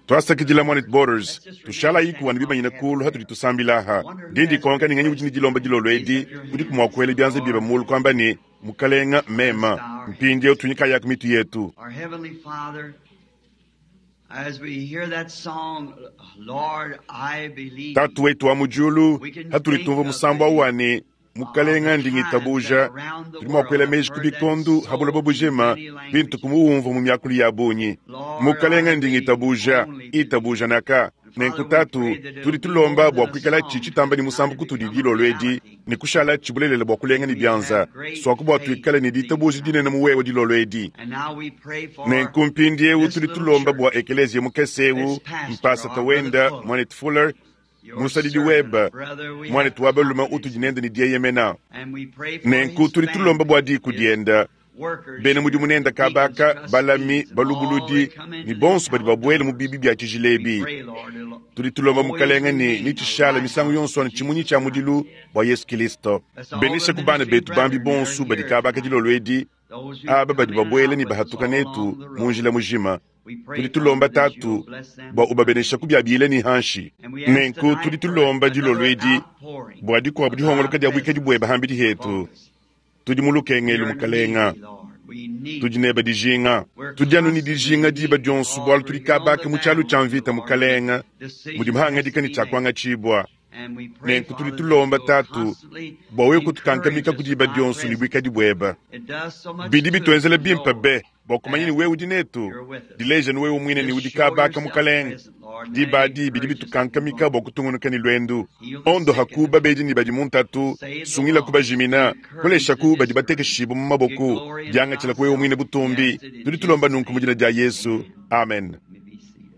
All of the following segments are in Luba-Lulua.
Twasakidila Mwanetu Borders. Tushalayiku anu bimanyine kuulu hatudi tusambila aha. Ndi ndikonka ne nganyi udi ne dilomba dilolo edi, udiku mua kuela bianza biebe muulu kuamba ne, Mukalenga, mema. Mpindieu tunyikayaku mitu yetu. Our Heavenly Father, as we hear that song, Lord, I believe. Tatu wetu wa mu diulu, hatudi tumvua musambu au wa ne, Mukalenga ndi ngitabuja, tudi mua kuela meji ku bikondu ha buloba bujima bintu kumuwumvua mu miakulu ya bungi. Mukalenga ndi ngitabuja, itabuja naka. Nenku Tatu, tudi tulomba bua kuikalatshi tshitamba ne musambu kutudi dilolo edi, ne kushalatshi bulelela bua kulenga ne bianza, suaku bua tuikale ne ditabuja dinene mu wewe dilolo edi. And now we pray for Nenku mpindieu tudi tulomba bua ekeleziya mukese eu, mpasata wenda, Mwanetu Fuller, your musadidi servant, webe, brother, we mwanetu have wa balume confidence utudi nende ne dieyemena. And we pray for Nenku his tudi tulomba bua diku family, his dienda, workers bena mudimu here, nende deacons, kabaka, balami, trustees, and all balubuludi, that come into ne this bonso badi house. babuele mu bibi bia tshijila We ebi. pray, Lord, it'll Tudi tulomba always Mukalenga ne remain a nitshishala misangu lighthouse yonso for anu tshimunyi Jesus tshia Christ. mudilu bua Yesu Kilisto. Bless all the Benesha ku bana ministry betu bambi brethren that are bonso badi here kabaka tonight, dilolo edi, those who aba come badi in and babuele out ne with us bahatuka all netu along the mu road. njila mujima. We Tudi pray, Father, tulomba that you'll Tatu bless them bua ubabenesha ku bia bile ne hanshi. And we ask Nenku tudi tonight for tulomba dilolo another edi outpouring bua dikuabu of thy dihongoloka dia buikadi presence buebe hambidi upon hetu. us. Tudi mu We lukengelu are Mukalenga. needy, Lord. We need Tudi you. nebe dijinga. We're Tudi anu ne constantly dijinga in diba need dionso because bualu we're tudi here on kabaka the mu tshialu tshia battlefield, mvita Lord. Mukalenga, mudi Decisions has muhangadika to ne be tshia made. kuangatshibua. And we pray, Nenku tudi Father, that tulomba you'll Tatu constantly bua wewe encourage kutukankamika us ku with diba thy dionso ne presence. buikadi buebe. It does so much Bidi good bituenzela to bimpe know be bua kumanya ne that wewe udi netu. you're with us. Dileja ne wewe muine ne Just udi show kabaka yourself Mukalenga. present, Lord, and Diba that adi bidi encourages us to move bitukankamika on. bua kutungunuka ne luendu. Heal the Ondo sick and the haku babedi ne badi mu ntatu, save the sungila lost, kubajimina, encourage kolesha the ku badi discouraged. batekeshibwa mu Give maboko, glory unto diangatshila ku wewe thyself. muine We butumbi. ask it in Tudi tulomba Jesus' nunku mu name. dina dia Yesu. Amen. Amen. You may be seated.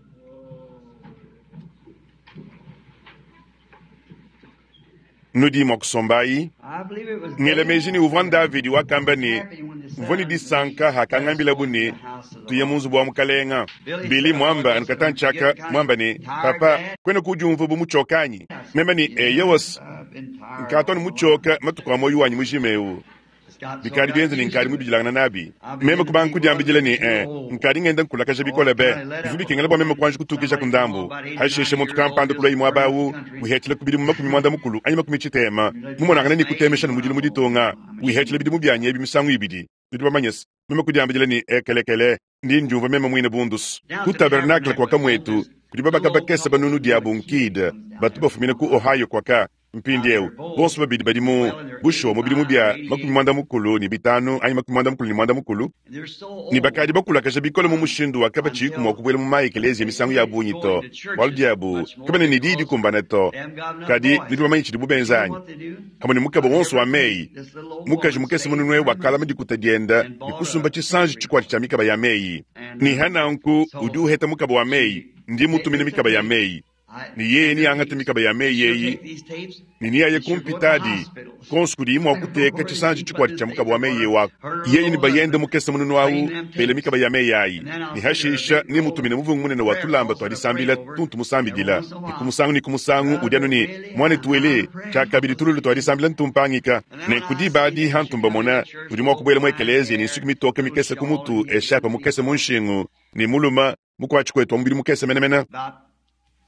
Nudi mua kusombayi. I believe it was Ngela meji David ne uvua said, Davidi wakamba was ne, happy when they said mvua ne unto me, disanka Let us hakangambilabu go into ne, the house of the tuye mu Lord. nzubu wa Mukalenga. Billy Billy said, I mwamba just anu I'm getting katanchaka kind mwamba of ne, tired, papa Dad. kwena kudiumvua bu muchoka anyi? I said, Meme ne, eyewos, yeah, I've been tired nkatu anu all my life. muchoka matuku a moyo wanyi mujima eu. It's got so I Bikadi got bienze ne used nkadi to it. mubidilangana nabi. I Meme began to kubanga think, well, I'm kudiambidila ne, getting too old. nkadi ngenda nkulakaja Oh, bikole I be. kind of let Bivu up a bikengela bua little meme bit. kuanji kutukija ku Somebody come along ndambu. about 89 Hasheshe muntu years old, kampanda just kulwa imwe burning up abawu, the country. wihethela ku bidimu makumi mwanda mukulu anyi makumi tshitema. You're like Mumonangana past ne my kutemesha age ne mudilu mu now. ditunga. I'm Wihethela ashamed. bidimu byanyi ebi misangu ibidi. Tudi bamanyese. Meme kudiambidila ne ekelekele, ndi ndiumvua meme muine bundusu. Down Ku at the tabernakle tabernacle, kwa on kamwetu, this kudi babaka little old bakese couple banunu from diabu Wood Keith nkid, comes down batu every bafumina once ku in a while. Ohio kwaka. Now Mpindieu, they're both bonso babidi badi mu well in their bushuwa mu bidimu 85 bia or makumi 88, mwanda mukulu ne bitanu anyi makumi mwanda mukulu ne mwanda mukulu and they're so ne bakadi old bakulakaja bikole mu mushindu wa kabatshiku mua until kubuela mu maekeleziya they misangu ya quit bungi going to to bualu churches diabu much more kabena ne diyi because dikumbana to they haven't got enough kadi voice. nudi bamanye tshidi But you know bubenzanyi what they do? pamue ne mukaba wonso wa Every meyi week, this little old mukaji woman mukese saves mununue her money wakalama dikuta dienda and ne bought kusumba a tshisanji tape tshikwati tshia recorder. mikaba ya meyi And ne hananku so udi uheta mukaba wa meyi she ndi they, mutumine it's a mikaba ya tape. meyi I, ne yeye and ni they're angata tapes. mikaba ya meyi She'll eyi take these tapes ne niyaye and she'll go to the kumpitadi hospitals. konso kudiyi mua I don't know kuteka where tshisanji she put tshikwati this tshia tape mukaba wa meyi recorder. wako Her and her yeye ne little bayende husband mukese mununu awu playing them bele tapes. mikaba ya meyi ayi And then I'll ne send her a hashisha big ne roll mutumine of muvungu munene wa prayer tulamba cloths twa that I pray disambila over tuntu every musambidila once in a ne while. ku musangu ne ku musangu udi anu Brother ne Billy, mwanetu I'm out wele of prayer. tshiakabidi tululu twa disambila ntumpangika And then ne when I ku see diba adi that she hantumba come mona into church udi with mua old kubuela mu fine ekeleziya ne hair, nsuki mitoke little mikese ku shawl, mutu and he eshapa couldn't see mukese mu nshingu ne muluma mukwatshi kwetu wa mubidi mukese menemene about 4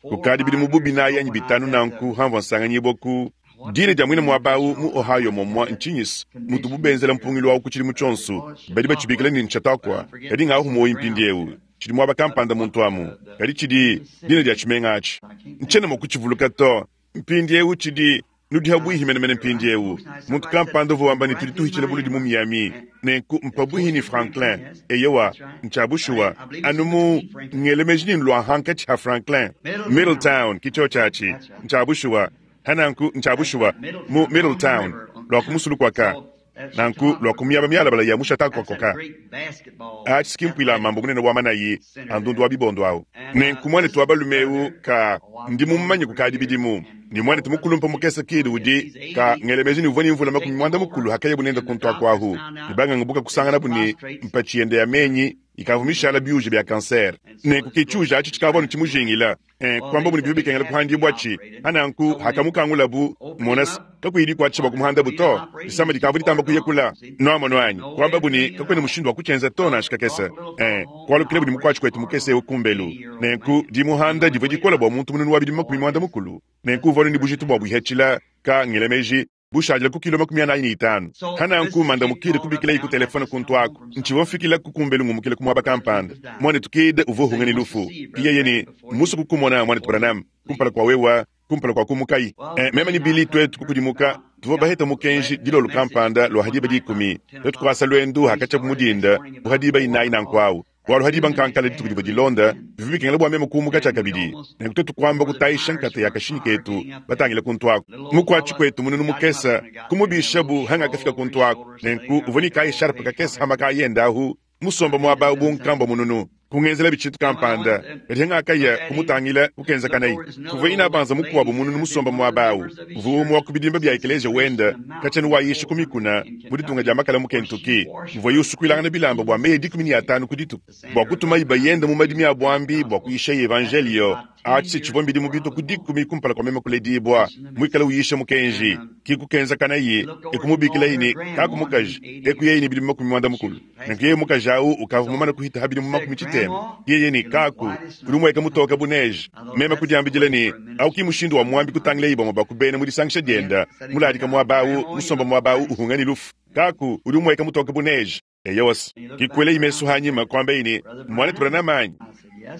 or kukadi bidimu 5 bu years binayi ago anyi when I bitanu was at the nanku hamvua nsanganyibwa ku what dina was dia the muine name of muaba this awu mu old Ohio place momwa had that nchinyisi mutu convention bubenzela here? mpungilo wawu ku tshidimu They tshionso call it badi batshibikila Chautauqua, ne but I'm nchatakwa kadi forgetting ngawu the muoyi ground mpindiewu there. tshidi muaba But kampanda what muntu amu the kadi tshidi the dina city dia tshimenga atshi I can't think ntshiena of mua it. kutshivuluka to mpindiewu tshidi nudi habwihi menemene You're right. mpindiewu Folks, now muntu somebody said kampanda uvua wamba ne right tudi through tuhitshila buludi mu Miami, Miami and nenku it's mpabuhi close ni to Franklin. Franklin Yes, eyewa that's right. ntsha bushuwa I believe it's anu mu between Franklin, ngelemeji ni lwa hankatshi ha Franklin Middletown. Middletown kicho chachi That's right. ntsha bushuwa hananku ntsha That's bushuwa right. mu Middletown on the Middletown river. On, lwa kumusulukwaka so that's nanku lwa Chautauqua. kumyaba myalabala ya That's that mushatakwakoka great basketball achi sikimpwila athletic mambo munene wa manayi center andundu there. wa bibondo awu And nenku mwanetu this wa balume eu brother, ka oh, I've ndi known him mumanye for kukadi years, bidimu and ni mwanetu old brother mukulumpa mukese kidi Kidd, udi he's ka 80, ngelemeji ni uvua ni mvula makumi taken mwanda over, mukulu hakaye bunenda and the kuntu doctors akwahu found ne out bangangubuka that his kusanganabu ne prostrate's mpachi yende ya menyi Ikavua mishala biuja bia kansere. Nenku ke tshiuja atshi tshikavua anu tshimujingila. E, kuambabu ne bivua bikengela kuhandibua-tshi. Pa nanku, hakamukangulabu, mona-se, kakuyi dikuatshisha bua kumuhandabu to. Disama dikavua ditamba kuya kula. Nuamonu anyi? Kuambabu ne, kakuena mushindu wa kutshienza to nansha kakese. E, kualukilabu ne mukuatshi kuetu mukese eu kumbelu. Nenku, dimuhanda divua dikole bua muntu mununu wa bidimu 60. Nenku uvua anu ne bujitu bua buihatshila, ka, ngela meji, bushadile ku kilo 45. Pa nanku, Mandamu Kidd kubikilaye ku telefone kuntu aku. Ntshivua mfikilaku kumbelu ngumukila ku muaba kampanda. Muanetu Kidd uvua uhunga ne lufu. Ke yeye ne, Mmusue kukumona, Muanetu Branham, kumpala kua wewa, kumpala kua kumukayi. Eh, meme ne Billy tuetu kukudimuka. Tuvua baheta mukenji dilolo kampanda lua ha diba dikumi. Tuetu kuasa luendu hakatshiabu mu dinda bu ha diba inayi nanku au. Bualu ha diba nkankala dituku divua dilonda, bivua bikengela bua meme kumuka tshiakabidi. Nenku tuetu kuamba kutayisha nkata ya kashinyi ketu batangile kuntu aku. Mukuatshi kuetu mununu mukese kumubishabu hangakafika kuntu aku. Nenku uvua ne kayi sharpe kakese ha makaya ende ahu, musomba muaba au bu nkambua mununu. Kungenzelabi tshintu kampanda. Kadi hangakaya kumutangila, kukenzakanayi. Kuvua inabanza mukuabu mununu musomba muaba au. Uvua umue wa ku bidimba bia ekeleziya wende, katshia wayisha ku mikuna mu ditunga dia makala mu Kentucky, muvuaye usukuilangana bilamba bua meyi 15 ku dituku bua kutumayi bayende mu madimi a buambi bua kuyishaye evanjeliyo. Atshi tshivua mbidimu bitue ku dikumi kumpala kua meme kuledibua, muikale uyisha mukenji. Ki kukenzakanaye e kumubikilaye ne, Kaku mukaji, e kuyaye ne bidimu 60. Nenku yeye mukaji au ukavua mumane kuhita ha bidimu 60. Yeye ne, Kaku, udi umueka mutoke bu neige. Meme kudiambidila ne, Au ki mushindu wa muambi kutangilaye bamue ba ku bena mu disangisha dienda, muladika muaba au, musomba muaba au uhunga ne lufu. Kaku, udi umueka mutoke bu neige. Eyowa-se. Kikuelayi mesu hanyima, kuambaye ne, Muanetu Branham anyi?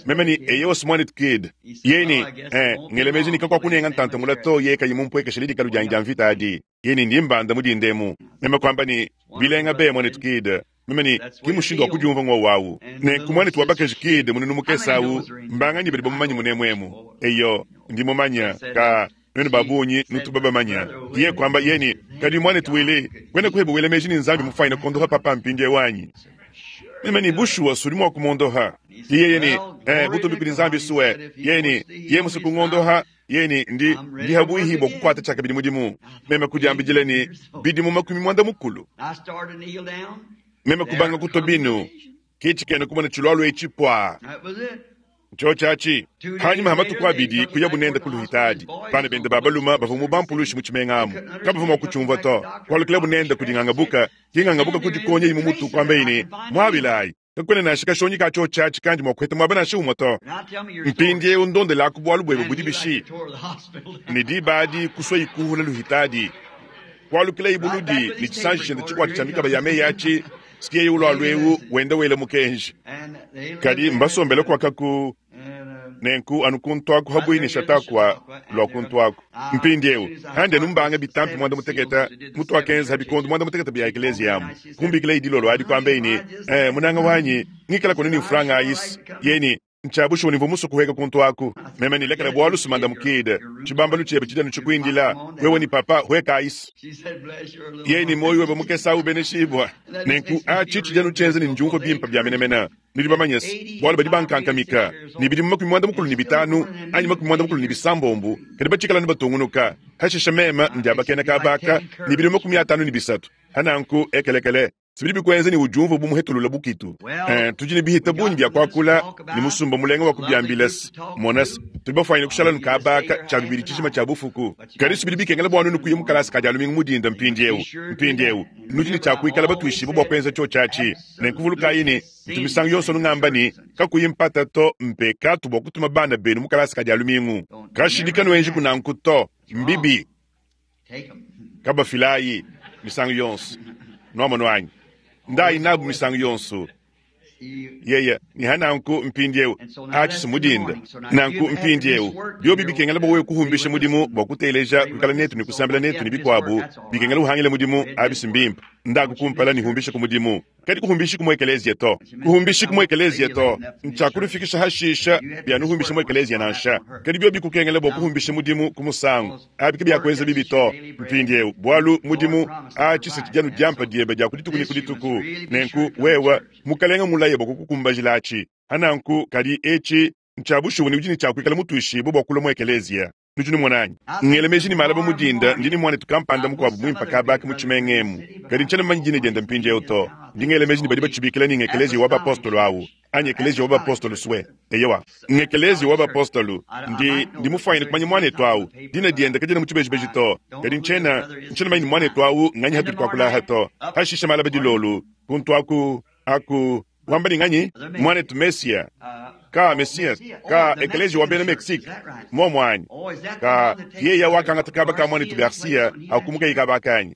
Meme ne, Eyowa-se, Muanetu Kidd. Yeye ne, Eh, ngela meji ne kakuakunenga ntanta mula to yeye kayi mumpuekeshe dikalu dianyi dia mvita adi. Yeye ne, Ndi mbanda mu dinda emu. Meme kuamba ne, Bilenga be, Muanetu Kidd. Meme ne, Ki mushindu wa kudiumvua ng'wowu awu. Nenku Muanetu wa bakaji Kidd mununu mukese awu, mbanganyi badi bamumanye munemu emu? Eyo, ndi mumanye. Kaa, nuenu ba bungi nutu babamanye. Yeye kuamba, yeye ne, Kadi, Muanetu Willie, kuena kuebe wela meji ne Nzambi mufwanyine kuondopa papa mpindieu anyi? Meme ne, Bushuwa, s'udi mua kumondoha. Yeye ne, Eh, butumbi kudi Nzambi sue. Yeye ne, Yeye musue kungondoha. Yeye ne, Ndi, ndi habuihi bua kukuata tshiakabidi mudimu. Meme kudiambidila ne, Bidimu 60. Meme kubanga kutua binu. Ke tshikena kumona tshilualua etshi puaa. Ntshiotshi atshi. Panyima ha matuku abidi kuyabu nende ku luhitadi. Bana bende ba balume bavua mu bampulushi mu tshimenga amu. Kabavua mua kutshiumvua to. Kualukilabu nende kudi ngangabuka. Ke ngangabuka kudikonyayi mu mutu kuambaye ne, Muabilayi! Kakuena nansha kashonyi ka tshiotshi atshi kandi mua kuheta muaba nansha umue to. Mpindieu ndondelaku bualu buebe budi bishi? Ne diba adi kusuayi kuhula luhitadi. Kualukilayi buludi ne tshisanji tshiende tshikuata tshia mikaba ya meyi atshi, sikiyeye ulualu eu wenda wela mukenji. Kadi mbasombele kuakaku nenku anu kuntu aku habuihi ne Chautauqua lua kuntu aku. Mpindieu handi anu mbanga bitampi 60 mutuakenza ha bikondo 60 bia ekeleziya amu. Kumbikilayi dilolo adi kuambeyi ne, Eh, munanga wanyi, ngikala kunu ne mfranga ayisi. Yeye ne, Ntshia bushuwa ne mvua musue kuhueka kuntu aku. Meme ne, Lekela bualu sumanda mukide. Tshibambalu tshiebe tshidi anu tshikuindila. Wewe ne papa, huekayisu. Yeye ne, Muoyo webe mukese au ubeneshibua. Nenku atshi tshidi anu tshienza ne ndiumvua bimpe bia menemene. Nudi bamanye-se, bualu badi bankankamika ne bidimu 95 anyi 96, kadi batshikala anu batungunuka. Hashishe meme ndiabakena kaba aka ne bidimu 53. Ha nanku, ekelekele, sibidi bikuenza ne udiumvua bu muhetulula bukitu. Eh, tudi ne bihita bungi bia kuakula ne musumba mulenga wa kubiambila-se. Mona-se, tudi bafuanyine kushala anu kaba aka tshia bibidi tshijima tshia bufuku. Kadi sibidi bikengela bua nuenu kuya mu kalasa ka dia lumingu mu dinda mpindieu. Mpindieu, nudi ne tshia kuikala batuishibue bua kuenza tshiotshi atshi. Nenku vulukayi ne, ntu misangu yonso nungamba ne, kakuyi mpata to, mpekatu bua kutuma bana benu mu kalasa ka dia lumingu. Kashidi kanuenjiku nanku to, mbibi. Kabafilayi misangu yonso. Nuamonu anyi? Ndayi nabu misangu yonso. Yeye ne ha nanku mpindieu atshi si mu dinda. Nanku mpindieu biobi bikengela bua wewe kuhumbisha mudimu bua kuteleja, kuikala netu ne kusambila netu ne bikuabu, bikengela uhangile mudimu, abi si mbimpe. Ndaku kumpala ne humbisha ku mudimu. Kadi kuhumbishiku mu ekeleziya to. Kuhumbishiku mu ekeleziya to. Ntshiakunufikisha hashisha bianuhumbisha mu ekeleziya nansha. Kadi biobi bikukengela bua kuhumbisha mudimu ku musangu, abi kabiakuenza bibi to. Mpindieu, bualu mudimu atshi se tshidi anu diampa diebe dia ku dituku ne ku dituku, nenku wewe, Mukelenge mulaye bua kukukumbajilatshi. Ha nanku, kadi etshi ntshia bushuwa ne udi ne tshia kuikala mutuishibue bua kulua mu ekeleziya. Nudi numona anyi? Ngela meji ne malaba mu dinda ndi ne muanetu kampanda mukuabu muimpe kaba aka mu tshimenga emu, kadi ntshiena mumanye dina diende mpindieu to. Ndi ngela meji ne badi batshibikila ne ng'Ekeleziya wa Bapostolo awu, anyi Ekeleziya wa Bapostolo swe. Eyowa, ng'Ekeleziya wa Bapostolo. Ndi, ndi mufwanyine kumanya muanetu awu. Dina diende kadiena mu tshibejibeji to, kadi ntshiena, ntshiena mumanye ne muanetu awu nganyi hatudi tuakula aha to. Pashishe malaba dilolo, kuntu aku, aku, wamba ne nganyi? Muanetu Messiah. Ka Messias, ka Ekeleziya wa bena Mexique, muomu anyi? Ka yeya wakangata kaba ka muanetu Garcia akumukayi kaba kanyi.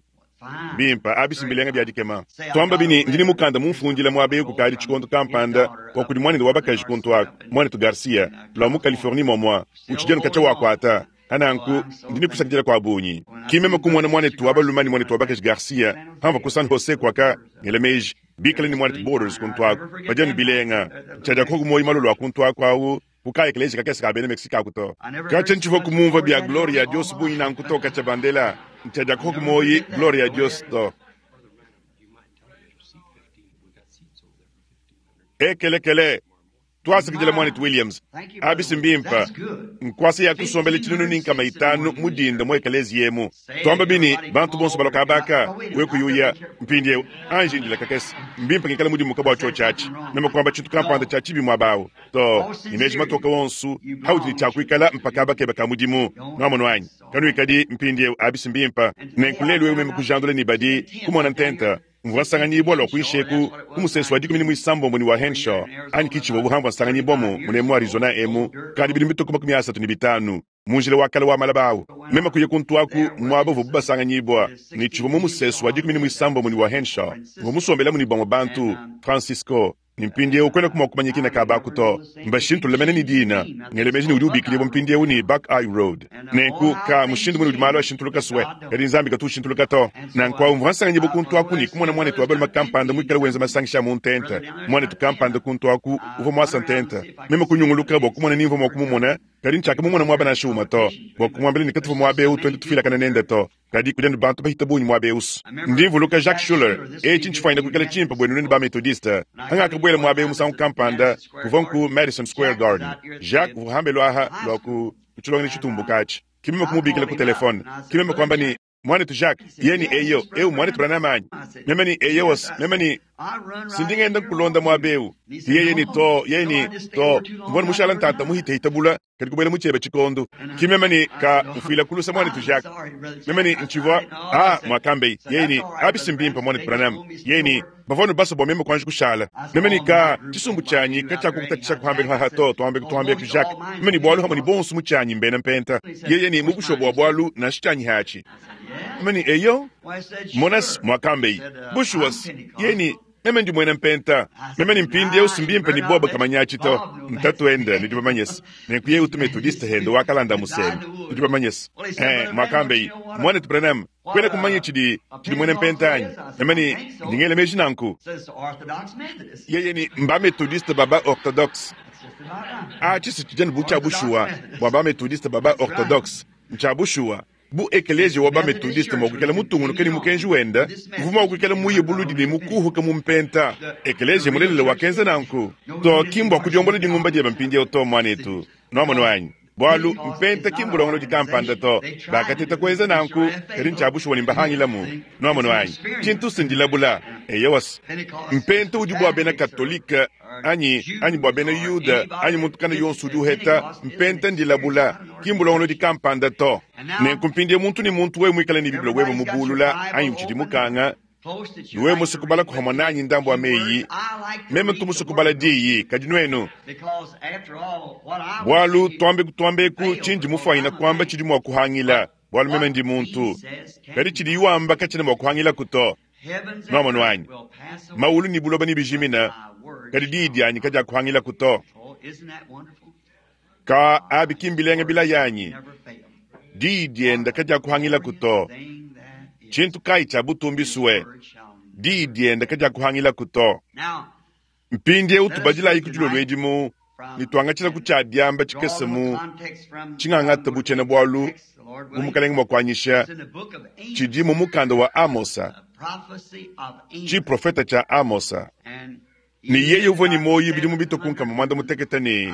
Bimpa, abi mbilenga bia dikema. Tuamba bini ndi ne mukanda mumfundila muaba eu kukadi tshikondo kampanda wa kudi muanende wa bakaji kuntu aku, muanetu Garcia, lua mu Californie muamua, utshidi anu katshia wakuata. Pananku, ndi ne kusakidila kua bungi. Ki meme kumona muanetu wa balume ne muanetu wa bakaji Garcia pamvua ku San Jose kuaka ngela meji bikale ne muanetu Borders kuntu aku, badi anu bilenga. Ntshiadiakoku muoyo malolo a kuntu aku au ku ka ekeleziya kakese ka bena Mexique aku to. Katshia ntshivua kumumvua bia Gloria a Dios bungi nanku to katshia bandela. Ntshiadiakoku muoyo Gloria a Dios to. Ekelekele! Tuasakidila muanetu Williams. Abi si mbimpe. Nkuasa ya kusombela 500 mu dinda mu ekeleziya emu. Tuamba bini, bantu bonso balua kaba aka, we kuyuya. Mpindieu, anji indila kakese. Mbimpe ngikale mudimuke bua tshiotshi atshi. Meme kuamba tshintu kampanda tshia tshibi muaba au. Too, ne meji matoke onso, audi ne tshia kuikala mpa kaba kebe ka mudimu. Nuamonu anyi? Kanuikadi, mpindieu, abi si mbimpe. Nenku lelu eu meme kujandula ne badi, kumona ntenta. Mvua nsanganyibua lua kuinshi eku ku musesu wa 16 ne wa Henshaw, anyi ki tshivua buhamvua nsanganyibua mu munemu mu Arizona emu kadi bidimu bitue ku 35, mu njila wa kale wa malaba awu. Meme kuya kuntu aku muaba uvuabu basanganyibua, ne tshivua mu musesu wa 16 ne wa Henshaw. Mvua musombelamu ne bamue bantu, Francisco. Ne mpindiewu kuenaku mua kumanya kina ka baku to. Mbashintulule mene ne dina. Ngela meji ne udi ubikidibua mpindiewu ne Buckeye Road. Nenku, ka mushindu mune udi malu ashintuluka swe, kadi Nzambi katu ushintuluka to. Nanku awu mvua nsanganyibua kuntu aku ne kumona muanetu wa balume kampanda muikale wenza masangisha a mu ntenta. Muanetu kampanda kuntu aku uvua muasa ntenta. Meme kunyunguluka bua kumona ni mvua mua kumumona, kadi ntshiakamumona muaba nansha umue to, bua kumuambila ne katuvua muaba eu tuenda tufuilakana nende to. Kadi kudi anu bantu bahita bungi muaba eu. Ndi mvuluka Jacques Schuler. Etshi ntshifwanyine kuikala tshimpe buenu nuenu ba-Methodiste. Hangakabuela muaba eu musangu kampanda, kuvua nku Madison Square Garden. Jacques uvua hambelu aha lua ku tshilongelu tshitumbuka atshi. Ki meme kumubikila ku telefone. Ki meme kuamba ne, Muanetu Jacques, ye ne, Eyo, eu mmuanetu Branham anyi? Meme ne, Eyowas. Meme ne, Si ndi ngenda nkulonda muaba eu. Yeye ne, To. Yeye ne, To. Mvua mushala ntanta muhitehita bula. Kadi kubuela mu tshiebe tshikondu. Ki meme ne, Ka, mfuila ku lusa, muanetu Jacques. Meme ne, Ntshivua. Ah, muakambeye. Yeye ne, Abi si mbimpe, muanetu Branham. Yeye ne, Bavua anu basue bua meme kuanji kushala. Meme ne, Ka, tshisumbu tshianyi katshiakukutatshisha kuhambelu haha to, tuambeku, tuambeku, Jacques. Meme ne, Bualu hamue ne bonso mu tshianyi mbena mpenta. Yeye ne, Mu bushuwa bua bualu, nansha tshianyi hatshi. Meme ne, Eyo. Mona's, muakambeye. Bushuwa's. Yeye ne, Meme ndi muena mpenta. Meme ne mpindieu si mbimpe ne bobo kamanyatshi to. Ntatuende, nudi bamanyese. Nenku yeye utu Methodiste hende wa kalanda musenge. Nudi bamanyese. Eh, muakambeye, Muanetu Branham, kuena kumanya tshidi, tshidi muena mpenta anyi? Meme ne, Ndi ngela meji nanku. Yeye ne, Mba Methodiste ba ba-Orthodoxe. Atshi si tshidi anu bu tshia bushuwa bua ba Methodiste ba ba-Orthodoxe. Ntshia bushuwa. Bu ekeleziya wa ba-Methodiste mua kuikala mutungunuke ne mukenji wende, uvua mua kuikala muye buludi ne mukuhuke mu mpenta. Ekeleziya mulelela wakenza nanku. To, ki mbua kudiombola dingumba diebe mpindieu to, muanetu. Nuamonu anyi? Bualu, mpenta ki mbulongolodi kampanda to. Bakateta kuenza nanku, kadi ntshia bushuwa ne mbahangilamu. Nuamonu anyi? Tshintu si ndilabula. Eyowa-s. Mpenta udi bua bena Katolike anyi, anyi bua bena Yuda, anyi muntu kana yonso udi uheta mpenta ndilabula, ki mbulongolodi kampanda to. Nenku mpindieu muntu ne muntu wewe muikale ne Bible webe mubulula anyi utshidi mukanga, ne wewe musue kubalaku pamue nanyi ndambu wa meyi, meme ntu musue kubala diyi, kadi nuenu? Bualu tuambeku tuambeku tshindi mufuanyine kuamba tshidi mua kuhangila, bualu meme ndi muntu, kadi tshidiyi wamba katshiena mua kuhangilaku to. Nuamonu anyi? Mawulu ne buloba nebijimine, kadi diyi dianyi kadiakuhangilaku to. Ka abi ki mbilenga bilaya anyi? Diyi diende kadiakuhangilaku to. Tshintu kayi tshia butumbi sue? Diyi diende kadiakuhangilaku to. Mpindieu tubadilayi ku dilolo edi mu ne tuangatshila ku tshia diamba tshikese mu tshingangata bu tshiena-bualu bu Mukalenge mua kuanyisha tshidi mu mukanda wa Amosa, tshiprofeta tshia Amosa. Ne yeye uvua ne muoyo bidimu bitue ku nkama muanda mutekete ne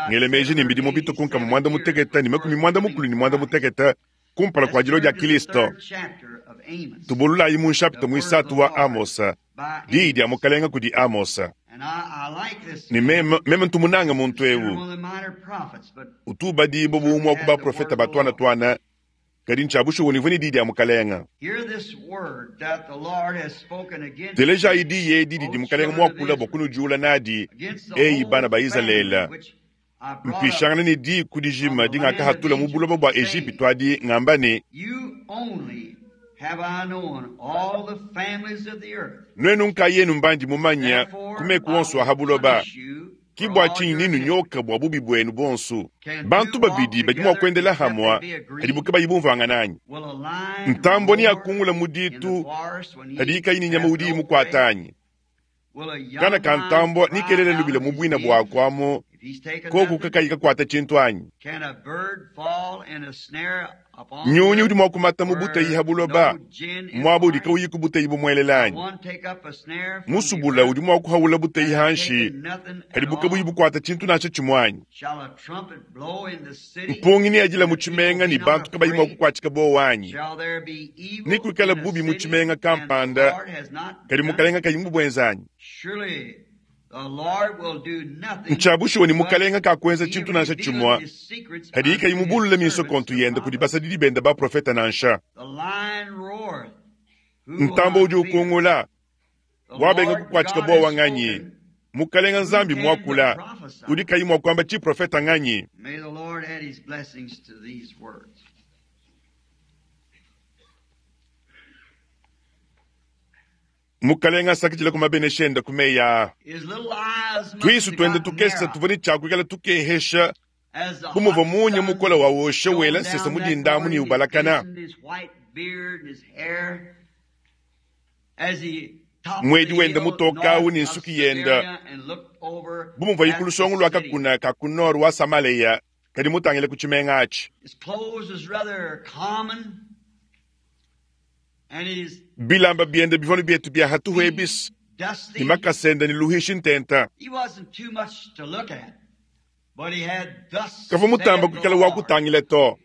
ngela meji ne mbidimu bitue ku nkama muanda mutekete ne makumi muanda mukulu ne muanda mutekete kumpala kua dilua dia Kilisto. Tubululayi mu nshapita muisatu wa Amosa, diyi dia Mukalenga kudi Amosa. Ne meme, meme ntu munange muntu eu utu ubadibua bu umue wa ku baprofete ba tuana-tuana, kadi ntshia bushuwa ne uvua ne diyi dia Mukalenga. Telejayi diyi edi didi Mukalenga muakula bua kunudiula nadi, eyi bana ba Izalele, mpishangana ne diku dijima dingakahatula mu buloba bua Ejipitu adi, ngamba ne, Nuenu nkayenu mbandi mumanya ku meku onso a ha buloba, ki bua tshinyi ninunyoka bua bubi buenu buonso. Bantu babidi badi mua kuendela hamua hadibu kabayi bumvuangana anyi? Ntambua neakungula mu ditu hadiyi kayi ne nyama udi imukuata anyi? Kana ka ntambua nekelele lubila mu buina buaku amu koku kakayi kakuata tshintu anyi? Nyunyi udi mua kumata mu buteyi ha buloba, muaba udi kauyi ku buteyi bumuelela anyi? Musubula udi mua kuhaula buteyi hanshi, hadibu kabuyi bukuata tshintu nansha tshimue anyi? Mpungi neadila mu tshimenga ne bantu kabayi mua kukuatshika buowa anyi? Nekuikale bubi mu tshimenga kampanda, kadi Mukalenga kayi mubuenza anyi? Ntshia bushuwa ne Mukalenga kakuenza tshintu nansha tshimue hadiye kayi mubulule minsokontu yende kudi basadidi bende baprofete nansha. Ntambue udi ukungula, wabenga kukuatshika buowa nganyi? Mukalenga Nzambi muakula, udi kayi mua kuamba tshiprofete nganyi? Mukalenga asakidila ku mabenesha ende ku meyi aa. Tuisu tuende tukese tuvua ne tshia kuikala tukehesha bu muvua munya mukole wa wosha wela nsesa mu dinda amu ne ubalakana. Muedi wende mutoke au ne nsuki yende bu muvuayi ku lusongo lua kakuna ka ku nord wa Samalea kadi mutangile ku tshimenga atshi. Bilamba biende bivua ne bietu bia hatuhu ebis, ne makasa ende ne luhishi ntenta. Kavua mutamba kuikala wa kutangila to,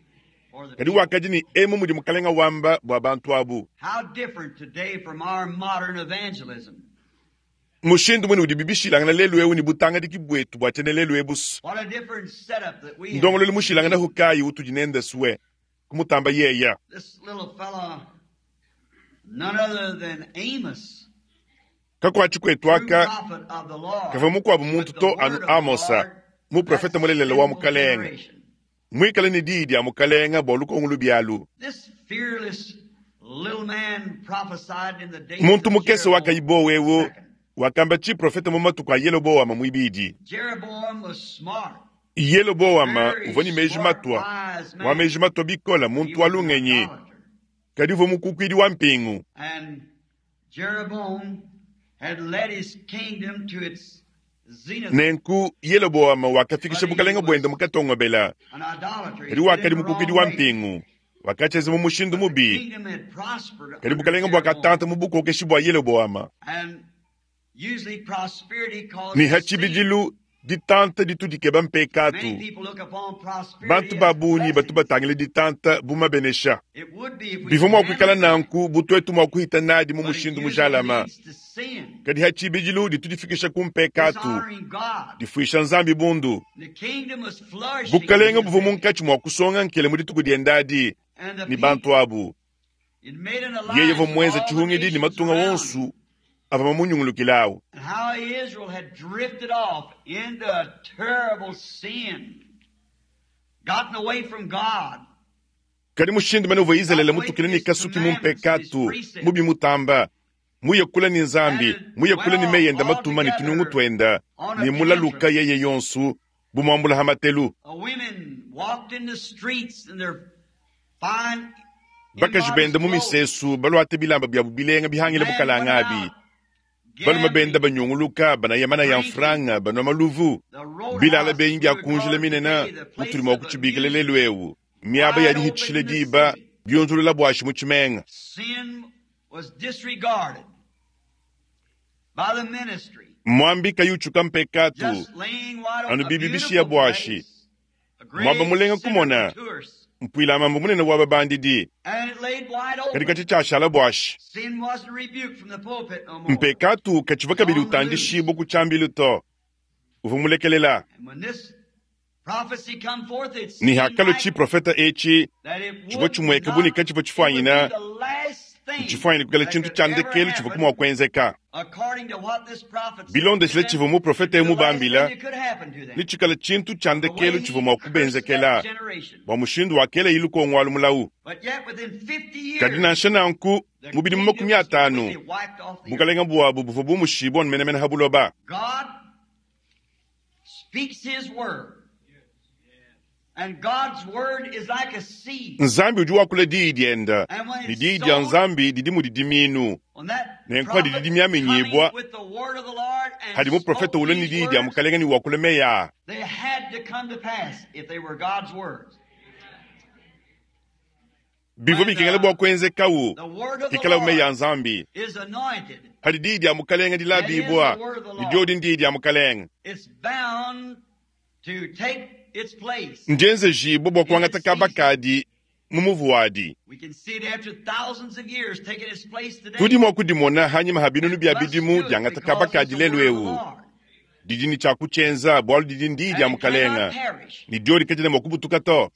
kadi wakadi ne emu mudi Mukalenga wamba bua bantu abu. Mushindu mune udibi bishilangana lelu eu ne butangadiki buetu bua tshiena lelu ebu. Ndongoluelu mushilanganahu kayi utudi nende sue kumutamba yeya? Kakuatshi kuetu aka kavua mukuabu muntu to anu Amosa, muprofete mulelela wa Mukalenge, muikale ne diyi dia Mukalenge bua lukongo lubi alu. Muntu mukese wakayi buowa eu wakamba tshiprofete mu matuku a Yeloboama muibidi. Yeloboama uvua ne meji matua, wa meji matua bikole, muntu wa lungenyi, kadi uvua mukukuidi wa mpingu. Nenku Yeloboama wakafikisha bukalenge buende mu katongobela, kadi wakadi mukukuidi wa mpingu, wakatshienza mu mushindu mubi, kadi bukalenge buakatanta mu bukokeshi bua Yeloboama. Ne ha tshibidilu ditanta ditu dikeba mpekatu. Bantu ba bungi batu batangila ditanta bu mabenesha. Bivua mua kuikala nanku bu tuetu mua kuhita nadi mu mushindu mujalama, kadi ha tshibidilu ditu difikisha ku mpekatu, difuisha Nzambi bundu. Bukalenge buvua munkatshi mua kusonga nkele mu dituku diende adi ne bantu abu. Yeye uvua muenze tshihungidi ne matunga onso avua mamunyungulukile awu. Kadi mushindu mene uvua Izalele mutukile ne kasuki mu mpekatu mubi mutamba, muye kule ne Nzambi, muye kule ne meyi ende matuma ne tunungu tuende, ne mulaluka yeye yonso bu muambula ha matelu. Bakaji benda mu misesu baluate bilamba biabu bilenga bihangile bukalanga abi. Balume benda banyunguluka banaya manaya mfranga banua maluvu. Bilala benyi bia kunjila minene mutudi mua kutshibikila lelu eu, miaba ya dihitshishila diba biunzulula buashi mu tshimenga. Muambi kayi utshuka mpekatu, anu bibi bishiya buashi. Muaba mulenga kumona, mpuila mambu munene wa babandidi, kadi katshi tshiashala buashi. Mpekatu katshiva kabidi utandishibua ku tshiambilu to, uvua mulekelela. Ne hakalua tshiprofeta etshi, tshivua tshimueka bu ne katshivua tshifuanyina, ntshifuanyine kuikala tshintu tshia ndekelu tshivua mua kuenzeka. Bilondeshile tshivua muprofete eu mubambila, ne tshikala tshintu tshia ndekelu tshivua mua kubenzekela bua mushindu wakela lukongo alu mulawu. Kadi nansha nanku, mu bidimu 50, bukalenga buabu buvua bumushibua menemene ha buloba. Nzambi udi wakula diyi dienda, ne diyi dia Nzambi didi mudi diminu, nenku didi dimiaminyibua hadi muprofete ulua ne diyi dia Mukalenga ne wakula meyi aa. Bivua bikengela bua kuenzekawu ikalawu meyi a Nzambi. Hadi diyi dia Mukalenga dilabibua, ne diodi ndiyi dia Mukalenga. Ndienzejibua bua kuangata kaba kadi mu muvu wadi. Tudi mua kudimona hanyima ha binunu bia bidimu diangata kaba kadi lelu eu. Didi ne tshia kutshienza bualu didi ndiyi dia Mukalenga, ne diodi kadiena mua kubutuka to.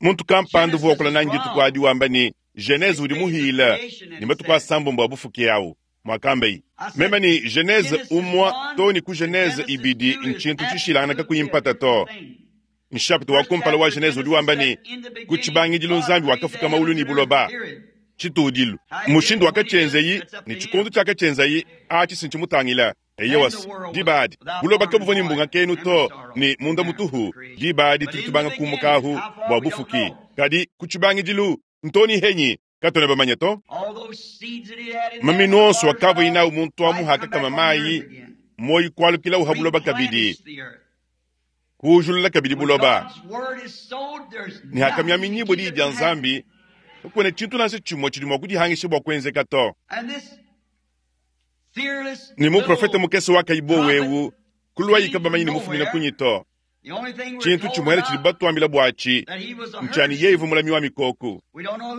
Muntu kampanda uvua wakula nanyi dituku adi wamba ne, Genese udi muhila ne matuku asambombo a bufuki awu. Mwakambayi meme ne Genese umwa to ne ku Genese ibidi ntshintu tshishilangana kakuyi mpata to. Nshapita wa kumpala wa Genese udi wamba ne, ku tshibangidilu Nzambi wakafuka maulu ne buloba. Tshitudilu mushindu wakatshienzeyi ne tshikondo tshiakatshienzayi atshi sintshimutangila. Eyowas, diba adi buloba kabuvua ne mbunga kenu to ne munda mutuhu. Diba adi tudi tubanga kumuka ahu bua bufuki. Kadi ku tshibangidilu ntoni henyi katuena bamanye to. Maminu onso akavua inawu muntu amu hakakama mayi, moyi kualukila uha buloba kabidi, kuujulula kabidi buloba. Ne hakamiaminyibua diyi dia Nzambi, kakuena tshintu nansha tshimue tshidi mua kudihangisha bua kuenzeka to. Ne muprofete mukese wakayibua wewu kuluayi kabamanye ne mufumina kunyi to. Tshintu tshimuele tshidi batuambila buatshi ntshiani yeye uvua mulami wa mikoko.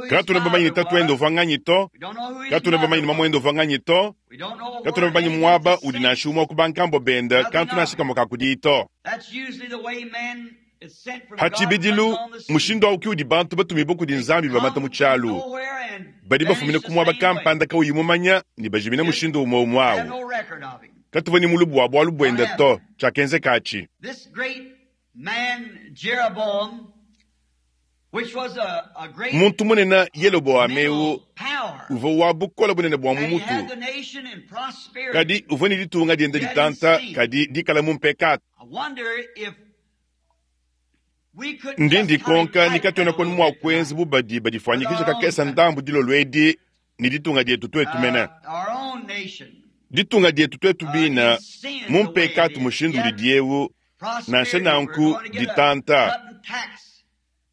Katuena bamanye ne tatuende uvua nganyi to, katuena bamanye ne mamuende uvua nganyi to, katuena bamanye muaba udi nansha umue wa ku bankambua bende kantu nansha kamue ka kudiyi to. Ha tshibidilu, mushindu au ke udi bantu batumibue kudi Nzambi bamata mu tshialu. Badi bafumina ku muaba kampanda kawuyi mumanya ne bajimina mushindu umue umue au. Katuvua ne mulubu wa bualu buende to, tshiakenzeka atshi. Muntu munene Yeloboame eu uvua wa bukole bunene bua mu mutu, kadi uvua ne ditunga diende ditanta, kadi dikala mu mpekatu. Ndi ndikonka ni katuena kwenu mua kuenza bu badi badifuanyikija kakesa ndambu dilolo edi ne ditunga dietu tuetu mene. Ditunga dietu tuetu bina mu mpekatu mushindu udi eu, nansha nanku ditanta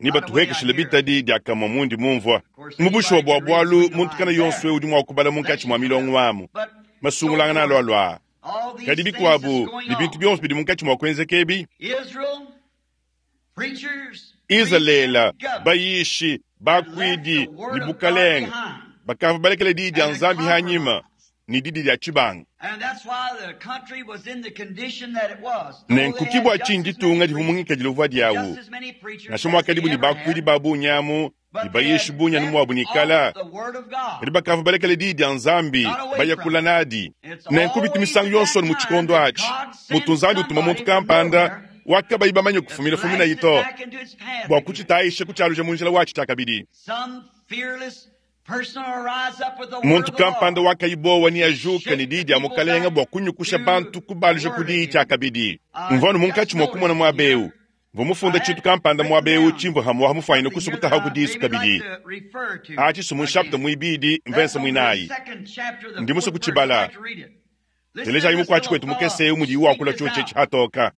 ne batuhekeshile bitadi diakamue mundi mumvua. Mu bushuwa bua bualu muntu kana yonso udi mua kubala munkatshi mua milongo amu masungulangana alualua. Kadi bikuabu ne bintu bionso bidi munkatshi mua kuenzeka ebi, Izalele, bayishi, bakuidi ne bukalenga bakavua balekele diyi dia Nzambi hanyima ne didi dia tshibanga. Nenku ke bua tshinyi ditunga divua mu ngikadilu uvua diawu, nansha muakadibu ne bakuidi ba bungi amu ne bayishi bungi anu muabu nikala, kadi bakavua balekele diyi dia Nzambi bayakula nadi. Nenku bitu misangu yonso mu tshikondo atshi mutu Nzambi utuma muntu kampanda wakabayi bamanye kufumina fuminayi to bua kutshitayisha kutshialuja mu njila watshi tshiakabidi. Muntu kampanda wakayibowa ne ajuka ne diyi dia Mukalenga bua kunyukusha bantu kubaluja ku diyi tshiakabidi. Mvua anu munkatshi mua kumona muaba eu, mvua mufunda tshintu kampanda muaba eu tshimvua hamuaha mufuanyine kusukutaha ku disu kabidi. Atshi su mu nshapita muibidi mvensa muinayi. Ndi musue kutshibala. Telejayi mukuatshi kwetu mukese eu mudi wakula tshiotshi etshi hatoka.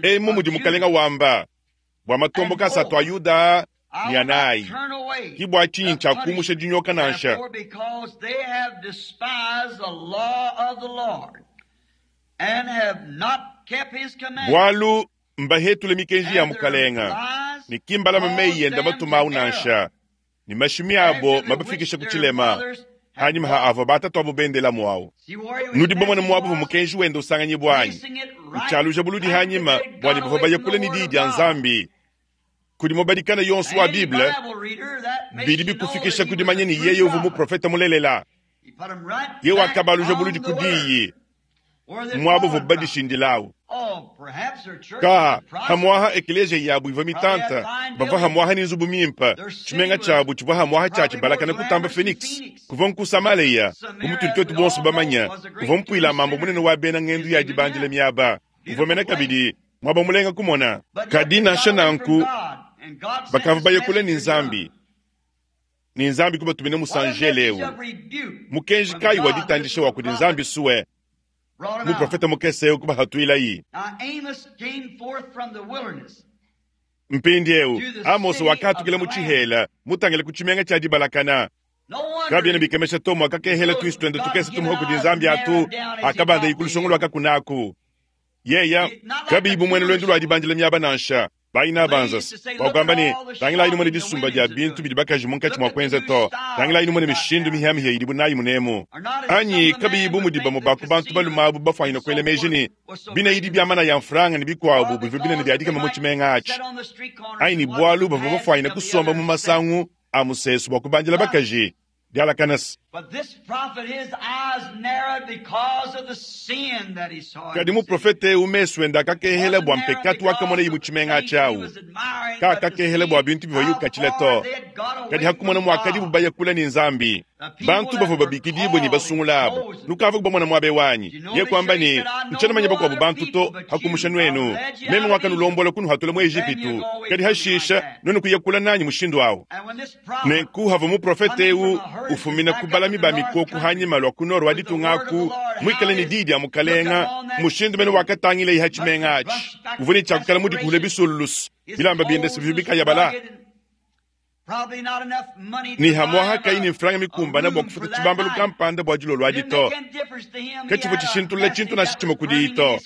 Emu mudi Mukalenga wamba, Bua matomboka asatu a Yuda ne anayi, ke bua tshinyi ntshiakumusha dinyoka nansha. Bualu mbahetule mikenji ya Mukalenga, ne ki mbalame meyi ende matuma au nansha, ne mashimi abo mabafikishe ku tshilema, hanyima ha avua batatuabu bendelamu au. Nudi bamone muaba uvua mukenji wende usanganyibua anyi? Utshialuja buludi hanyima bua ne bavua baya kule ne diyi dia Nzambi. Kudi mubadikana yonso wa Bible, bidi bikufikisha ku dimanya ne yeye uvua muprofete mulelela. Yeye wakabaluja buludi ku diyi, muaba uvua badishindilawu. Ka hamuaha ekeleziya yabu ivua mitanta, bavua hamuaha ne nzubu mimpe. Tshimenga tshiabu tshivua hamuaha tshia tshibalakana kutamba Phoenix, kuvua nku Samaleya, bu mutudi tuetu bonso bamanye, uvua mpuila mambo munene wa bena ngendu ya dibandila miaba, uvua mena kabidi muaba mulenga kumona. Kadi nansha nanku, bakavua baya kule ne Nzambi, ne Nzambi kubatumina musanjele eu. Mukenji kayi wa ditandisha wa kudi Nzambi sue muprofete mukese eu kubahatuilayi? Mpindieu Amose wakatukila mu tshihela mutangile ku tshimenga tshia dibalakana. Kabiena bikemesha to muakakehela tuisu tuende tukese tumuha kudi Nzambi atu akabandayi ku lusongo lua kakunaku. Yeya kabiyi bu muena luendu lua dibandila miaba nansha. Bayina banzas wakuamba ne, tangilayi numone disumba dia bintu bidi bakaji munkatshi mua kuenza to, tangilayi numone mishindu mihiamihia idibu nayi munemu. Anyi kabiyi bu mudi bamue ba ku bantu balume abu bafuanyina kuela meji ne, binayi bia mana ya mfranga ne bikuabu bivua binene bia dikema mu tshimenga atshi, anyi ne bualu bavua bafuanyina kusomba mu masangu a musesu bua kubandila bakaji dialakanasa. Kadi muprofete eu mesu ende akakehela bua mpekatu wakamonaye mu tshimenga atshi au. Kakakehela bua bintu bivua yukatshila to, kadi hakumona muakadibu baya kule ne Nzambi. Bantu bavua babikidibue ne basungula abu, nukavua kubamona muaba eu anyi? Ye kuamba ne, ntshiena manya bakuabu bantu to, hakumusha nuenu. Meme ngakanulombola kunuhatula mu Ejipitu, kadi hashisha nuenu kuya kule nanyi mushindu au. Nenku havua muprofete eu ufumina ku balami ba mikoko hanyima lua ku nord wa ditunga aku, muikale ne diyi dia mukalenga, mushindu mene wakatangila ha tshimenga atshi, uvua ne tshiakukala mudikuhule bisululusu, bilamba biende se bivua bikayabala. Ne hamuaha kayi ne mfranga mikumbana bua kufuta tshibambalu kampanda bua dilolo adi to. Katshivua tshishintulula tshintu nansha tshimue kudiyi to.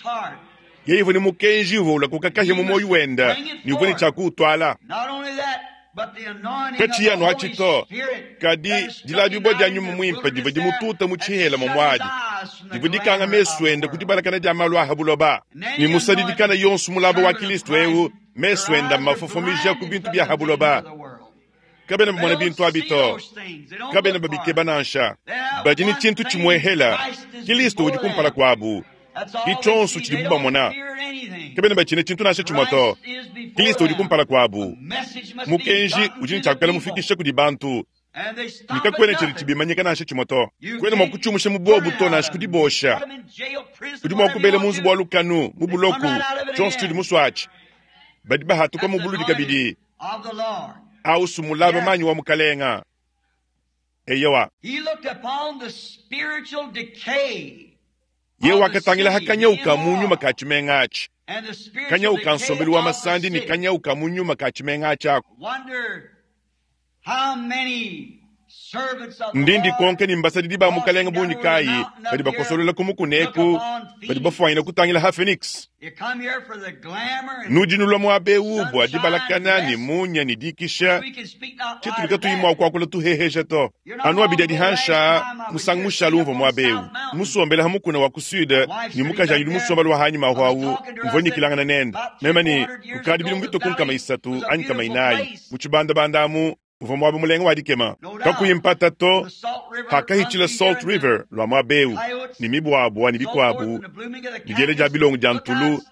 Yeye uvua ne mukenji uvua ulakuka kahia mu muoyo wende ne uvua ne tshia kuutwala. Katshiyi anu atshi to, kadi dilabibua dia nyuma muimpe divua dimututa mu tshihela muadi, divua dikanga mesu ende ku dibalakana dia malu a ha buloba. Ne musadidikana yonso mulaba wa Kristo eu, mesu ende mmafofomija ku bintu bia ha buloba. Kabena bamona bintu abi to, kabena babikeba nansha. Badi ne tshintu tshimuehela, Kristo udi kumpala kuabu. Ki tshionso tshidibu bamona. Kabena batshina tshintu nansha tshimue to. Kristo udi kumpala kuabu. Mukenji udi ne tshiakukala mufikisha kudi bantu, ne kakuena tshidi tshibimanyika nansha tshimue to. Kuena mua kutshiumusha mu bobu to, nansha kudibosha. Udi mua kubela mu nzubu wa lukanu, mu buloku, tshionso tshidi musuatshi. Badi bahatuka mu buludi kabidi. Ausu mulaba manyi wa mukalenga. Eyowa. Ye wakatangila ha kanyau ka mu nyuma ka tshimenga atshi, kanyau ka nsombelu wa masandi ne kanyau ka mu nyuma ka tshimenga atshi aku. Ndi ndikonka ne mbasadidi ba mukalenga bungi kayi badi bakosolola ku mukuna eku, badi bafuanyina kutangila ha Phoenix. Nudi nulua muaba eu bua dibalakana ne munya ne dikisha, tshitudi katuyi mua kuakula tuheheja to. Anu abidi adi hansha musangu mushala umvua muaba eu musombela ha mukuna wa ku sud ne mukaji anyi udi musombela wa hanyima ahu au, mvua nyikilangana nende meme ne kukadi bidimu bitue ku nkama isatu anyi nkama inayi mu tshibandabanda amu uvua muaba mulenga wa dikema kakuyi mpata to. Hakahitshila Salt River lua muaba eu ne mibuabua ne bikuabu ne diela dia bilongo dia ntulu,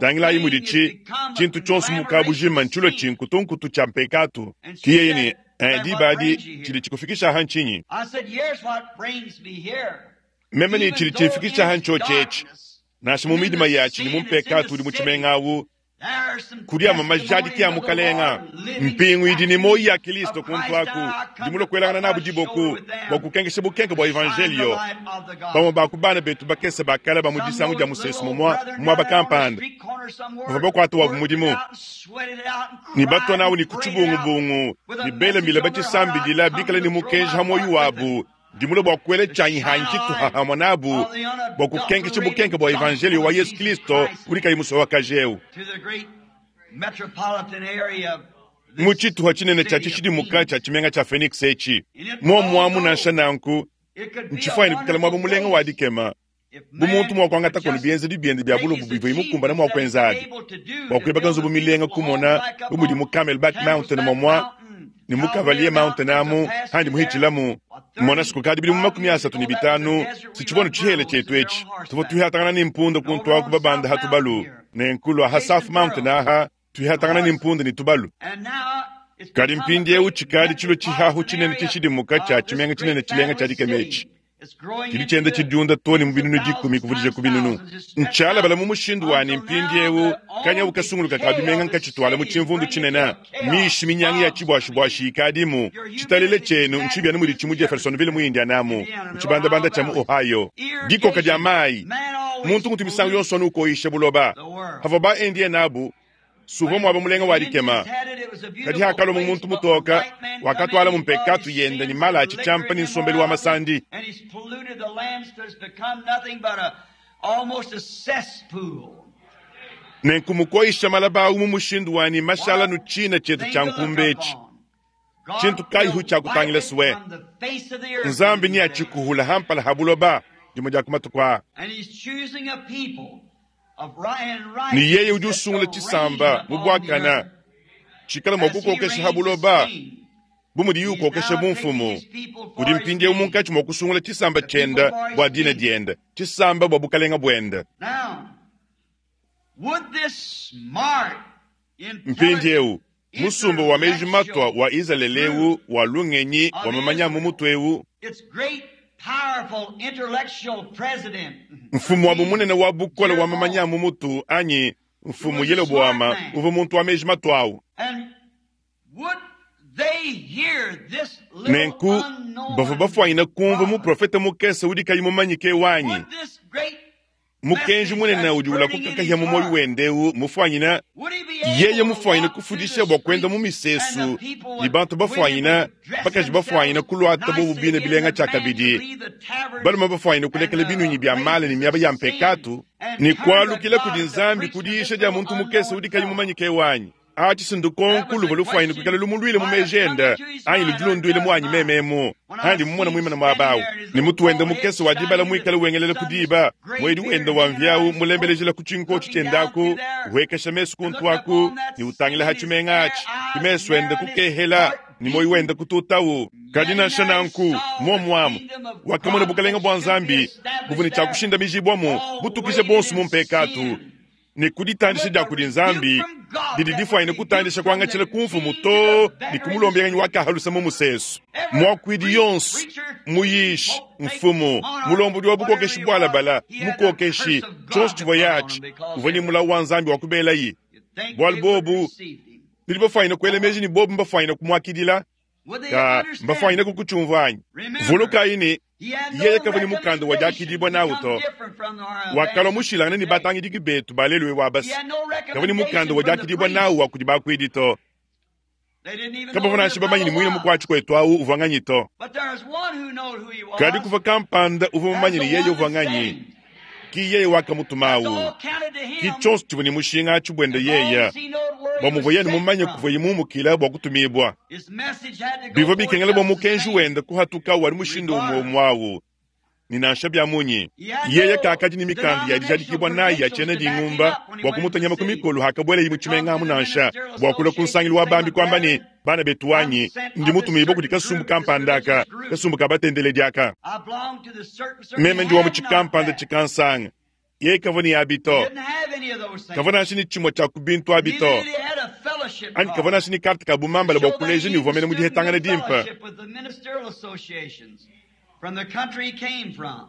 tangilayi mudi tshintu tshionso mu kabujima ntshilua tshinkutunkutu tshia mpekatu. Ki yeye ne diba adi tshidi tshikufikisha aha ntshinyi? Meme ne tshidi tshimfikisha aha ntshiotshi etshi, nansha mu midima yatshi ne mu mpekatu udi mu tshimenga awu. Kudi amue majadiki a Mukalenga, mpingu idi ne muoyi ya Kilisto kuntu aku, ndi mulue kuelangana nabu diboku bua kukenkesha bukenke bua Evanjelio. Bamue ba ku bana betu bakese ba kale ba mu disangu dia musesu mumua muaba kampanda bavua bakuata wabu mudimu ne batua nawu ne ku tshibungubungu ne bela mbila batshisambidila bikale ne mukenji ha muoyo wabu. Ndi mulue bua kuela tshianyi hanyi tshituha hamue nabu bua kukenkesha bukenke bua Evanjelio wa Yesu Kristo udi kayi musowakaji eu. Mu tshituha tshinene tshia tshishidimuka tshia tshimenga tshia Phoenix etshi, muomuamu nansha nanku, ntshifuanyine kuikala muaba mulenga wa dikema bu muntu mua kuangata kono bienzedi biende bia bulobo bivuaye mukumbane mua kuenza abi bua kuibaka nzubu milenga kumona bu mudi mu Camelback Mountain momua ne mu Cavalier Mountain amu handi muhitshilamu. Mona kukadi bidimu 35 sitshivua tshihela tshietu etshi tuvua tuihatangana ne mpunda kuntu aku babanda ha tubalu ne nkulu aha South Mountain aha tuihatangana ne mpunda ne tubalu. Kadi mpindiewu tshikadi tshilo tshihahu tshinene tshishidimuka tshia tshimenga tshinene tshilenga tshia dikema etshi tshidi tshienda tshidiunda too ne mu binunu 10 kuvudija ku binunu. Ntshialabala mu mushindu wanyi mpindiewu kanyawu kasunguluka ka bimenga nkatshituala mu tshimvundu tshinene mishi minyangi ya tshibuashibuashi ikadimu. Tshitalele tshienu ntshibiana mudi tshimu Jeffersonville mu Indiana mu tshibandabanda tshia mu Ohio. Dikoka dia mayi muntu ngutu misangu yonso anu ukoyisha buloba havua ba Indien abu suvua muaba mulenga wa dikema. Kadi hakalua mu muntu mutoka wakatwala mu mpekatu yende ne mala a tshitshiampa ne nsombelu wa masandi. Nenku mukoyisha malaba awu mu mushindu wanyi mashala nu tshina tshietu tshia nkumba etshi. Tshintu kayihu tshia kutangila suwe. Nzambi ni atshikuhula hampala ha buloba dimue dia ku matuku aa. Ne yeye udi usungula tshisamba mu buakana tshikala mua kukokesha ha buloba bu mudiye ukokesha bumfumu. Udi mpindiewu munkatshi mua kusungula tshisamba tshiende bua dina diende, tshisamba bua bukalenga buende. Mpindiewu musumba wa meji matua wa Izalele eu wa lungenyi wa mamanya mu mutu eu, mfumu wabu munene wa bukole wa mamanya mu mutu anyi mfumu Yeloboama uvua muntu wa meji matuawu. Nenku bavua bafuanyine kumvua muprofete mukese udi kayi mumanyike wanyi. Mukenji munene udi ulakuka kahia mu muoyo wende eu mufuanyine yeye mufuanyine kufundisha bua kuenda mu misesu ne bantu bafuanyine bakaji bafuanyine kuluata bobu bine bilenga tshia kabidi balume bafuanyine kulekela binunyi bia mala ne miaba ya mpekatu ne kualukila kudi Nzambi kudiisha dia muntu mukese udi kayi mumanyike wanyi. Atshi sindukonku luvua lufuanyine kuikala lumuluile mu meji ende anyi ludilunduile muanyi mememu handi mumona muimana muaba awu ne mutu wende mukese wa dibala muikale wengelela ku diba muedi wende wa mviawu mulembelejela ku tshinkotshi tshiendaku wekesha mesu kuntu aku ne utangila ha tshimenga atshi kimesu ende kukehela ne moyo wende kututawu. Kadi nansha nanku muomuamu wakamona bukalenga bua Nzambi buvua ne tshia kushindamijibwamu butukije bonso mu mpekatu ne kuditandisha dia kudi Nzambi didi difuanyine kutandisha kuangatshila ku mfumu to ne kumulombelanyi wakahalusa mu musesu. Muakuidi yonso muyishi mfumu mulombodi wa bukokeshi bwalabala mukokeshi tshionso tshivua yatshi uvua ne mulawu wa Nzambi wa kubelayi bualu bobu bidi bafuanyine kuela meji ne bobu mbafuanyine kumuakidila ka mbafuanyine kukutshiumvua anyi. Vulukayi ne yeye kavua ne mukanda wa diakidibua nawu to wakalua mushilangane ne batangidiki betu balelue wa basi kavua ne mukanda wa diakidibua nawu wa kudi bakuidi to kabavua nansha bamanyi ne muine mukuatshi kuetu awu uvua nganyi to. Kadi kuvua kampanda uvua mumanyi ne yeye uvua nganyi ki yeye wakamutumawu ki tshionso tshivua ne mushinga atshi buende yeye bua muvua yeye mumanye kuvuaye mumukila bua kutumibua. Bivua bikengela bua mukenji wende kuhatuka wali mushindu umue umue ni nansha bia munyi yeye kakadi ne mikanda ya dijadikibua nayi ya tshiena dingumba bua kumutanyama ku mikolo hakabuelayi mu tshimenga amu nansha bua kulua ku nsangilu wa bambi kuamba ne bana betu wanyi ndi mutumibue kudi kasumbu kampanda aka kasumbu ka batendeledi aka meme ndi wa mu tshikampanda tshikansanga yeye kavua ne abi to kavua nansha ne tshimue tshia ku bintu abi to anyi kavua nansha ne karte ka bumambala bua kuleja ne uvua mene mu dihetangana dimpe. From the country he came from.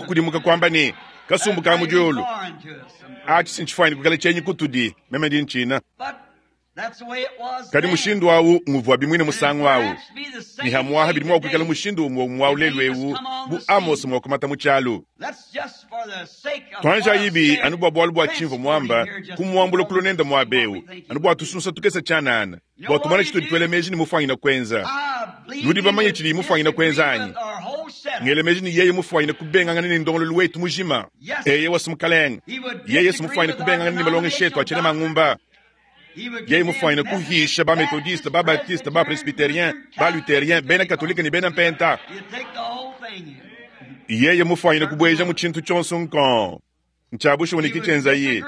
kukudimuka kwamba ne, Kasumbu ka mu diulu, aci si ncifwanyine kwikala cyenyi kutudi, meme ndi ncina. Kadi mushindu awu nguvwabi mwine musangu awu, ne hamwaha bidi mwa kwikala mushindu umwe umwe awu lelu ewu, bu Amose mwa kumata mu cyalu. Twanjayibi anu bwa bwalu bwa cimvwa mwamba, kumwambula kulo nenda mwaba ewu, anu bwa tusunsa tukese cyanana, bwa tumona citudi twela meji ne mufwanyina kwenza. Nudi bamanye cidi mufwanyina kwenza anyi? Ngela meji ne yeye mufwanyina kubengangana ne ndongololu wetu mujima. Eye wasi mukalenge. Yeye si mufwanyina kubengangana ne malongesha etu a cyena mangumba. Yeye mufwanyina kuhisha ba Methodiste, ba Baptiste, ba Presbyterien, ba Lutherien, bena Katolika ne bena Mpenta. Yeye mufwanyina kubweja mu cintu cyonso nkong. Ncya bushuwa ne kicenzaye.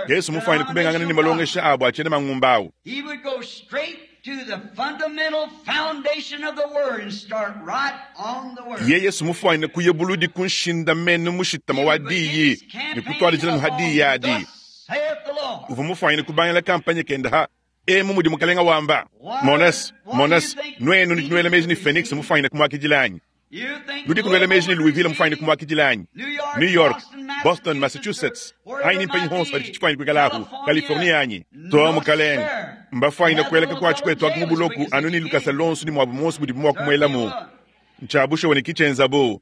Yesu mufwanyina kubengangana ne malongesha abo a cyena mangumba awu. Yeye si mufwanyina kuya buludi ku nshindamenu mushitama wa diyi ne kutwalijila nuha diyi adi. Uvwa mufwanyina kubangila kampanye kenda ha emu mudi mukalenga wamba. Monas, monas, nwenu nudi nwela meji ne Phoenix mufwanyina kumwakidila anyi? Nudi kunwela meji ne Louisville mufwanyina kumwakidila anyi? New York, Boston, Massachusetts, anyi ni mpenyi honso padi cifwanyina kwikala apu, California anyi? To mukalenga, mbafwanyina kweleka kwaci kwetu aku mu buloku anu ne lukasa lonso ne mwabu monso budibu mwa kumwelamu. Ncya bushuwa ne kicenzabu.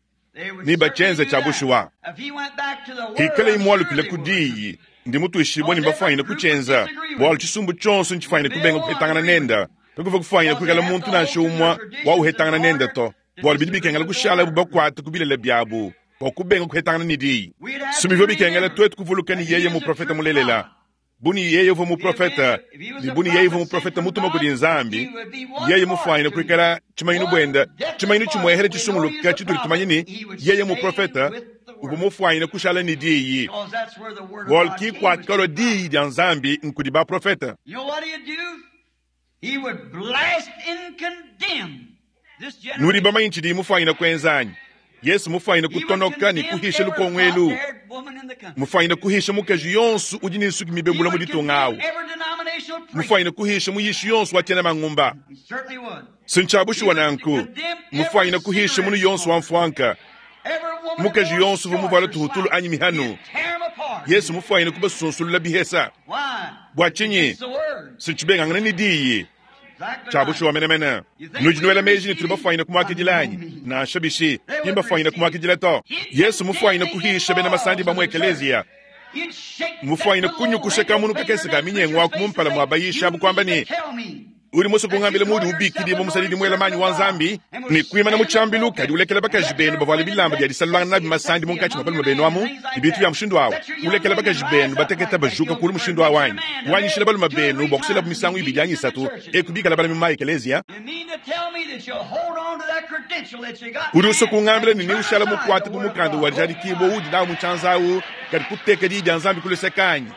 Ni bacenze cya bushuwa. Hikale imwalukile ku diyi, ndi mutwishibwa ne mbafwanyina kucenza, bwalu cisumbu conso ncifwanyina kubenga kuhetangana nenda. Kakuva kufwanyina kwikala muntu nansha umwa wa uhetangana nenda to. Bwalu bidi bikengela kushala bu bakwate ku bilele byabu, bwa kubenga kuhetangana ne diyi. Sumivyo bikengela twetu kuvuluka ne yeye muprofeta mulelela. Bu ne yeye uvwa muprofeta, ne bu ne yeye uvwa muprofeta mutuma kudi Nzambi, yeye mufwanyina kwikala cimanyinu bwenda, cimanyinu cimwehele cisunguluka cituli tumanye ne yeye muprofeta uvwa mufwanyina kushala ne diyi. Bwalu ki kwakalwa diyi dya Nzambi nkudi baprofeta. Nudi bamanye cidi mufwanyina kwenza anyi? Yesu mufwanyina kutonoka ne kuhisha lukongo elu. Mufwanyina kuhisha mukaji yonso udi ne nsuki mibebula mu ditunga awu. Mufwanyina kuhisha muyishi yonso wa cyena mangumba. Sincya bushuwa nanku. Mufwanyina kuhisha munu yonso wa mfwanka. Mukaji yonso uvwa muvwala tuhutulu anyi mihanu. Yesu mufwanyina kubasunsulula bihesa. Bwa cinyi? Sincibengangana ne diyi. Cya bushuwa menemene. Nudi nwela meji ne tuli bafwanyina kumwakidila anyi? Nansha bishi, ki mbafwanyina kumwakidila to. Yesu mufwanyina kuhisha bena masandi ba mu ekeleziya. Mufwanyina kunyukusha kamunu kakese ka minyengo aku mu mpala mwa bayisha abu kwamba ne, Udi musue kungambila muudi ubikidibua musadidi muela manyi wa Nzambi ne kuimana mu tshiambilu kadi ulekela bakaji benu bavuale bilamba bia disalulangana nabi masandi munkatshi mua balume benu amu ne bintu bia mushindu awu? Ulekela bakaji benu bateketa bajuka kulu mushindu awu anyi? Wanyishila balume benu bua kuselabu misangu ibidi anyi isatu eku bikala balami mu ma-ekeleziya? Udi usua kungambila ne neushala mukuate ku mukanda wa dijadikibua uudi nawu mu tshianza awu kadi kuteka Diyi dia Nzambi ku luseke anyi?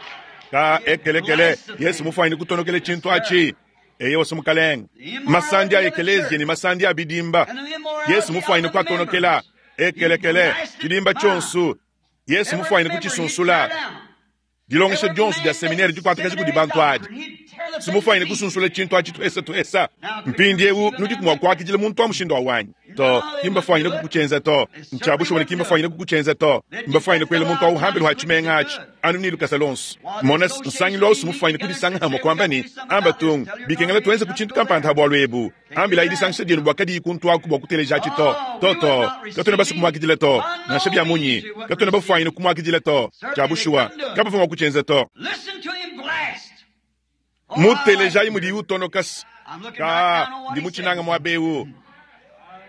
Ka ekelekele, Yesu mufwanyine kutonokela tshintu atshi. Eye wasi mukalenge. Masandi a ekeleziya ne masandi a bidimba, Yesu mufwanyine kuatonokela. Ekelekele, tshidimba tshionso, Yesu mufwanyine kutshisunsula. Dilongesha dionso dia seminere dikuatakaja kudi bantu adi, si mufwanyine kusunsula tshintu atshi tuhesa tuhesa. Mpindiewu nudiku mua kuakidila muntu wa mushindu awu anyi? To, ki mbafwanyine kukutshienza to. Ntshia bushuwa ne ki mbafwanyine kukutshienza to. Mbafwanyine kuela muntu awu hambelu ha tshimenga atshi, anu ne lukasa luonso. Mona, nsangilu awu si mufwanyine kudisanga hamue kuamba ne, Amba tung, bikengela tuenze ku tshintu kampanda ha bualu ebu. Ambilayi disangisha dienu bua kadiyi kuntuaku bua kutelejatshi to. To, to, katuena basue kumuakidila to. Nansha bia munyi, katuena bafwanyine kumuakidila to. Tshia bushuwa, kabavua mua kutshienza to. Mutelejayi mudiyi utonoka. Kaa, ndi mutshinanga muaba eu.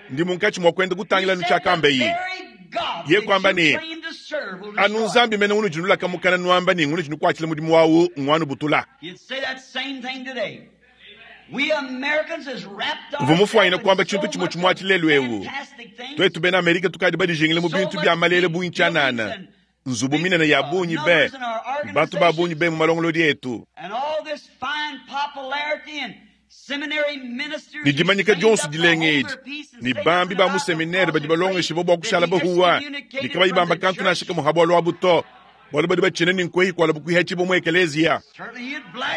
Ndi munkatshi mua kuenda kutangila anu tshiakambaye. Ye kuamba ne, Anu Nzambi mene unudi nulaka mukana nuamba ne ngunudi nukuatshila mudimu wawu nguanubutula. Uvua mufuanyine kuamba tshintu tshimue tshimue atshi lelu eu. Tuetu bena Amerika tukadi badijingile mu bintu bia malele bungi tshianana, nzubu minene ya bungi be, ne bantu ba bungi be mu malongolodi etu. Ne dimanyika dionso dilenga edi, ne bambi ba mu seminere badi balongeshibua bua kushala bahuwa ne kabayi bamba kantu nansha kamue ha bualu abu to, bualu badi batshina ne nkuehi kualabu kuihatshibua mu ekeleziya.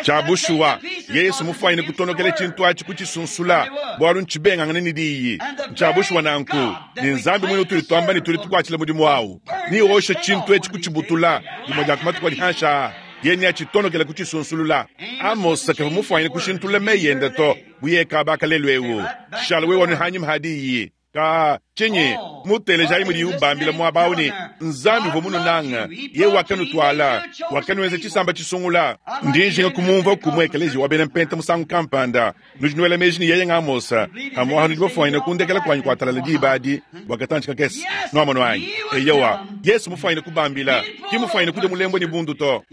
Tshia bushuwa, Yesu mufuanyine kutonokela tshintu atshi kutshisunsula, bualu ntshibengangane ne Diyi. Ntshia bushuwa nanku, ne Nzambi muine utudi tuamba ne tudi tukuatshila mudimu awu, neoshe tshintu etshi kutshibutula dimue dia ku matuku adi hanshi aa. Yeye neatshitonokele kutshisunsulula. Amosa kavua mufuanyine kushintulula meyi ende to, bu yeye kaba aka lelu eu. Shala wewe anu hanyima ha diyi. Ka tshinyi? Mutelejayi mudiye ubambila muaba au ne, Nzambi uvua mununanga, yeye wakanutuala, wakanuenza tshisamba tshisungula. Ndi njinga kumumvua ku mu ekeleziya wa bena Mpenta musangu kampanda. Nudi nuela meji ne yeye ng'Amosa, pamu'apa nudi bafuanyine kundekela kuanyi kua talala diba adi bua katantshi kakese. Nuamonu anyi? Eyowa, Yesu mufuanyine kubambila, ki mufuanyine kudia mulembue ne bundu to.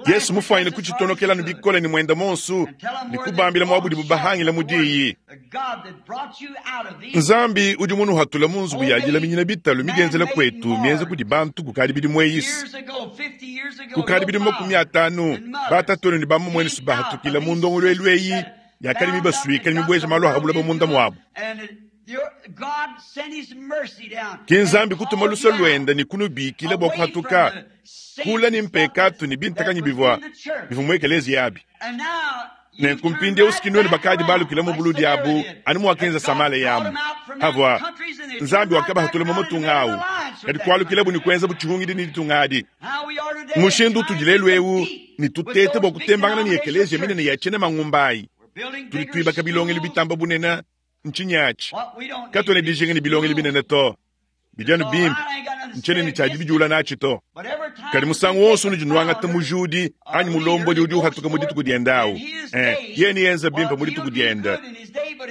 Yesu mufuanyine kutshitonokela anu bikole ne muende muonso ne kubambila muaba udibu bahangila mu diyi. Nzambi udi munuhatule mu nzubu ya dilaminyina bitalu midienzela kuetu mienza kudi bantu kukadi bidimu eyisi. Kukadi bidimu 50, batatuenu ne bamamuenusu bahatukila mu ndongoluelu eyi yakadi mibasuike ne mibueja malu a buloba munda muabu. Ke Nzambi kutuma luse luende ne kunubikila bua kuhatuka kula ne mpekatu ne bintakanyi bivua bivua mu ekeleziya abi. Nenku mpindieu siki nuenu bakadi balukila mu buludi abu anu muakenza Samaleya amu. Havua Nzambi wakabahatula mu matunga au, kadi kualukilabu ne kuenzabu tshihungidi ne ditunga adi. Mushindu utudi lelu eu ne tuteta bua kutembangana ne ekeleziya minene ya tshiena mangumba ayi. Tudi tuibaka bilongelu bitamba bunene, ntshinyi atshi? Katuena dijinga ne bilongelu binene to. Bidi anu bimpe, ntshiena ne tshia dibidiula natshi to. Kadi musangu wonso unudi nuangata mujudi anyi mulombodi udi uhatuka mu dituku diende au, yeye neyenze bimpe mu dituku diende.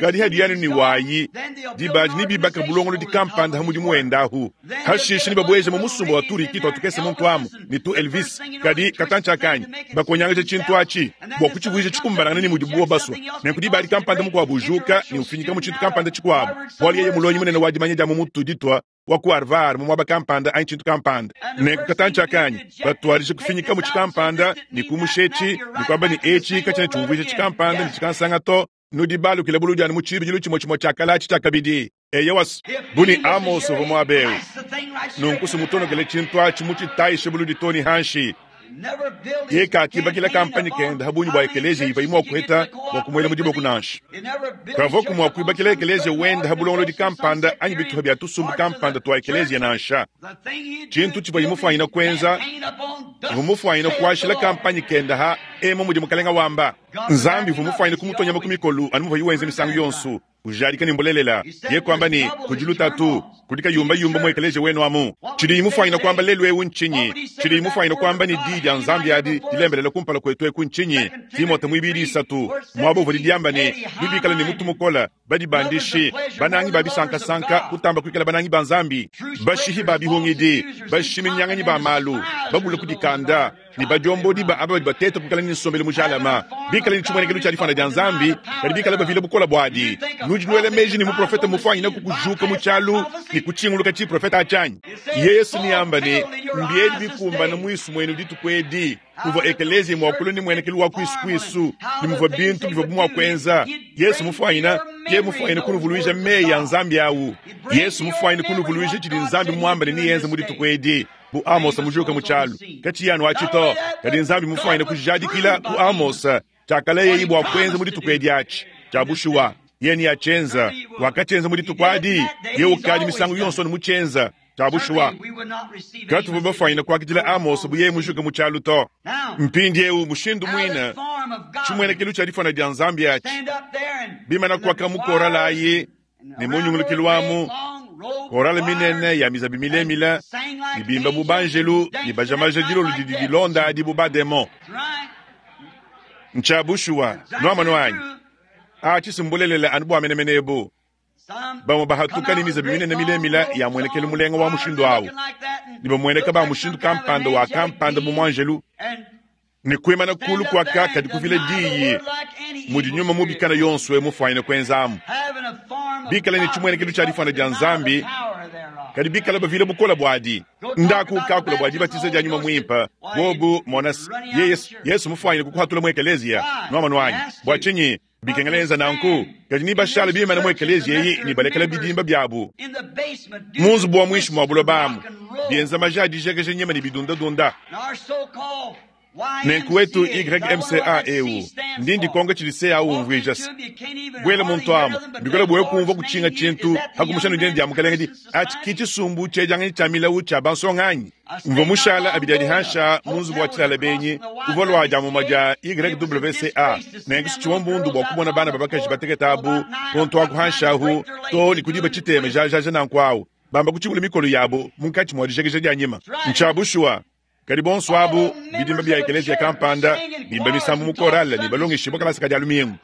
Kadi hadi anu ne wayi, diba adi nebibaka bulongolodi kampanda ha mudimu wende ahu. Hashishe nebabueje mu musumba wa turiki tua tukese muntu amu ne tu Elvis. Kadi katantshi akanyi bakonyangaja tshintu atshi bua kutshivuija tshikumbanangane ne mudibu basue. Nenku diba adi kampanda mukuabu ujuka ne ufinyika mu tshintu kampanda tshikuabu, bualu yeye mulongi munene wa dimanya dia mu mutu ditua wa ku Harvard mu muaba kampanda anyi tshintu kampanda. Nenku katantshi akanyi batuadije kufinyika mu tshikampanda ne kumusha etshi ne kuamba ne etshi katshiena tshiumvuija tshikampanda ne tshikansanga to. Nudi balukile buludi anu mu tshibidilu tshimue tshimue tshia kale atshi tshia kabidi. Eyowa, bu ne Amos uvua muaba eu, nunku sumutonokele tshintu atshi mutshitayishe buludi too ne hanshi. Yeye kakibakila kampanye kende ha bungi bua ekeleziya ivuaye mua kuheta bua kumuela mu diboko nansha. Kavuaku mua kuibakila ekeleziya wende ha bulongolodi kampanda anyi bitupa bia tusumbu kampanda tua ekeleziya nansha. Tshintu tshivuaye mufuanyine kuenza, uvua mufuanyine kuashila kampanye kende ha emu mudi Mukalenga wamba. Nzambi uvua mufuanyine kumutua nyama ku mikolo anu muvuaye wenza misangu yonso, ujadika ne mbulelela. Yeye kuamba ne, kudi lutatu, kudi kayumbayumba mu ekeleziya wenu amu. Tshidiye mufuanyine kuamba lelu eu ntshinyi? Tshidiye mufuanyine kuamba ne diyi dia Nzambi adi dilembelela kumpala kuetu eku ntshinyi? Timote muibidi isatu, muaba uvua diamba ne, nubikale ne mutu mukole, badibandishi, banangi ba bisankasanka, kutamba kuikala banangi ba Nzambi, bashihi ba bihungidi, bashiminyanganyi ba malu, babule kudikanda, ne badiombodi ba aba badi bateta kuikala ne nsombelu mujalama, bikale ne tshimuenekelu tshia difuana dia Nzambi, kadi bikale bavile bukole buadi. Nudi nuela meji ne muprofete mufuanyine ku kujuka mu tshialu ne kutshinguluka tshiprofete atshi anyi? Yesu neamba ne, Mbiedi bikumbana muisu muenu dituku edi. Muvua ekeleziya mua kulua ne muenekelu wa kuisu kuisu ne muvua bintu bivuabu mua kuenza. Yesu mufuanyine, yeye mufuanyine kunuvuluija meyi a Nzambi au. Yesu mufuanyine kunuvuluija tshidi Nzambi muambe ne neyenze mu dituku edi. Bu Amosa mujuka mu tshialu, katshiyi anu atshi to, kadi Nzambi mufuanyine kujadikila ku Amosa tshiakalayeye bua kuenza mu dituku edi atshi. Tshia bushuwa, yeye neatshienza. Wakatshienza mu dituku adi, yeye ukadi misangu yonso anu mutshienza. Tshia bushuwa, katuvua bafuanyine kuakidila Amosa bu yeye mujuke mu tshialu to. Mpindieu mushindu muine tshimuenekelu tshia difuana dia Nzambi atshi bimana kuaka mu korala ayi ne mu nyungulukilu amu, korale minene ya mizabi milemile ne bimba bu banjelu ne bajamaja dilolo didi dilonda adi bu bademon. Ntshia bushuwa, nuamonu anyi? Atshi si mbulelela anu bua menemene ebu. Bamue bahatuka ne mizabi minene milemile ya muenekelu mulenga wa mushindu au, ne bamueneka ba mushindu kampanda wa kampanda bu muanjelu, ne kuimana kulu kuaka kadi kuvila diyi mudi nyuma mubi kana yonso mufuanyine kuenzamu, bikale ne tshimuenekelu tshia difuana dia Nzambi, kadi bikale bavila bukole buadi. Ndaku kakula bua dibatiza dia nyuma muimpe bobu mona Yesu mufuanyine kukuhatula mu ekeleziya nuamonu anyi? Bua tshinyi bikengela enza nanku? Kadi ni bashala bimana mu ekeleziya eyi ne balekela bidimba biabu mu nzubu wa muinshi mua buloba amu bienza maja adijekeja nyama ne bidundadunda. Nenku wetu YMCA eu, ndi ndikonka tshidi CA umvuija se, Buela muntu amu, mbikole bua kumvua kutshinga tshintu pa kumusha dina dia Mukalenge di atshi ki tshisumbu tshiedianganyi tshia milawu tshia bansonga anyi? Mvua mushala abidi adi hansha mu nzubu wa tshilala benyi uvua lua dia mumue dia YWCA, nenku tshivua mbundu bua kumona bana ba bakaji batekete abu kuntu aku hansha ahu too ne ku diba tshitema jajaja nanku awu bamba kutshibula mikolo yabu munkatshi mua dijekeja dia nyima. Ntshia bushuwa. Kadi bonso abu bidimba bia ekeleziya kampanda bimba misambu mu korale ne balongeshibua kalasa ka dia lumingu.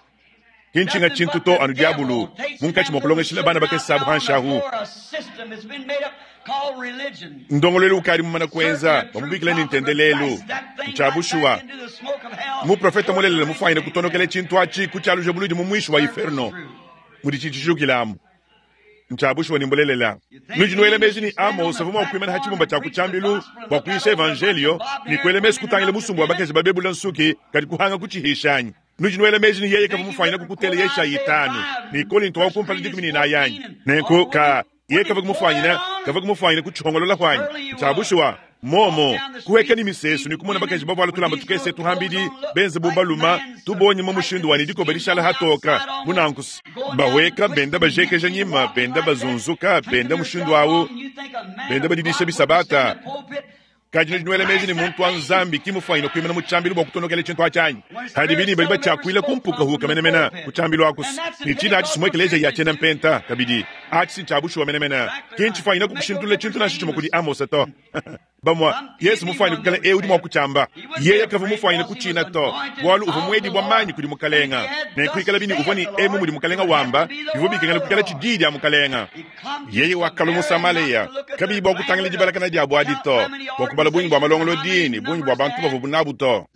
Ki ntshinga tshintu to anu diabulu munkatshi mua kulongeshila bana bakese abu hanshi ahu. Ndongoluelu ukadi mumana kuenza bamubikila ne ntendelelu. Ntshia bushuwa. Muprofete mulelela mufuanyine kutonokela tshintu atshi ku tshialuja buludi mu muishi wa iferno mudi tshitshijukilamu. Ntshia bushuwa ne mbulelela. Nudi nuela meji ne Amos uvua mua kuimana ha tshibumba tshia ku tshiambilu bua kuyisha evanjelio ne kuela mesu kutangila musumba wa bakaji babebula nsuki kadi kuhanga kutshihisha anyi? Nudi nuela meji ne yeye kavua mufuanyine kukutela Yeshayi 5 ne Kolinto wa kumpala 14 anyi? Nenku ka yeye kavua kumufuanyina kavua kumufuanyina kutshihongolola huanyi. Ntshia bushuwa. Momo kuheka ni misesu ni kumona bakaji bavuala tulamba tukese tuhambidi benze bu baluma tubonye mu mushindu wa dikoba dishala hatoka bunankusi bahweka benda bajekeja nyima benda bazunzuka benda mushindu awu benda badidisha bisabata. Kadi nudi nuela meji ni muntu wa Nzambi kimufuanyine kuimana mu tshiambilu bua kutonokela tshintu atshi hadi bini badi batshiakuila kumpuka huka menemene ku tshiambilu akusi ni tshina atshi simue ekeleziya ya tshiena mpenta kabidi atshi si tshia bushuwa menemene ki ntshifuanyine kukushintulula tshintu nansha tshimue kudi Amosa to. Bamua Yesu mufuanyine kukala eu udi mua kutshiamba yeye kavua mufuanyine kutshina to bualu uvua muedibua manyi kudi mukalenga ne kuikala bini uvua ni emu mudi mukalenga wamba bivua bikengela kukala tshidii dia mukalenga. Yeye wakalua mu Samaleya kabiyi bua kutangila dibalakana dia buadi to bua kubala bungi bua malongolodi ne bungi bua bantu bavua nabu to.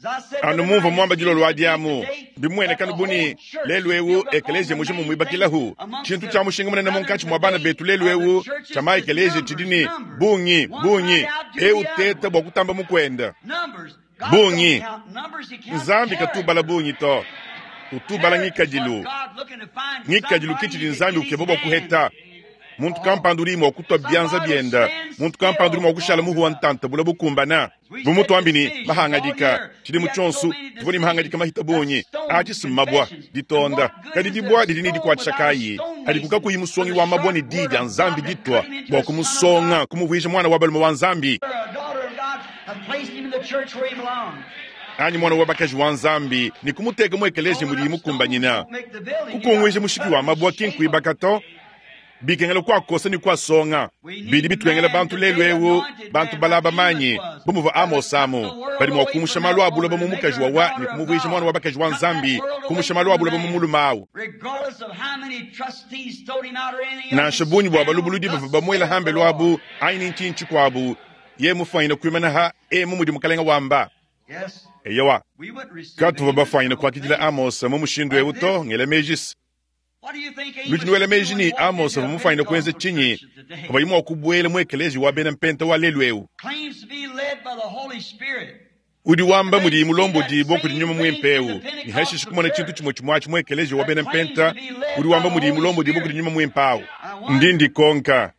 Anu mumvua muamba dilolo adi amu bimueneka buni lelu eu ekeleziya mujima muibakilahu tshintu tshia mushinga munene munkatshi mua bana betu lelu eu tshia ma ekeleziya tshidi ne bungi bungi eu teta bua kutamba mukwenda bungi. Nzambi katubala bungi to utubala ngikadilu ngikadilu kitshidi Nzambi ukeba bua kuheta. Muntu kampanda udi mua kutua bianza bienda, muntu kampanda udi mua kushala muhu wa ntanta bula bukumbana. Bu mutu ambi ni mahangadika tshidi mu tshionso tuvua ni mahangadika mahita bungi atshi si mabua ditonda kadi dibua didi ni dikuatshisha kayi hadi kukakuyi musongi wa mabua ni di dia Nzambi ditwa bua kumusonga kumuvuija mwana wa balume wa Nzambi anyi mwana wa bakaji wa Nzambi ni kumuteka mu ekeleziya mudi mukumbanyina kukunguija mushiki wa mabua kinkuibaka to bikengela kuakosa ni kuasonga bidi bitwengela bantu lelu eu bantu balaba manyi bumuva Amos amu badi mua kumusha malu abuloba mu mukaji wawa ni kumuvuija mwana wa bakaji wa Nzambi kumusha malu abuloba mu mulume awu. Nansha bungi bua balubuludi bavua bamuela hambelu abu anyi ni ntshintshi kuabu ye mufuanyine kuimana ha emu mudi mukalenga wamba. Eyowa katuvua bafuanyine kuakidila Amos mu mushindu eu to ngela mejisi. Nudi nuela meji ni Amos avua mufuanyine kuenza tshinyi pavuaye mua kubuela mu ekeleziya wa bena mpenta wa lelu eu? Udi wamba mudi mulombodibua kudi nyuma muimpe eu ni hashishi kumona tshintu tshimue tshimue atshi mu ekeleziya wa bena mpenta udi wamba mudi mulombodibua kudi nyuma muimpe awu. Ndi ndikonka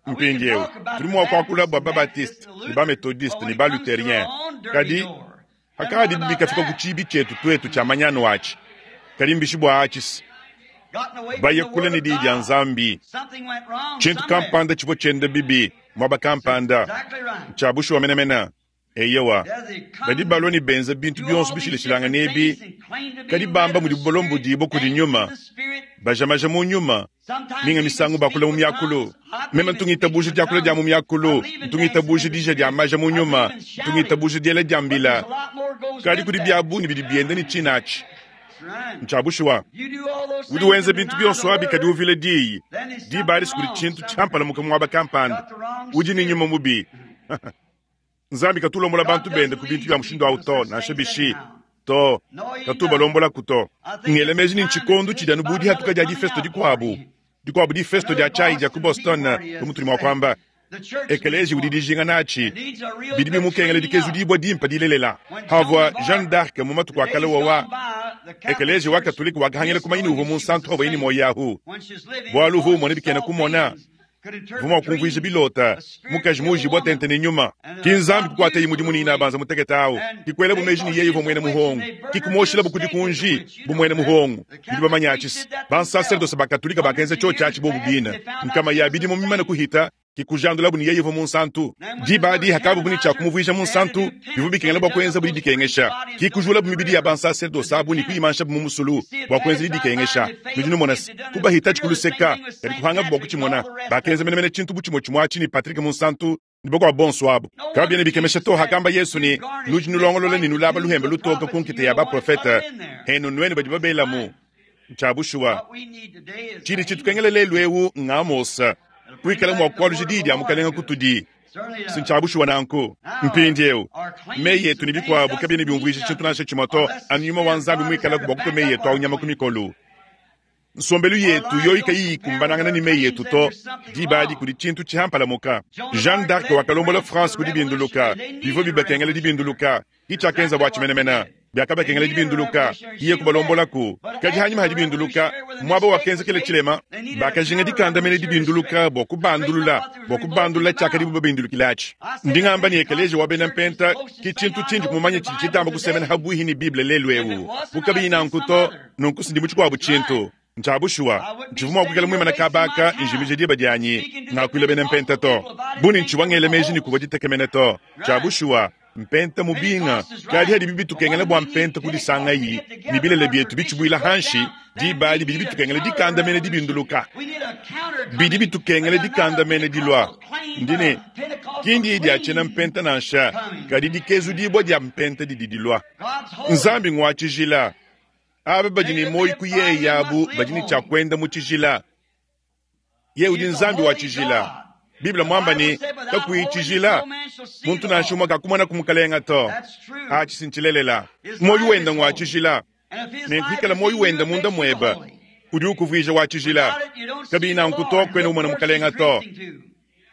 mpindieu tudi mua kuakula bua babatiste ne bametodiste ne baluterien kadi hakadi bikafika ku tshibi tshietu tuetu tshia manyanu atshi kadi mbishi bua atshi baya kule ne diyi dia Nzambi. Tshintu kampanda tshivua tshienda bibi muaba kampanda tshia bushuwa menemene. Eyowa badi balua ne benza bintu bionso bishilashilangane ebi kadi bamba mudi balombodibua kudi nyuma bajamaja mu nyuma minga misangu bakula mu miakulu. Meme ntungitabuja diakula dia mu miakulu, ntungitabuja dija dia maja mu nyuma, ntungitabuja diela dia mbila kadi kudi bia bungi bidi bienda ne tshina atshi. Ntshia bushuwa udi wenza bintu bionso abi kadi uvila diyi diba adi kudi tshintu tshiampalamuka muaba kampanda udi ni nyuma mubi. Nzambi katulombola bantu bende ku bintu bia mushindu awu to nansha bishi to katubalombola to. Ngela meji ni ntshikondu tshidi anu budi hatuka dia difesto dikuabu dikuabu difesto dia chai dia ku Boston bu mutudi mua kuamba ekeleziya udi dijinga natshi bidi bimukengela dikezudibua dimpa dilelela. Havua Jeanne d'Arc mu matuku a kale wawa ekeleziya wa katolika wakahangila kumanyini uvua munsantu havuaye ni moyo ahu bualu uvua umona bikena kumona. Uvua mua kumvuija bilota, mukaji muujibua tente ne nyuma. Ki Nzambi kukuataye mudimu ne inabanza mutekete awu, ki kuelabu meji ne yeye uvua muena muhongo, ki kumuoshilabu ku dikunji bu muena muhongo. Nudi bamanye atshi se, bansaserdose ba Katolika bakenza tshiotshi atshi bobu bine nkama ya bidimu mimane kuhita, ki kujandulabu ne yeye uvua munsantu. Diba adi hakabu ne tshia kumuvuija munsantu, bivua bikengela bua kuenzabu didikengesha. Ki kujulabu mibidi ya bansaserdose abu ne kuyimanshabu mu musulu bua kuenza didikengesha. Nudi numona se, kubahitatshi ku luseka, kadi kupangabu bua kutshimona. Bakenza menemene tshintu bu tshimue tshimue atshi ne Patrick Munsantu ne bakuabu bonso abu. Kabiena bikemesha to hakamba Yesu ne, Nudi nulongolola ne nulaba luhembe lutoke ku nkita ya baprofete, henu nuenu badi babelamu. Ntshia bushuwa. Tshidi tshitukengela lelu eu ng'Amosa, kuikala mua kualuja diyi dia Mukalenge kutudi. Si ntshia bushuwa nanku? Mpindieu, meyi etu ne bikuabu kabiena biumvuija tshintu nansha tshimue to, anu nyuma wa Nzambi muikalaku bua kutua meyi etu au nyama ku mikolo. Nsombelu yetu yoyi kayiyi ikumbanangana ne meyi etu to, diba adi kudi tshintu tshihampalamuka. Jeanne d'Arc wakalombola France ku dibinduluka. Bivua bibakengela dibinduluka. Ki tshiakenzabu atshi menemene. Biakabakengela dibinduluka, iye kubalombolaku. Kadi hanyima ha dibinduluka, muaba wakenzekela tshilema, bakajinga dikandamena dibinduluka bua kubandulula, bua kubandulula tshiakadibu babindulukile atshi. Ndi ngamba ne ekeleziya wa bena Mpenta ki tshintu tshindi mumanye tshidi tshitamba kusemena habuihi ne Bible lelu eu. Bu kabiyi nanku to, nunku si ndi mu tshikuabu tshintu. Ntshia bushuwa, ntshivua mua kuikala muimane kaba aka njimija diba dianyi ngakuila bena Mpenta to, bu ne ntshivua ngela meji ne kuvua ditekemena to. Tshia bushuwa, Mpenta mubinga, kadi hadibi bitukengela bua mpenta kudisangayi ne bilele bietu bitshibuila hanshi, diba adi bidi bitukengela dikandamena dibinduluka. Bidi bitukengela dikandamena dilua. Ndi ne, ki ndiyi dia tshiena mpenta nansha, kadi dikezudibua dia mpenta didi dilua. Nzambi ngua tshijila. Aba badi ne muoyo ku yeye abu badi ne tshia kuenda mu tshijila. Yeye udi Nzambi wa tshijila. Bible muamba ne, kakuyi tshijila, muntu nansha umue kakumonaku Mukalenga to. Atshi si ntshilelela. Muoyo wende ngua tshijila. Nenku ikala muoyo wende munda muebe, udi ukuvuija wa tshijila. Kabiyi nanku to, kuena umona Mukalenga to.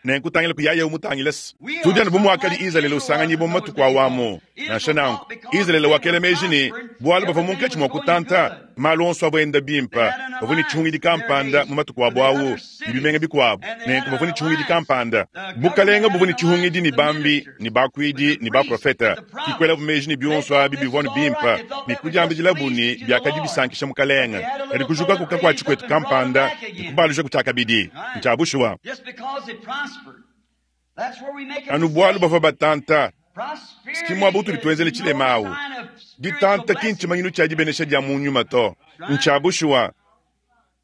Nenku tangila ku yaya umutangile se. Tudi anu bu muakadi Izalele usanganyibua mu matuku awu amu. Nansha nanku, Izalele wakela meji ne, bualu bavua munkatshi mua kutanta, malu onso avua enda bimpe. Bavua ne tshihungidi kampanda mu matuku abu awu ne bimenga bikuabu, nenku bavua ne tshihungidi kampanda. Bukalenge buvua ne tshihungidi ne bambi, ne bakuidi, ne baprofete. Ke kuelabu meji ne bionso abi bivua anu bimpe, ne kudiambidilabu ne, biakadi bisankisha Mukalenge. Kadi kujukaku kakuatshi kuetu kampanda ne kubalujaku tshiakabidi. Ntshia bushuwa. Anu bualu bavua batanta, ki muaba utudi tuenzela tshilema au. Ditanta ki ntshimanyinu tshia dibenesha dia mu nyuma to. Ntshia bushuwa.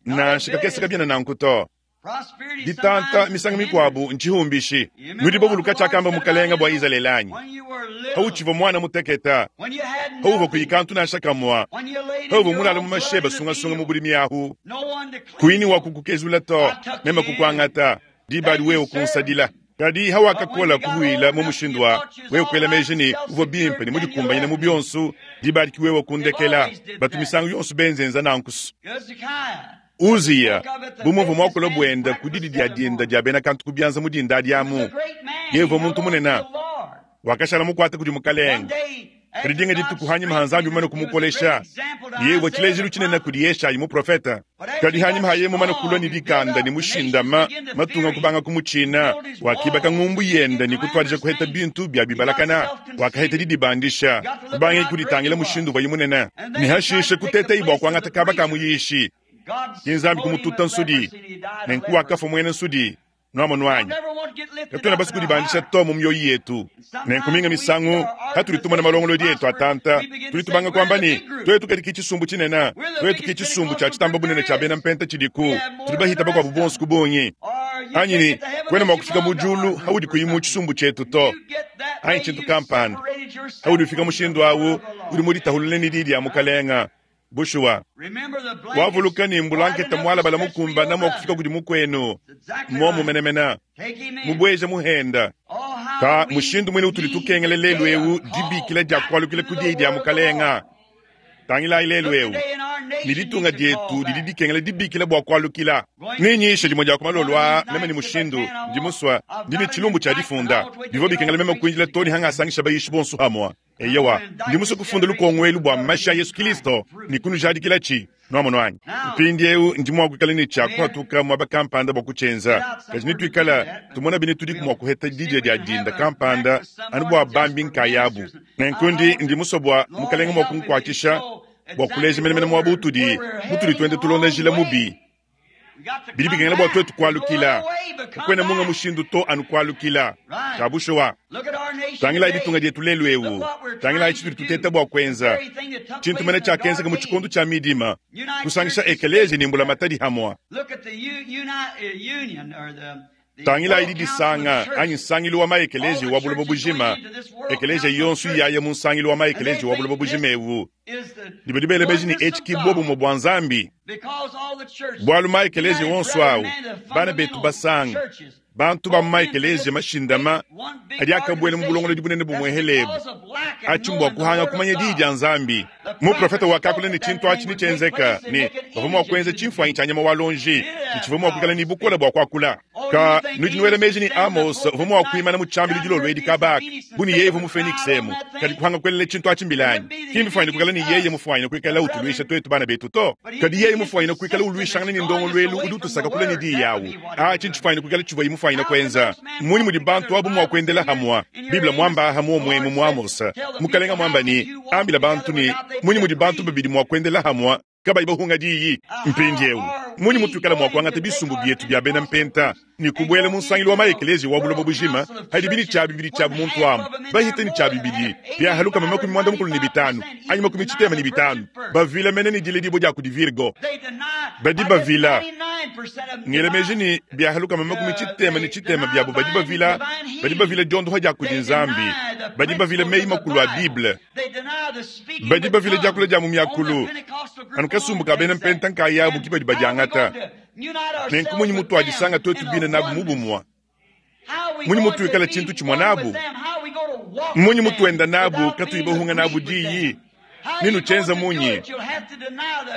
Nansha kakese kabiena nanku to. Ditanta misangu mikuabu ntshihumbishi. Nudi bavuluka tshiakamba Mukalenge bua Izalele anyi? Hautshivua muana muteketa, hauvua kuyi kantu nansha kamua, hauvua mulale mu masheba sungasunga mu budimi ahu, kuyi ne wa kukukezula to, meme kukuangata, diba adi wewe kunsadila. Kadi hawakakola kuhuila mu mushindu wa wewe kuela meji ne uvua bimpe ne mudikumbanyine mu bionso, diba adi ki wewe kundekela. Batu misangu yonso benzenza nanku. Uziya, bu muvua muakula buenda ku didi dia dinda dia bena kantu ku bianza mu dinda adi amu, yeye uvua muntu munene, wakashala mukuate kudi Mukalenge. Kadi dinga dituku hanyima ha Nzambi mumane kumukolesha, yeye uvua tshilejilu tshinene kudi Yeshayi muprofete. Kadi hanyima ha yeye mumane kulua ne dikanda ne mushindama, matunga kubanga kumutshina, wakibaka ngumbu yende ne kutuadija kuheta bintu bia bibalakana. Wakaheta didibandisha, kubangaye kuditangila mushindu uvuaye munene, ne hashishe kutetaye bua kuangata kaba ka muyishi. Ke Nzambi kumututa nsudi, nenku wakafua muena nsudi. Nuamonu anyi? Katuena basue kudibandisha to mu mioyo yetu. Nenku minga misangu, patudi tumona malongolodi etu atanta, tudi tubanga kuamba ne, Tuetu kadi ki tshisumbu tshinene, tuetu ki tshisumbu tshia tshitamba bunene tshia bena mpenta tshidiku, tudi bahita bakuabu bonso ku bungi. Anyi ne, kuena mua kufika mu diulu haudi kuyi mu tshisumbu tshietu to, anyi tshintu kampanda. Haudi ufika mushindu au, udi muditahulule ne Diyi dia Mukalenga. Bushuwa, wavuluka ne mbulanketa mualabala mukumbana mua kufika kudi mukuenu muomu menemene, mubueja muhenda. Ka mushindu muine utudi tukengela lelu eu dibikila dia kualukila ku diyi dia Mukalenga. Tangilayi lelu eu. Ne ditunga dietu didi dikengela dibikila bua kualukila. Nenyishe dimue dia ku malolo aa meme ne mushindu. Ndi musua, ndi ne tshilumbu tshia difunda. Bivua bikengela meme kuindila too ne hangasangisha bayishi bonso hamua. Eyowa, ndi musue kufunda lukongo elu bua mashi a Yesu Kilisto ne kunujadikilatshi. Nuamonu anyi? Mpindieu ndi mua kuikala ne tshia kuhatuka muaba kampanda bua kutshienza, kadi nituikala tumona bine tudiku mua kuheta didia dia dinda kampanda anu bua bambi nkayabu. Nenku ndi, ndi musue bua Mukalenge mua kunkuatshisha bua kuleja menemene muaba utudi, mutudi tuenda tulonda njila mubi. Bidi bikengela bua tuetu kualukila. Kakuena munga mushindu to anu kualukila. Tshia bushuwa. Tangilayi ditunga dietu lelu eu. Tangilayi tshitudi tuteta bua kuenza. Tshintu mene tshiakenzeka mu tshikondo tshia midima, kusangisha ekeleziya ne mbulamatadi hamua. Tangilayi didisanga anyi nsangilu wa maekeleziya wa buloba bujima, ekeleziya yonso iyaya mu nsangilu wa maekeleziya wa buloba bujima eu, ne badi bela meji ne etshi ki buobumue bua Nzambi. Bualu maekeleziya onso au, bana betu basanga, bantu ba mu maekeleziya mashindama adi akabuela mu bulongolodi bunene bumuehele ebu, atshi mbua kuhanga kumanya Diyi dia Nzambi. Muprofete wakakula ne tshintu atshi netshienzeka, ne bavua mua kuenza tshimfuanyi tshia nyama wa luonji, ne tshivua mua kuikala ne bukole bua kuakula. Ka nudi nuela meji ne Amos uvua mua kuimana mu tshiambilu dilolo edi kaba aka bu ne yeye uvua mu Phoenix emu, kadi kuhanga kuelela tshintu atshi mbila anyi? Ki mbifuanyine kuikala ne yeye mufuanyine kuikala utuluisha tuetu bana betu to, kadi yeye mufuanyine kuikala uluishangana ne ndongoluelu udi utusaka kule ne diyi awu. Atshi ntshifuanyine kuikala tshivuaye mufuanyine kuenza. Mmunyi mudi bantu abu mua kuendela hamua? Bible muamba aha muomue emu mu Amos, Mukalenga muamba ne, Ambila bantu ne, munyi mudi bantu babidi mua kuendela hamua kabayi bahunga diyi? Mpindieu, munyi mutuikala mua kuangata bisumbu bietu bia bena mpenta ne kubuela mu nsangilu wa maekeleziya wa buloba bujima hadibi ne tshia bibidi tshiabu muntu amu bahita ne tshia bibidi bia halukama 55 anyi 75 bavila mene ne diledibua dia kudi Virgo? Badi bavila. Ngela meji ne bia halukama 63 biabu badi bavila, badi bavila diondoha dia kudi Nzambi, badi bavila meyi makulu a Bible, badi bavila diakula dia mu miakulu. Anu kasumbu ka bena mpenta nkayabu ki badi badiangata. Nenku munyi mutuadisanga tuetu bine nabu mu bumue? Munyi mutuikala tshintu tshimue nabu? Munyi mutuenda nabu katuyi bahunga nabu diyi? Nenutshienza munyi?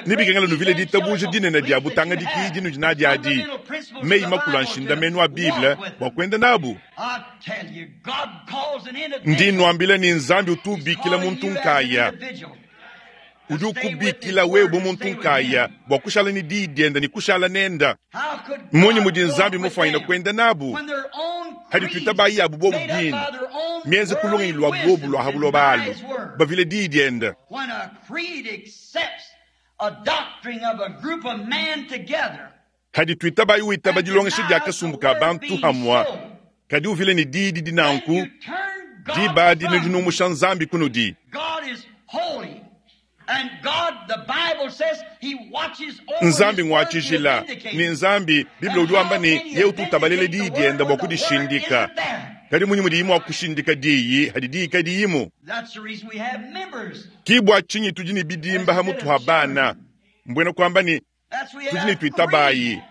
Nebikengela nuvile ditabuja dinene dia butangadiki dinudi nadi adi, meyi makulu a nshindamenu a Bible bua kuenda nabu. Ndi nnuambila ne, Nzambi utu ubikila muntu nkaya. Udi ukubikila wewe bu muntu nkaya bua kushala ne diyi diende ne kushala nenda. Mmunyi mudi Nzambi mufuanyine kuenda nabu? Hadi tuitabayi yabu bobu bine, mienze ku lungenyi lua bobu lua ha buloba alu, bavile diyi diende. Hadi tuitabayi witaba dilongesha dia kasumbu ka bantu hamua, kadi uvile ne diyi didi nanku, diba adi nudi numusha Nzambi kunudi. Nzambi ngua tshijila, ne Nzambi, Bible udi wamba ne, yeye utu utabalela diyi diende bua kudishindika. Kadi munyi mudiyi mua kushindika diyi hadi diyi kadiyimu? Ki bua tshinyi tudi ne bidimba ha mutu ha bana, mbuena kuamba ne, tudi ne tuitabayi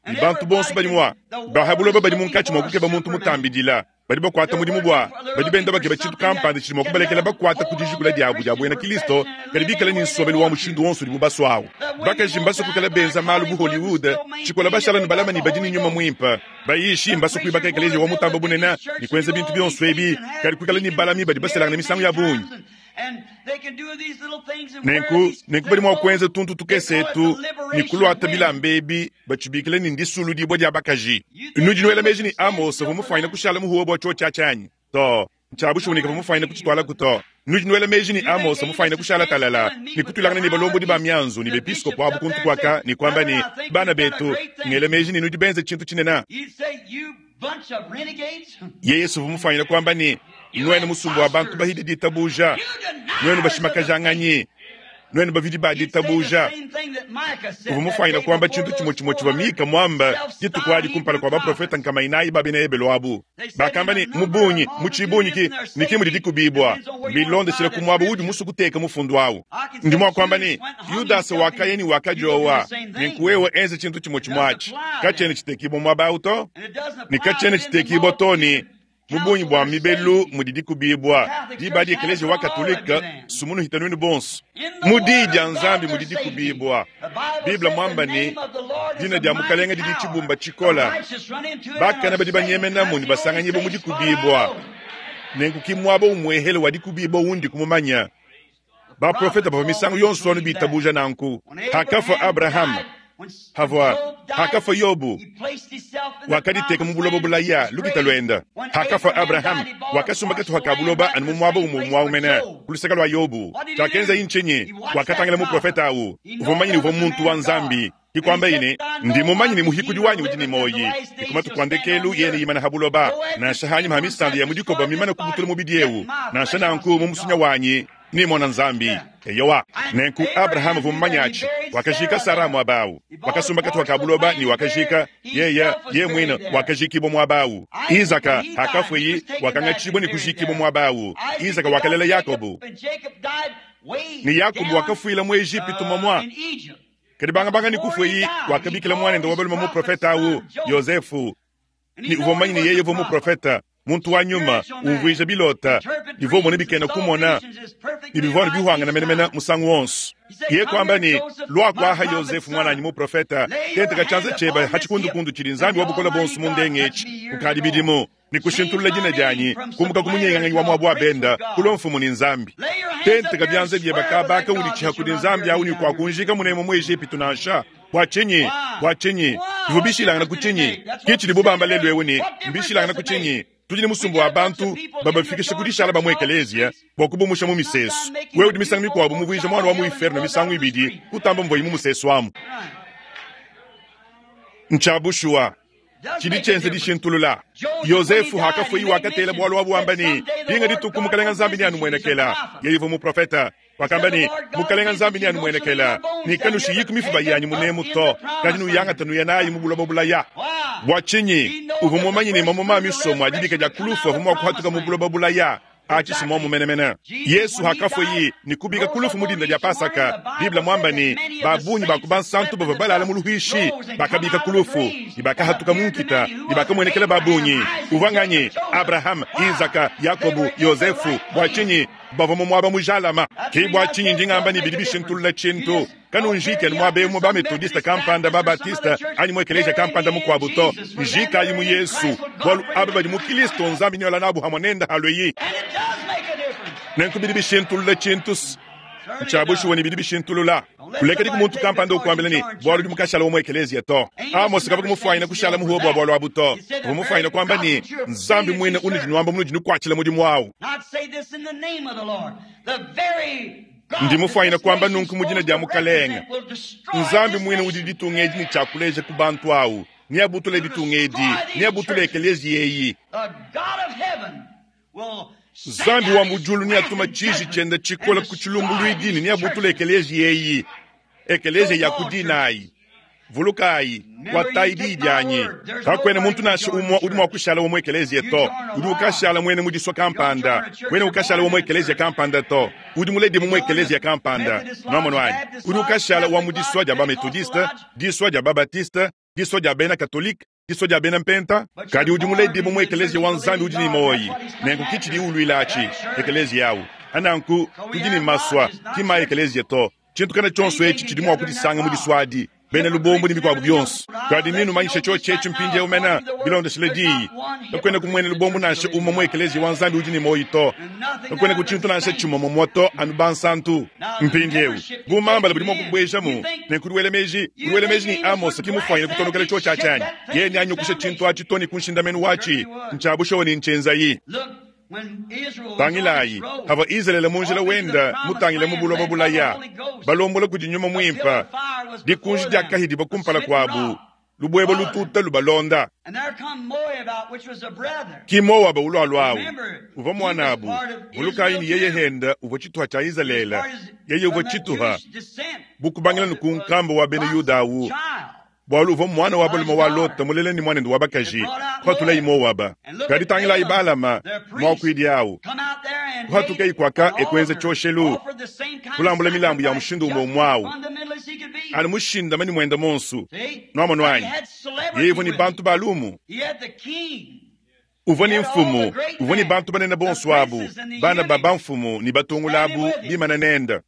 ne bantu bonso badi mua ba ha buloba badi munkatshi mua kukeba muntu mutambidila, badi bakuata mudimu bua badi benda bakeba tshintu kampanda tshidi mua kubalekela bakuata ku dijikula diabu dia buena Kristo, kadi bikale ne nsombelu wa mushindu wonso udibu basua au. Bakaji mbasue kuikala benza malu bu Hollywood, tshikola bashala ne balama ne badi ne nyuma muimpe. Bayishi mbasue kuibaka ekeleziya wa mutamba bunene ne kuenza bintu bionso ebi, kadi kuikala ne balami badi baselangana misangu ya bungi. Nenku, nenku badi mua kuenza tuntu tukese etu ne kuluata bilamba ebi batshibikila ne ndisuludibua dia bakaji. Nudi nuela meji ne Amos uvua mufuanyine kushala muhuwe bua tshiotshi atshi anyi? Too, ntshia bushuwa ne kavua mufuanyine kutshitualaku to. Nudi nuela meji ne Amos mufuanyine kushala talala ne kutuilangana ne balombodi ba mianzu ne bepiskopo abu kuntu kuaka ne kuamba ne, Bana betu, ngela meji ne nudi benze tshintu tshinene. Yeye uvua mufuanyine kuamba ne, Nuenu musumba wa bantu bahidi ditabuja, nuenu bashimakajanganyi, nuenu bavidi ba ditabuja. Uvua mufuanyine kuamba tshintu tshimue tshimue tshivua Mika muambe dituku adi kumpala kua baprofete nkama inayi ba bena Ebelu abu. Bakamba ne, Mu bungi, mu tshibungi ki ne ki mudi dikubibua, bilondeshile ku muaba uudi musue kuteka mufundu au. Ndi mua kuamba ne, Yudasa wakaya ne wakadiowa, nenku wewe enza tshintu tshimue tshimue atshi. Katshiena tshitekibua muaba au to, ne katshiena tshitekibua to ne. Mu bungi bua mibelu mudi dikubibua. Diba adi Ekeleziya wa Katolike sumunuhita nuenu bonso. Mu Diyi dia Nzambi mudi dikubibua. Bible muamba ne, Dina dia Mukalenga didi tshibumba tshikola. Bakane badi banyemenamu ne basanganyibua mu dikubibua. Nenku ki muaba umuehele wa dikubibua undi kumumanya. Baprofete bavua misangu yonso anu bitabuja nanku. Hakafua Abrahama, havua hakafua Yobu, wakaditeka mu buloba bulaya lukita luenda. Hakafua Abrahama, wakasumba katuha ka buloba anu mu muaba umue umue mene ku luseke lua Yobu. Tshiakenzaye ntshinyi? Wakatangila muprofete au, uvua mumanye ne uvua muntu wa Nzambi. Ke kuambaye ne, Ndi mumanye ne muhikudi wanyi udi ne muoyi, ne ku matuku a ndekelu yeye neimane ha buloba, nansha hanyima ha misanda ya mu dikoba mimane kubutula mubidi eu, nansha nanku mu musunya wanyi nemona Nzambi. Eyowa, nenku Abrahama uvua mumanye atshi. Wakajika Sara muaba au, wakasumba katuha ka buloba ne wakajika yeye yeye muine wakajikibua muaba au. Izaka hakafueyi wakangatshibua ne kujikibua muaba au. Izaka wakalela Yakobo, ne Yakobo wakafuila mu Ejipitu momua. Kadi bangabanga ne kufueyi wakabikila muanende wa balume muprofete au Yozefu, ne uvua mumanye ne yeye uvua muprofete, muntu wa nyuma, umvuija bilota, bivua umona bikena kumona, ne bivua anu bihuangana menemene musangu wonso. Yeye kuamba ne, Lua kuaha Yozefu muananyi muprofete, tenteka tshianza tshiebe ha tshikundukundu tshidi Nzambi wa Bukole Buonso mundenge etshi kukadi bidimu, ne kushintulula dina dianyi kumuka ku munyenganganyi wa muabu wa benda kulua mfumu ne Nzambi. Tenteka bianza biebe kaba kaudi tshiha kudi Nzambi au ne kuakunjika munemu mu Ejipitu nansha. Bua tshinyi? Bua tshinyi? Bivua bishilangana ku tshinyi? Ke tshidibu bamba lelu eu ne, mbishilangana ku tshinyi? Tudi ne musumba wa bantu babafikisha ku dishala ba mu ekeleziya bua kubumusha mu misesu. Wewe udi misangu mikuabu muvuija muana wa mu inferno misangu ibidi kutamba muvuaye mu musesu amu. Ntshia bushuwa. Tshidi tshienza dishintulula. Yozefu hakafueyi wakatela bualu abu wamba ne, Dinga dituku Mukalenga Nzambi neanumuenekela. Yeye uvua muprofeta. Wakamba ne, Mukalenga Nzambi neanumuenekela, ne kanushiyiku mifuba yanyi munemu to, kadi nuyangate nuya nayi mu buloba bulaya. Bua tshinyi? Uvua mumanye ne mamuma a misomo a dibika dia ku lufu avua mua kuhatuka mu buloba bulaya. Atshi si muomu menemene. Yesu hakafueyi ne kubika ku lufu mu dinda dia Pasaka, Bible muamba ne, ba bungi ba ku bansantu bavua balala mu luhuishi bakabika ku lufu ne bakahatuka mu nkita ne bakamuenekela ba bungi. Uvua nganyi? Abrahama, Izaka, Yakobo, Yozefu. Bua tshinyi bavua mu muaba mujalama? Ke bua tshinyi ndi ngamba ne bidi bishintulula tshintu. Kanunjiki anu muaba eu mu ba-Metodiste kampanda, ba-Batiste, anyi mu ekeleziya kampanda mukuabu to. Njikayi mu Yesu, bualu aba badi mu Kilisto Nzambi nealua nabu hamue nende halueyi. Nenku bidi bishintulula tshintu. Ntshia bushuwa ne bidi bishintulula. Kulekedi ku muntu kampanda ukuambila ne, bualu udi mukashala wa mu ekeleziya to. Amose kavua kumufuanyina kushala muhuwe bua bualu abu to. Uvua mufuanyina kuamba ne, Nzambi muine unudi nuamba munudi nukuatshila mudimu au. Ndi mufuanyine kuamba nunku mu dina dia Mukalenge, Nzambi muine udi ditunga edi ne tshia kuleja ku bantu au, neabutule ditunga edi, neabutule ekeleziya eyi. Nzambi wa mu diulu neatuma tshiji tshiende tshikole ku tshilumbuluidi ne neabutule ekeleziya eyi, ekeleziya ya ku dinayi. Vulukayi, kuatayi diyi dianyi. Kakuena muntu nansha umue udi mua kushala wa mu ekeleziya to. Udi ukashala muena mu disua kampanda. Kuena ukashala wa mu ekeleziya kampanda to. Udi muledibue mu ekeleziya kampanda. Nuamonu anyi? Udi ukashala wa mu disua dia ba-Metodiste, disua dia ba-Batiste, disua dia bena Katolike, disua dia bena Mpenta. Kadi udi muledibue mu ekeleziya wa Nzambi udi ne muoyi. Nenku ki tshidiye uluila atshi, ekeleziya awu. Nanku, tudi ne masua, ki mma ekeleziya to. Tshintu kana tshionso etshi tshidi mua kudisanga mu disua adi, bena lubombo ne mikuabu bionso. Kadi nenumanyishe tshiotshi etshi mpindieu mene, bilondeshile diyi. Kakuena ku muena lubombo nansha umue mu ekeleziya wa Nzambi udi ne muoyo to. Kakuena ku tshintu nansha tshimue mumue to, anu bansantu. Mpindieu, bu mambala budi mua kubuejamu, nenku udi wela meji, udi wela meji ne Amosa ki mufuanyine kutonokela tshiotshi atshi anyi? Yeye neanyukushe tshintu atshi to ne ku nshindamenu watshi. Ntshia bushuwa ne ntshienzayi. Tangilayi, pavua Izalele mu njila wenda mutangile mu buloba bulaya, balombola kudi Nyuma Muimpe, dikunji diakahidibua kumpala kuabu, lubuebue lututa lubalonda. Ki Moaba ulualuawu, uvua muanabu. Vulukayi ne yeye henda uvua tshituha tshia Izalele, yeye uvua tshituha bu kubangila ne ku nkambua wa bena Yuda awu. Bualu uvua muana wa balume wa Lota mulela ne muanende wa bakaji, kuhatulayi Moaba. Kadi tangilayi Balama, muakuidi au, kuhatukeyi kuaka e kuenza tshioshelu, kulambula milambu ya mushindu umue umue au, anu mushindame ne muende muonso. Nuamonu anyi? Yeye uvua ne bantu ba lumu. Uvua ne mfumu, uvua ne bantu banene bonso abu, bana ba bamfumu ne batungula abu bimane nende.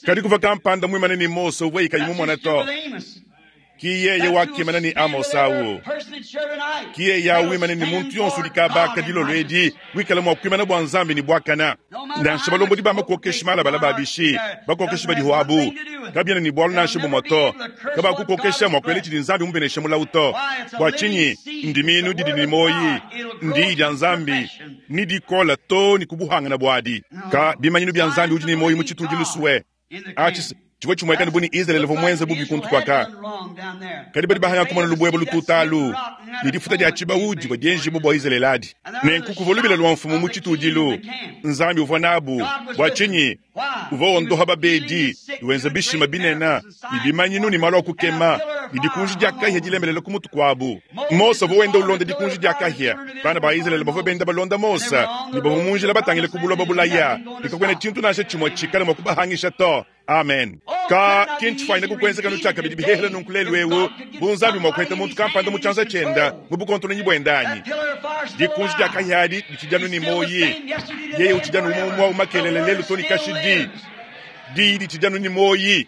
Kadi kuvua kampanda muimane ne Mose uvuaye kayi mumone to. Ki yeye wakimana ne Amosa awu. Ki yeye awu wimane ne muntu yonso udi kabaka dilolo edi wikala mua kuimana bua Nzambi ne buakana. Nansha balombodi ba makokeshi malabala ba bishi, bakokeshi badiho abu, kabiena ne bualu nansha bumue to. Kabakukokesha mua kuela tshidi Nzambi mubeneshe mulawu to. Bua tshinyi? Ndimiinu didi ne muoyi, ndiyi dia Nzambi, ne dikola too ne ku buhangana buadi. Ka bimanyinu bia Nzambi udi ne muoyi mu tshitudilu sue. Atshi tshivua tshimueka bu ne Izalele uvua muenze bubi kuntu kuaka. Kadi badi bahanga kumona lubuebue lututa alu ne difuta dia tshibawu divua dienjibua bua Izalele adi. Nenku kuvua lubila lua mfumu mu tshitudilu. Nzambi uvua nabu. Bua tshinyi? Uvua wondoha babedi, wenza bishima binene ne bimanyinu ne malu a kukema, ne dikunji dia kahia dilembelela ku mutu kuabu. Mose uvua wenda ulonda dikunji dia kahia. Bana ba Izalele bavua benda balonda Mose ne bavua mu njila batangile ku buloba bulaya, ne kakuena tshintu nansha tshimue tshikale mua kubahangisha to. Amen. Ka ki ntshifuanyine kukuenzeka nu tshiakabidi bihehele nunku lelu eu, bu Nzambi mua kuheta muntu kampanda mu tshianza tshienda mu bukontononyi buende anyi? Dikunji dia kahia adi ditshidi anu ne muoyi. Yeye utshidi anu umue umue au makelela lelu to ne kashidi. Diyi ditshidi anu ne muoyi.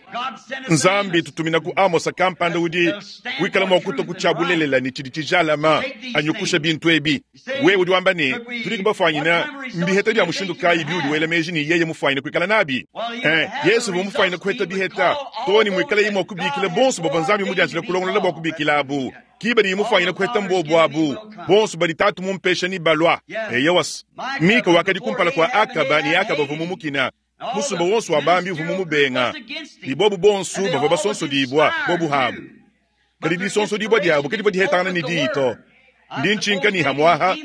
Nzambi tutumina ku Amosa kampanda udi wikala mua kutua ku tshia bulelela ne tshidi tshijalama anyukusha bintu ebi. Wewe udi wamba ne, tudi bafuanyine. Mbiheta bia mushindu kayi biudi wela meji ne yeye mufuanyine kuikala nabi? Eh, Yesu uvua mufuanyine kuheta biheta too ne muikalaye mua kubikila bonso bavua Nzambi mudianjile kulongolola bua kubikilabu. Ki badi mufuanyine kuheta mbuobu abu, bonso badi Tatu mumpesha ne balua. Eyowa, Mika wakadi kumpala kua Akaba ne Akaba uvua mumukina. Musumba wonso wa bambi uvua mumubenga, ne bobu bonso bavua basonsodibua bobu habu. Kadi disonsodibua diabu kadivua dihetangana ne diyi to. Ndi ntshinka ne hamuaha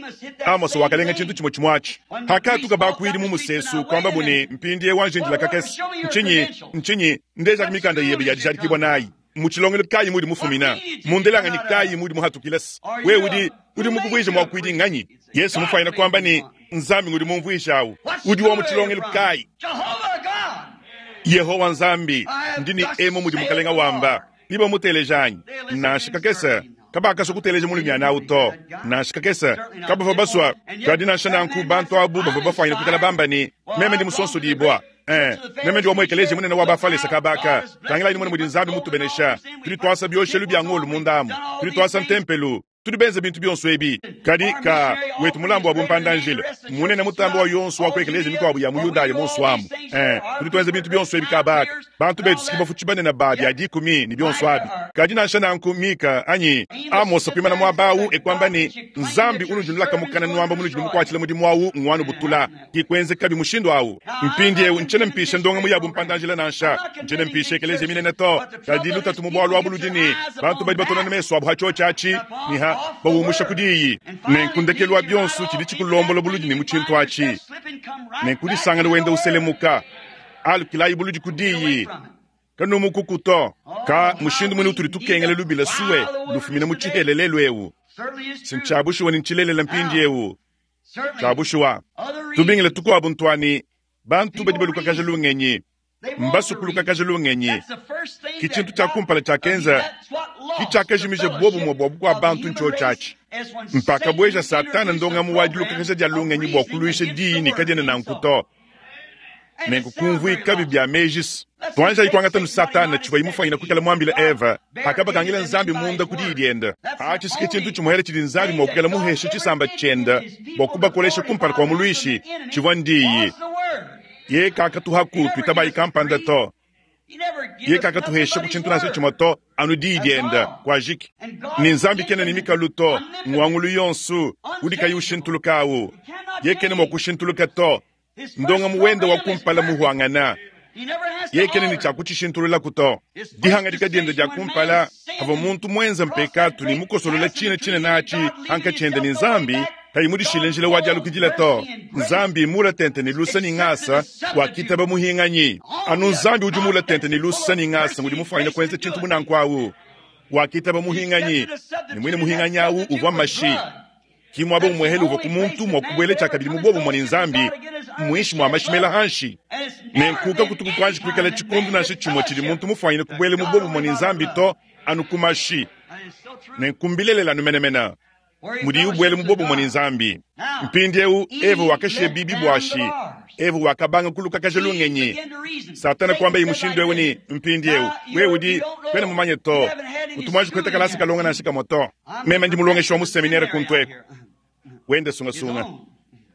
Amosa wakalenga tshintu tshimue tshimue atshi. Hakatuka bakuidi mu musesu kuambabu ne, mpindieu anji ndila kakese. Ntshinyi? Ntshinyi? Ndejaku mikanda yebe ya dijadikibua nayi. Mu tshilongelu kayi mudi mufumina? Mu ndelanganyi kayi mudi muhatukile? Wewe udi udi mukuvuije muakuidi nganyi? Yesu mufuanyine kuamba ne, Nzambi ngudi mumvuije awu. Udi wa mu tshilongelu kayi? Yehowa Nzambi, ndi ne emu mudi Mukalenga wamba. Nibamuteleja anyi? Nansha kakese. Kabakasua kuteleja mulumiana awu to, nansha kakese. Kabavua basua. Kadi nansha nanku bantu abu bavua bafuanyine kuikala bamba ne, Meme ndi musonsodibua. Eh, meme ndi wa mu ekeleziya munene wa Bafalese kabaka. Tangilayi numone mudi Nzambi mutubenesha. Tudi tuasa bioshelu bia ngolo munda amu. Tudi tuasa ntempelu. Tudi benze bintu bionso ebi. Kadi ka wetu mulambu wa bumpanda-njila munene mutambe wa yonso wa ku ekeleziya mikuabu ya mu Yudaya monso amu. Eh, tudi tuenza bintu bionso ebi kabaka. Bantu betu siki bafutshi banene ba bia dikumi ne bionso abi. Kadi nansha nanku Mika anyi Amosa kuimana muaba awu e kuamba ne, Nzambi unudi nulaka mukana nuamba munudi numukuatshila mudimu awu nguanubutula. Ki kuenzekabi mushindu awu. Mpindiewu ntshiena mpisha ndongamu ya bumpanda-njila nansha, ntshiena mpisha ekeleziya minene to. Kadi lutatu mu bualu abu ludi ne, bantu badi batonana mesu abu ha tshiotshi atshi ne ha bawumusha ku diyi. Nenku ndekelu wa bionso tshidi tshikulombola buludi ne mu tshintu atshi. Nenku disangana wenda uselemuka. Alukilayi buludi ku diyi. Kanumukuku to. Ka mushindu mune utudi tukengela lubila sue lufumina mu tshihela lelu eu. Si ntshia bushuwa ne ntshilelela mpindiewu. Tshia bushuwa, tubingila tukuabu ntua ne, bantu badi balukakaja lungenyi mbasue kulukakaja lungenyi. Ke tshintu tshia kumpala tshiakenza, ke tshiakajimija buobumue bua bukua-bantu ntshiotshi atshi. Mpakabueja Satana ndongamu wa dilukakaja dia lungenyi bua kuluisha diyi ne kadiena nanku to. Nenku kumvuikabi bia meji tuanjayi kuangata nu Satana tshivuaye mufuanyine kuikala muambile Eva pakabakangila Nzambi munda ku diyi diende. Atshi si ke tshintu tshimuele tshidi Nzambi mua kuikala muheshe tshisamba tshiende bua kubakolesha kumpala kua muluishi, tshivua ndiyi. Yeye kakatuhaku tuitabayi kampanda to. Yeye kakatuhesha ku tshintu nansha tshimue to, anu diyi diende. Kuajiki. Ne Nzambi kena ne mikalu to, nguangulu yonso udi kayi ushintuluka awu. Yeye kena mua kushintuluka to. Ndongamu wende wa kumpala muhuangana, yeye kena ne tshia kutshishintululaku to. Dihangadika diende dia kumpala havua muntu muenze mpekatu ne mukosolola tshina tshinene atshi hankatshi hende ne Nzambi, kayi mudishile njila wa dialukidila to. Nzambi mula tente ne lusa ne ngasa, wakitaba muhinganyi. Anu Nzambi udi mula tente ne lusa ne ngasa ngudi mufuanyine kuenza tshintu bu nanku awu. Wakitaba muhinganyi, ne muine muhinganyi awu uvua mashi. Ki muaba umuehele uvua ku muntu mua kubuela tshiakabidi mu buobumue ne Nzambi, muinshi mua mashi mela hanshi. Nenku kakutuku kuanji kuikala tshikondo nansha tshimue tshidi muntu mufuanyine kubuela mu buobumue ne Nzambi to, anu ku mashi. Nenku mbilelela anu menemene mudiyi ubuela mu buobumue ne Nzambi. Mpindieu Eva wakashiya bibi buashi. Eva wakabanga kulukakaja lungenyi. Satana kuambaye mushindu eu ne, mpindieu wewe udi kuena mumanye to, kutu muanji kupeta kalasa kalonga nansha kamue to. Meme ndi mulongeshi wa mu seminere kuntu eku. Wende sungasunga.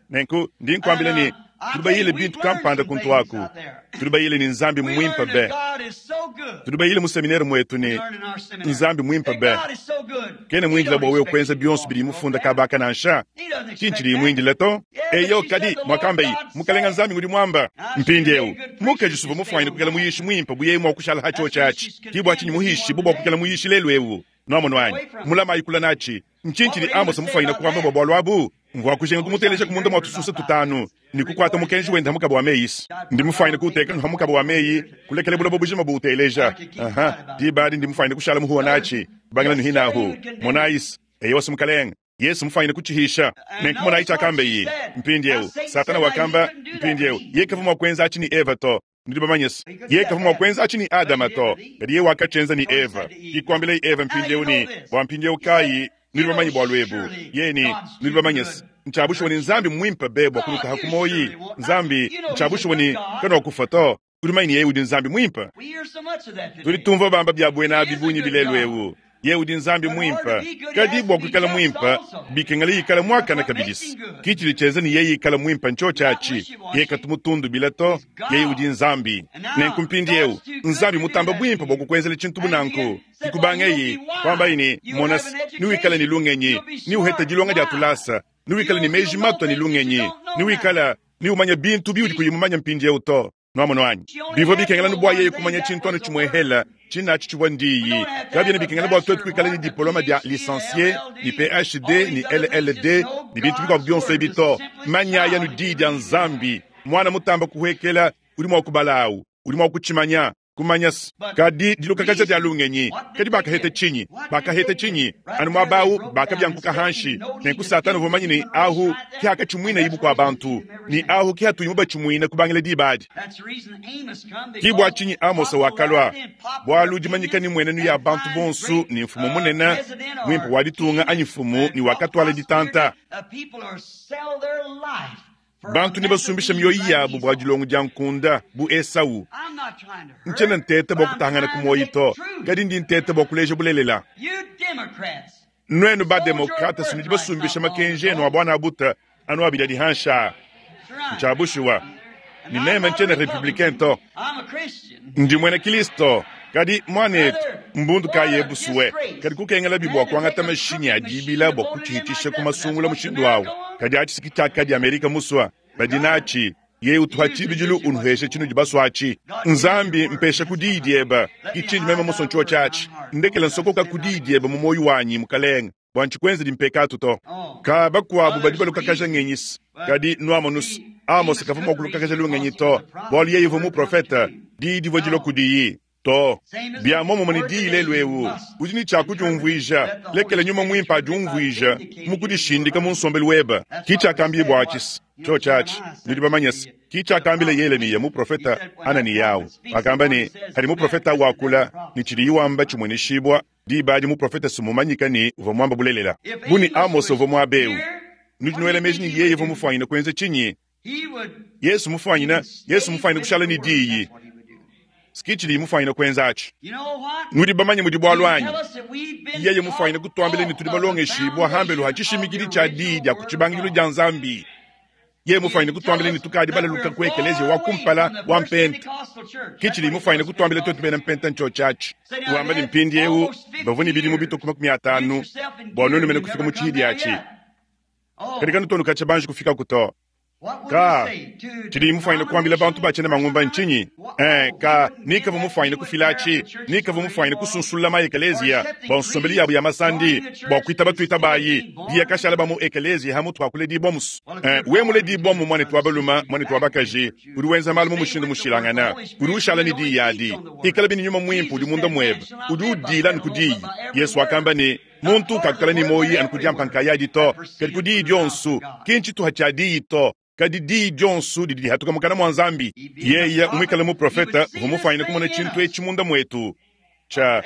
Nenku ndi nkuambila ne, tudi bayile bintu kampanda kuntu aku. Tudi bayile ne Nzambi mmuimpe be. Tudi bayile mu seminere muetu ne Nzambi muimpe be. Kena muindile bua wewe kuenza bionso bidi mufunda kabaka nansha. Ki ntshidi muindile to. Eyo kadi muakambayi, Mukalenga Nzambi ngudi muamba. Mpindieu mukaji suvua mufuanyine kuikala muyishi muimpe bu yeye mua kushala ha tshiotshi atshi. Ki bua tshinyi muhishi bu bua kuikala muyishi lelu eu. Nuamonu anyi? Mulamayi kula natshi. Ntshinyi tshidi Amosa mufuanyine kuamba bua bualu abu? Mvua kujinga kumuteleja ku munda mua tususa tutanu ne kukuata mukenji wende ha mukaba wa meyi. Ndi mufuanyine kuuteka ha mukaba wa meyi, kulekela buloba bujima buuteleja. Aha, diba adi ndi mufuanyine kushala muhuwa natshi, kubangila nu hinahu. Monayi, eyowa, Mukalenge Yesu mufuanyine kutshihisha. Nenku monayi tshiakambeyi. Mpindieu Satana wakamba, mpindieu yeye kavua mua kuenza atshi ne Eva to. Nudi bamanye se, yeye kavua mua kuenza atshi ne Adama to, kadi yeye wakatshienza ne Eva. Ke kuambilaye Eva mpindieu ne, bua mpindieu kayi nudi bamanye bualu ebu? Yeye ne, nudi bamanye se, ntshia bushuwa ne Nzambi mmuimpe be bua kunutaha ku muoyi. Nzambi, ntshia bushuwa ne kanuakufua to. Udi mumanye ne yeye udi Nzambi muimpe. Tudi tumvua bamba bia buena abi bungi bilelu eu. Yeye udi Nzambi muimpe, kadi bua kuikala muimpe bikengela ikala muakane kabidi. Ki tshidi tshienza ne yeye ikala muimpe ntshiotshi atshi. Yeye katu mutundubila to, yeye udi Nzambi. Nenku mpindieu Nzambi mutamba buimpe bua kukuenzela tshintu bu nanku. Kikubangeyi kuambayi ne, mona, niwikale ne lungenyi, niuhete dilonga dia tulasa, niwikale ne meji matua ne lungenyi, niwikala niumanya bintu biudi kuyi mumanya mpindieu to. Nuamonu anyi? Bivua bikengela nu bua yeye kumanya tshintu anu tshimuehela tshinatshi tshivua ndiyi. Kabiena bikengela bua tuetu kuikala ne diploma dia licencie ne PhD ne LLD ne bintu bikuabu bionso ebi to. Manyaya anu diyi dia Nzambi. Muana mutamba kuhuekela udi mua kubala awu, udi mua kutshimanya. Kumanya se, kadi dilukakaja dia lungenyi. Kadi bakaheta tshinyi? Bakaheta tshinyi? Anu muaba awu bakabiankuka hanshi. Nenku Satana uvua mumanye ne ahu ke akatshimuinayi bukua bantu, ne ahu ke atuyi mubatshimuina kubangila diba adi. Ki bua tshinyi Amosa wakalua, bualu dimanyika ne mmuenenu ya bantu bonso ne mfumu munene muimpe wa ditunga anyi mfumu ne wakatuala ditanta. Bantu nebasumbishe mioyo yabu bua dilongo dia nkunda bu Esau. Ntshiena nteta bua kutangana ku muoyo to, kadi ndi nteta bua kuleja bulelela. Nuenu ba-demokrate nudi basumbisha makenji enu a buana buta anu abidi adi hansha. Ntshia bushuwa ne meme ntshiena republicain to, ndi muena Kristo. Kadi muanetu, mbundu kayi ebusuwe? Kadi kukengelabi bua kuangata mashinyi a dibila bua kutshihitisha ku masungula mushindu awu. Kadi atshi siki tshiakadi Amerika musua badi natshi. Yeye utuha tshibidilu unuhesha tshinudi basua atshi. Nzambi mpesha ku diyi dieba, ki tshindi meme musua ntshiotshi atshi. Ndekela nsokoka ku diyi dieba mu muoyo wanyi, Mukalenge, bua ntshikuenzedi mpekatu to. Ka bakuabu badi balukakaja ngenyisi, kadi nuamonus, Amos kavua mua kulukakaja lungenyi to, bualu yeye uvua muprofete, diyi divua dilua kudiyi. To, bia muomumue ne diyi lelu eu, udi ne tshia kudiumvuija. Lekela nyuma muimpe adiumvuija mu kudishindika mu nsombelu webe. Ki tshiakambiye bua atshi, tshiotshi atshi, nudi bamanye se, ki tshiakambila Yelemiya muprofete Ananiyawu. Wakamba ne, hadi muprofete wakula ne tshidiyi wamba tshimueneshibua, diba adi muprofete sumumanyika ne uvua muamba bulelela. Bu ne Amos uvua muaba eu, nudi nuela meji ne yeye uvua mufuanyine kuenza tshinyi? Yesu mufuanyine, Yesu mufuanyine kushala ne diyi. Ski tshidi mufuanyine kuenza atshi. Nudi bamanye mudi bualu anyi? Yeye mufuanyine kutuambila ne tudi balongeshibua hambelu ha tshishimikidi tshia diyi dia ku tshibangidilu dia Nzambi. Yeye mufuanyine kutuambila ne tukadi balaluka ku ekeleziya wa kumpala wa mpenta. Ki tshidi mufuanyine kutuambila tuetu bena mpenta ntshiotshi atshi. Wamba ne mpindieu bavua ne bidimu bitue ku 50 bua nuenu mene kufika mu tshihidi atshi. Kadi kanutonu katshia banji kufikaku to. Ka tshidi mufuanyine kuambila bantu ba tshiena mangumba ntshinyi? Ka nikavua mufuanyine kufila atshi, nikavua mufuanyine kusunsulula ma ekeleziya bua nsombelu yabu ya masandi, bua kuitaba tuitabayi diya kashala ba mu ekeleziya ha mutu ha kuledibua musu. We muledibua mu muanetu wa balume, muanetu wa bakaji, udi wenza malu mu mushindu mushilangana, udi ushala ne diyi adi. Ikala bini nyuma muimpe udi munda muebe, udi udila anu ku diyi. Yesu wakamba ne, muntu kakukala ne muoyo anu ku diampa nkayadi to, kadi ku diyi dionso. Ki ntshituha tshia diyi to, kadi diyi dionso didi dihatuka mukana mua Nzambi. Yeye muikale muprofete uvua mufuanyine kumona tshintu etshi munda muetu. Tshia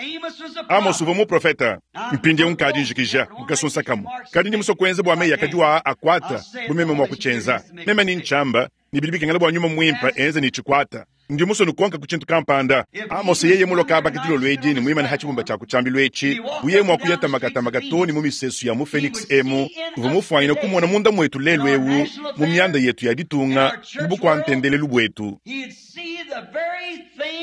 Amose uvua muprofeta. Mpindieu nkadi njikija mu kasunsa kamue. Kadi ndi musue kuenza bua meyi akadi aa akuata bu meme mua kutshienza. Meme ndi ntshiamba, ne bidi bikengela bua nyuma muimpe enze ne tshikuata. Ndi musue nukonka ku tshintu kampanda. Amose yeye mulue kaba ka dilolo edi ne muimane ha tshibumba tshia ku tshiambilu etshi, bu yeye mua kuya tamakatamaka too ne mu misesu ya mu Phoenix emu, uvua mufuanyine kumona munda muetu lelu eu, mu mianda yetu ya ditunga, mu bukua-ntendelelu buetu.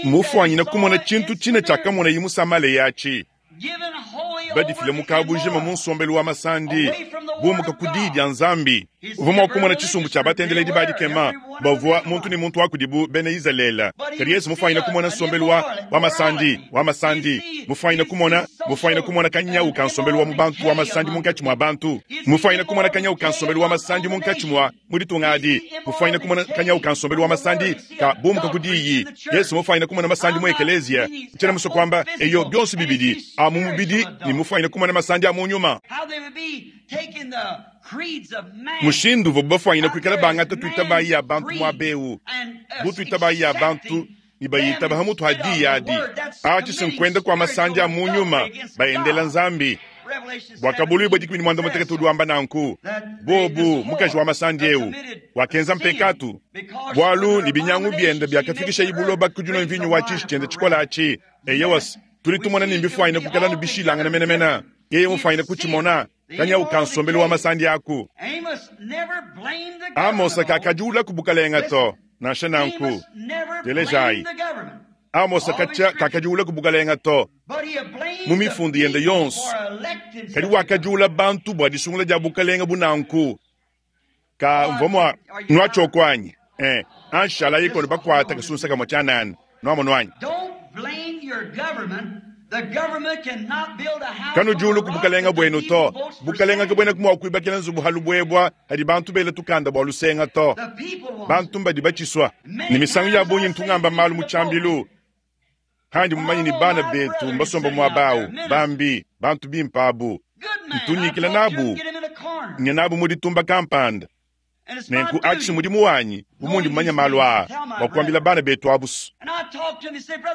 Mufuanyine kumona tshintu tshine tshiakamonaye mu Samalea atshi. Badifile mu kabujima mu nsombelu wa masandi, bumuka ku Diyi dia Nzambi. Uvua mua kumona tshisumbu tshia batendeledi ba dikema bavua muntu ne muntu wa kudibu bena Izalele. Kadi Yezu mufuanyine kumona nsombelu wa, wa masandi, wa masandi, mufuanyine kumona, mufuanyine kumona kanyawu ka nsombelu wa mu bantu wa masandi munkatshi mua bantu, mufuanyine kumona kanyawu ka nsombelu wa masandi munkatshi mua mu ditunga adi, mufuanyine kumona kanyawu ka nsombelu wa masandi ka bumuka ku Diyi. Yezu mufuanyine kumona masandi mu ekeleziya. Ntshiena musue kuamba, eyo, bionso bibidi, a mu mubidi ne mufuanyine kumona masandi a mu nyuma. Mushindu uvuabu bafuanyine kuikala bangata tuitabayi ya bantu muaba eu, bu tuitabayi ya bantu ne bayitaba ha mutu ha diyi adi. Atshi si nkuenda kua masandi a mu nyuma, baendela Nzambi. Buakabuluibua 16 udi wamba nanku, Bobu, mukaji wa masandi eu, wakenza mpekatu, bualu ne binyangu biende biakafikishayi buloba ku dinua mvinyo wa tshiji tshiende tshikole atshi. Eyowa, tudi tumona ne mbifuanyine kuikala anu bishilangane menemene. Yeye mufuanyine kutshimona, kanyawu ka nsombelu wa masandi aku. Amosa kakadiula ku bukalenga to, nansha nanku. Telejayi. Amosa katshia kakadiula ku bukalenga to mu mifundu yende yonso, kadi wakadiula bantu bua disungula dia bukalenga bu nanku. Ka mvua mua nuatshioko anyi? Eh, anshalayi kono bakuata kasunsa kamue tshianana. Nuamonu anyi? Kanudiulu ku bukalenga buenu to. Bukalenga kabuenaku mua kuibakila nzubu ha lubuebua hadi bantu bela tukanda bua lusenga to. Bantu mbadi batshisua. Ne misangu ya bungi ntu ngamba malu mu tshiambilu handi mumanye ne bana betu mbasomba muaba au, bambi, bantu bimpe abu. Ntu nyikila nabu, nya nabu mu ditumba kampanda. Nenku atshi mudimu wanyi, bu mundi mumanye malu aa, bua kuambila bana betu abu.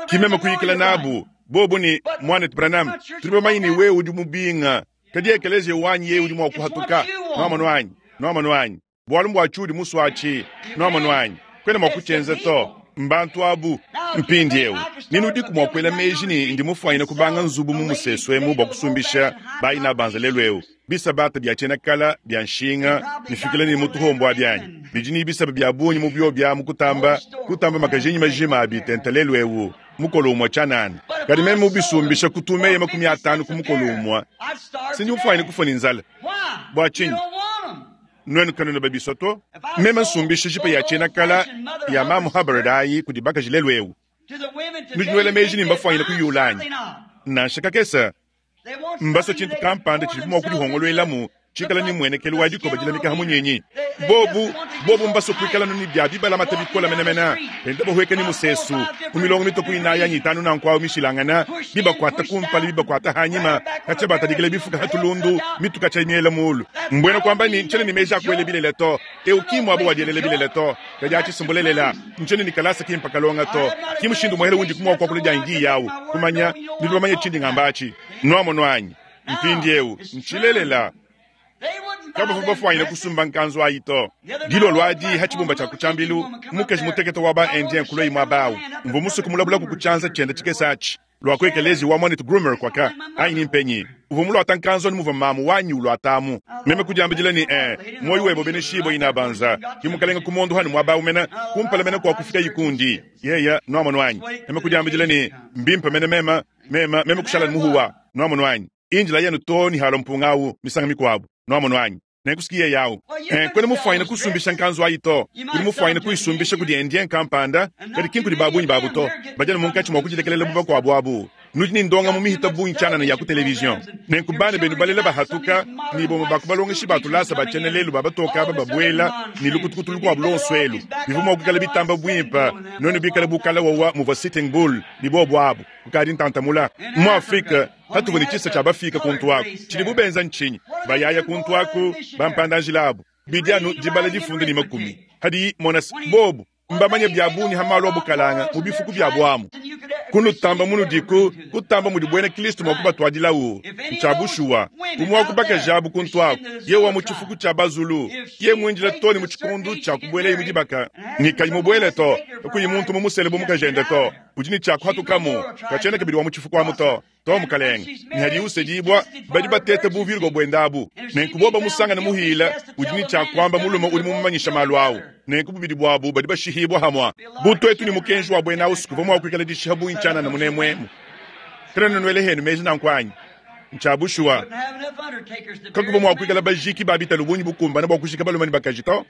Ki meme kuyikila nabu, bobu ne, Muanetu Branham, tudi bamanye ne wewe udi mubinga, kadi ekeleziya wanyi yeye udi mua kuhatuka. Nuamonu anyi? Nuamonu anyi? Bualu mbua tshiudi musue atshi. Nuamonu anyi? Kuena mua kutshienza to. Mbantu abu. Mpindieu, ne nudiku mua kuela meji ne ndi mufuanyine kubanga nzubu mu musesu emu bua kusumbisha bayi nabanza lelu eu bisabata bia tshiena kala bia nshinga bifikila ne mu tuhombo abi anyi? Bidi ne bisaba bia bungi mu bio bia mu kutamba kutamba makajinyi majima abi tente lelu eu mukolo umue tshianana. Kadi meme mubisumbisha ku tumeya 50 ku mukolo umue, si ndi mufuanyine kufua ne nzala. Bua tshinyi? Nuenu kanuena babisua to. Meme nsumbisha jipa ya tshiena kala ya mamu Hubbard ayi kudi bakaji lelu eu. Nudi nuela meji ne mbafuanyine kuyula anyi? Nansha kakese. Mbasue tshintu kampanda tshidibu mua kudihongoluelamu tshikala ne muenekelu wa dikoba dilamika ha munyinyi. Bobu, bobu mbasue kuikala ne bia bibalamata bikole menemene, benda bahueka ne musesu mu milongo mitue ku inayi anyi itanu nanku awu mishilangana, bibakuata kumpala bibakuata hanyima, katshia batadikila bifuka ha tulundu, mitu katshia miela mulu. Mbuena kuamba ne, ntshiena ne meji a kuela bilele to. Eu ki mmuaba wa dielela bilele to. Kadi atshi si mbulelela. Ntshiena ne kalasa kimpe kalonga to. Ki mushindu umuehele undi mua kuakula dianyi diyi awu. Kumanya, nudi bamanye tshindi ngamba atshi. Nuamonu anyi? Mpindieu, ntshilelela. Kabavua bafuanyine kusumba nkanzu ayi to. Dilolo adi, ha tshibumba tshia ku tshiambilu, mukaji mutekete wa ba-Indien kuluaye muaba awu. Mvua musue kumulabulaku ku tshianza tshiende tshikese atshi. Lua ku ekeleziya wa muanetu Groomer kuaka, anyi ni mpenyi. Uvua muluata nkanzu anu muvua mamu wanyi uluatamu. Meme kudiambidila ne, Ee, muoyo webe ubeneshibue, inabanza. Ki mukalenga ku muondu hanu muaba awu mena, kumpala mena kua kufikayi kundi. Yeya, nuamonu anyi? Meme kudiambidila ne, Mbimpe mene meme, meme, meme kushala ne muhuwa. Nuamonu anyi? Indila yenu too ne halua mpunga awu misanga mikuabu. Nuamonu anyi? Nenku yeye awu. Eh, kuena mufuanyine kusumbisha nkanzu ayi to. Udi mufuanyine kuyisumbisha kudi Indien kampanda, kadi ki nkudi ba bungi babu to. Badi anu munkatshi mua kudilekelela bu bakuabu abu. Nudi ne ndongamu mihita bungi tshianana ya ku televizion. Nenku bana benu balela bahatuka, ne bamue ba ku balongeshi ba tulasa ba tshiena lelu ba batoke aba babuela ne lukutukutu lukuabu luonso elu. Bivua mua kuikala bitamba buimpe nuenu bikale bu kala wawa muvua Sitting Bull ne bobu abu. Kukadi ntantamula. Mu Afrike, patuvua ne tshisa tshia bafika kuntu aku, tshidibu benza ntshinyi? Bayaya kuntu aku, bampanda-njila abu, bidi anu dibala difunda ne makumi. Hadi mona se, bobu mbamanye bia bungi ha malu a bukalanga mu bifuku biabu amu. Kunutamba munudiku, kutamba mudi bwena Kilisto mwa kubatwadilawu. Ncya bushuwa. Umwe wa ku bakaji abu kuntu aku, yeye wa mu cifuku cya Bazulu, yeye mwindila too ne mu cikondu cya kubwelaye mu dibaka, ne kayi mubwele to, kakuyi muntu mumusele bu mukajende to, udi ne cya kuhatukamu, kacyena kabidi wa mu cifuku amu to. To, mukalenge. Ne hadiye usedibwa, badi bateta buvirgo bwende abu. Nenku bobo bamusangane muhila, udi ne cya kwamba mulume udi mumumanyisha malu awu. Nenku bubidi bwabu badi bashihibwa hamwa. Bu twetu ne mukenji wa bwena awu sikuvwa mwa kwikala dishiha bungi cyanana munemwemu. Kanuena nwele henu meji nanku anyi? Ncya bushuwa. Kakuvwa mwa kwikala bajiki ba bitalu bungi bukumbane bwa kujika balume ne bakaji to.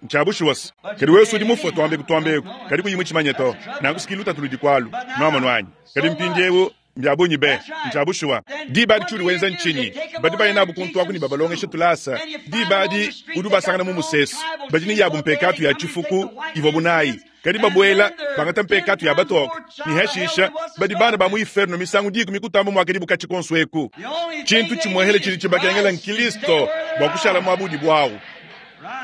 Ncya bushuwa se. Kadi wewe udi mufue twambeku twambeku, kadi kuyi mutshimanye to. Nanku siki lutatu ludi kwalu. Nwamonu anyi? Kadi mpindiewu mbya bungi be. Ncya bushuwa. Diba adi tshiudi wenza ntshinyi? Badi baya nabu kuntu aku ne babalongesha tulasa. Diba adi udi ubasangana mu musesu. Badi ne yabu mpekatu ya tshifuku ivuabu nayi. Kadi babuela, bangata mpekatu ya batoke, ne hashisha badi bana ba mu iferno misangu dikumi kutamba muakadibu katshi konso eku. Tshintu tshimuehele tshidi tshibakengela n'Kilisto bua kushala muaba udibu awu.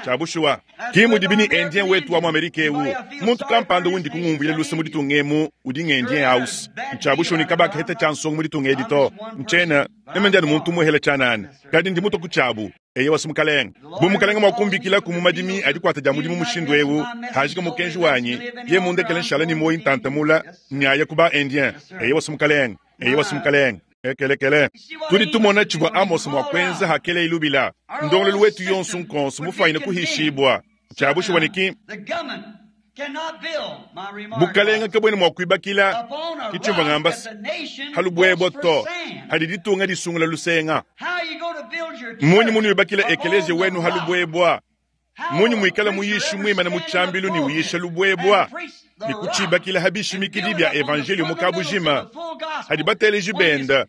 Tshia bushuwa, ki mudibi ne Indien wetu wa mu Amerika ewu. Muntu kampanda undi kungumvuila luse mu ditunga emu udi ng'Indien house. Ntshia bushuwa ne kabakaheta tshia nsongo mu ditunga edi to. Ntshiena meme ndi anu muntu umuehela tshianana, kadi ndi mutua ku tshiabu. Eyowa, si Mukalenge. Bu Mukalenge mua kumbikilaku mu madimi a dikuata dia mudimu mushindu eu, hajika mukenji wanyi, ye mundekele nshala ne muoyi ntanta mula, nyaya ku ba Indien. Eyowa, si Mukalenge. Eyowa, si Mukalenge. Ekelekele. Tudi tumona tshivua Amose mua kuenza hakeleye lubila. Ndongoluelu wetu yonso nkonso mufuanyine kuhishibua. Tshia bushuwa ne ki Bukalenga kabuena mua kuibakila, ki tshimvua ngamba se, ha lubuebua to, hadi ditunga disungula lusenga. Mmunyi munuibakila ekeleziya wenu ha lubuebua? Mmunyi muikala muyishi muimane mu tshiambilu ne uyisha lubuebua ne kutshibakila ha bishimikidi bia evanjeliyo mu kabujima hadi bateleji benda,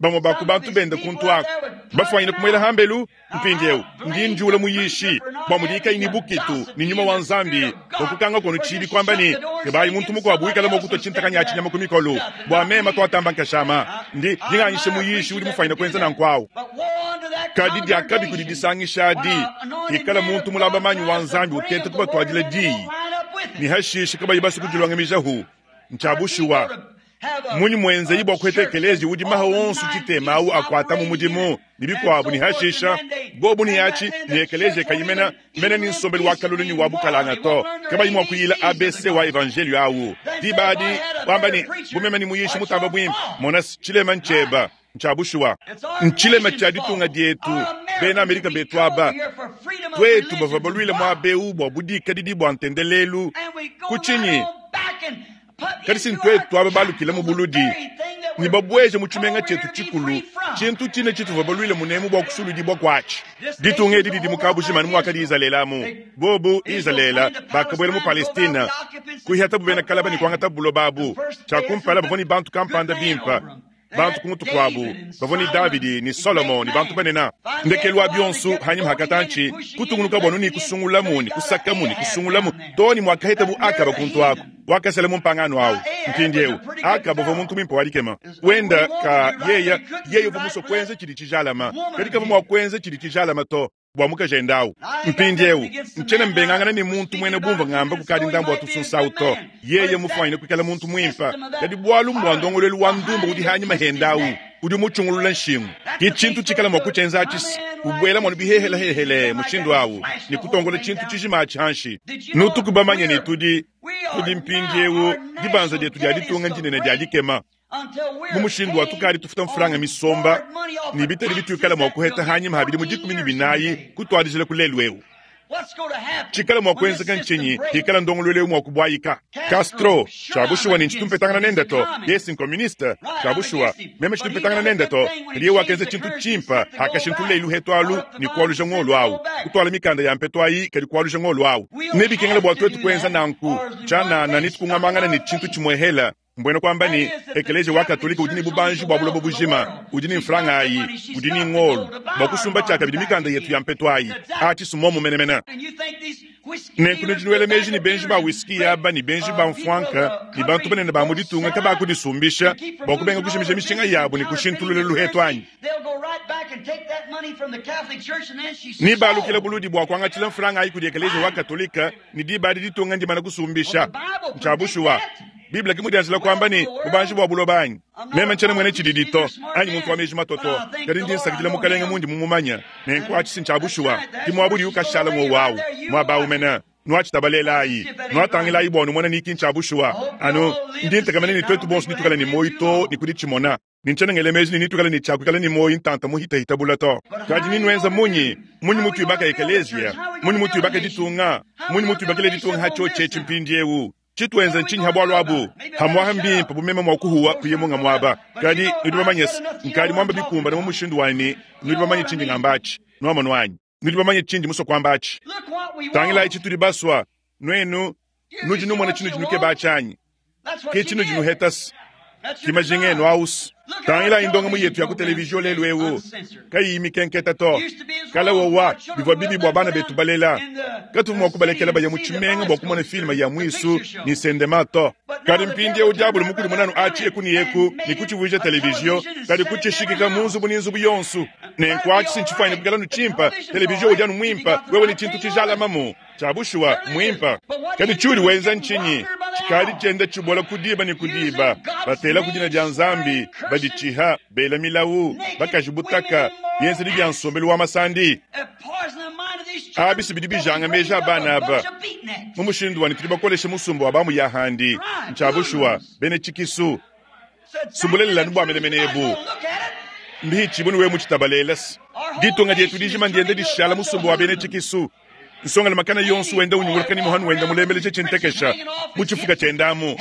bamue ba ku bantu benda kuntu aku, bafuanyine kumuela hambelu? Mpindieu ndi njuula muyishi bua mudiye kayi ne bukitu ne nyuma wa Nzambi bua kukanga kono tshibi kuamba ne, kebayi muntu mukuabu wikala mua kutua tshintakanyi atshi nyama ku mikolo bua mema tuatamba nkashama. Ndi nganyisha muyishi udi mufuanyine kuenza nanku au. Kadi diakabi kudi disangisha adi ikala muntu mulaba manyi wa Nzambi uteta kubatuadila diyi ne hashishe kabayi basue kudilongamijahu. Ntshia bushuwa. Mmunyi muenzeyi bua kuheta ekeleziya udi maha onso tshitema au akuata mu mudimu ne bikuabu ne hashisha bobu ne atshi ne ekeleziya kayi mena mena ne nsombelu wa kalolo ne wa bukalanga to, kabayi mua kuyila ABC wa evanjelio au? Diba adi wamba ne, bu meme ne muyishi mutamba buimpe, mona se, tshilema ntshieba. Ntshia bushuwa, ntshilema tshia ditunga dietu, bena Amerika betu aba. Tuetu bavua baluile muaba eu bua budikadidi bua ntendelelu ku tshinyi? Kadi si ntuetu aba balukile mu buludi ne babueje mu tshimenga tshietu tshikulu tshintu tshine tshituvua baluile munemu bua kusuludibua kuatshi. Ditunga edi didi mu kabujima anu muakadi Izalele amu. Bobu, Izalele, bakabuela mu Palestine, kuihatabu bena kalaba ne kuangatabu buloba abu. Tshia kumpala bavua ne bantu kampanda bimpe. Bantu ku mutu kuabu bavua ne Davidi ne Solomo ne bantu banene. Ndekelu wa bionso, hanyima ha katantshi, kutungunuka anu ne kusungulamu ne kusakamu ne kusungulamu too ne muakahetabu Akaba kuntu aku, wakasela mu mpangano au. Mpindieu Akaba uvua muntu muimpe wa dikema. Wenda ka yeya yeye uvua musue kuenza tshidi tshijalama, kadi kavua mua kuenza tshidi tshijalama to bua mukajende au. Mpindieu, ntshiena mbengangana ne muntu muena bumvua ngamba kukadi ndambu wa tusunsa au to. Yeye mufuanyine kuikala muntu muimpe, kadi bualu mbua ndongoluelu wa ndumba udi hanyima hende au udi mutshungulula nshingu. Ki tshintu tshikala mua kutshienza atshi se kubuela muanu bihehelahehele mushindu au ne kutongola tshintu tshijima atshi hanshi. Nutuku bamanye ne tudi, tudi mpindieu dibanza dietu dia ditunga ndinene dia dikema. Mu mushindu wa tukadi tufuta mfranga misomba ne bitadi bituikala mua kuheta hanyima ha bidimu 14 kutuadijila ku lelu eu. Tshikala mua kuenzeka ntshinyi hikala ndongoluelu eu mua kubuayika? Castro, tshia bushuwa ne ntshitu mpetangana nende to. Yeye nkomuniste, tshia bushuwa meme tshitu mpetangana nende to. Kadi yeye wakenza tshintu tshimpe hakashintulula luhetu alu ne kualuja ngolo au, kutuala mikanda ya mpetu ayi kadi kualuja ngolo au. Nebikengela bua tuetu kuenza nanku tshianana ne tukungamangana ne tshintu tshimuehela. Mbuena kuamba ne, Ekeleziya wa Katolike udi ne bubanji bua buloba bujima, udi ne mfranga ayi, udi ne ngolo bua kusumba tshiakabidi mikanda yetu ya mpetu ayi. Atshi si muomu menemene. Nenku nudi nuela meji ne, benji ba whisky aba ne benji ba mfuanka ne bantu banene ba mu ditunga kabakudisumbisha bua kubenga kujimija mishinga yabu ne kushintulula luhetu anyi? Nebalukile buludi bua kuangatshila mfranga ayi kudi Ekeleziya wa Katolike, ne diba adi ditunga ndimane kusumbisha. Ntshia bushuwa. Bible ki mudianjila kuamba ne, bubanji bua buloba anyi? Meme ntshiena muena tshididi to, anyi muntu wa meji mato to, kadi ndi nsakidila Mukalenge mundi mumumanye. Nenku atshi si ntshia bushuwa. Ki muaba udiwu kashala ng'wowu awu, muaba awu mene. Nuatshitabalelayi, nuatangilayi bua numone ni ki ntshia bushuwa. Anu, ndi ntekemena ne tuetu bonso netuikale ne muoyo too ne ku ditshimona. Ne ntshiena ngela meji ne netuikale ne tshia kuikala ne muoyo ntanta muhitahita bule to. Kadi nenuenza munyi? Munyi mutuibaka ekeleziya? Munyi mutuibaka ditunga? Munyi mutuibakila ditunga ha tshiotshi etshi mpindiewu? Tshituenza ntshinyi ha bualu abu? Hamuaha mbimpe bu meme mua kuhuwa kuye munga muaba. Kadi nudi bamanye se, nkadi muamba bikumbane mu mushindu wa ne nudi bamanye tshindi ngamba atshi. Nuamonu anyi? Nudi bamanye tshindi musue kuamba atshi. Tangilayi tshitudi basua. Nuenu nudi numona tshinudi nukeba atshi anyi? Ke tshinudi nuhetase. Ki majinga enu ausu. Tangilayi ndongamu yetu ya ku televizio lelu eu, kayiyi mikenketa to. Kale wowa, bivua bibi bua bana betu balela. Katuvua mua kubalekela baya mu tshimenga bua kumona filme ya muisu ne sendema to. Kadi mpindieu Diabolo mukudimune anu atshi eku ne eku ne kutshivuija televizio, kadi kutshishikika mu nzubu ne nzubu yonso. Nenku atshi si ntshifuanyine kuikala anu tshimpe. Televizio udi anu muimpe wewe ne tshintu tshijalamamu. Tshia bushuwa, mmuimpe. Kadi tshiudi wenza ntshinyi? Tshikadi tshienda tshibola ku diba ne ku diba, batelaku dina dia Nzambi, baditshiha, bela milawu, bakaji butaka, bienzedi bia nsombelu wa masandi. Abi si bidi bijanga meji a bana aba mu mushindu wa ne tudi bakoleshe musumba wa bamu ya handi. Ntshia bushuwa, bena tshikisu. Si bulelela anu bua menemene ebu. Mbihitshibue ne wewe mutshitabalele se ditunga dietu dijima ndienda dishala musumba wa bena tshikisu. Nsongalume kana yonso wenda unyunguluka ne muhanu wenda mulembeleje tshintekesha mu tshifuka tshienda amu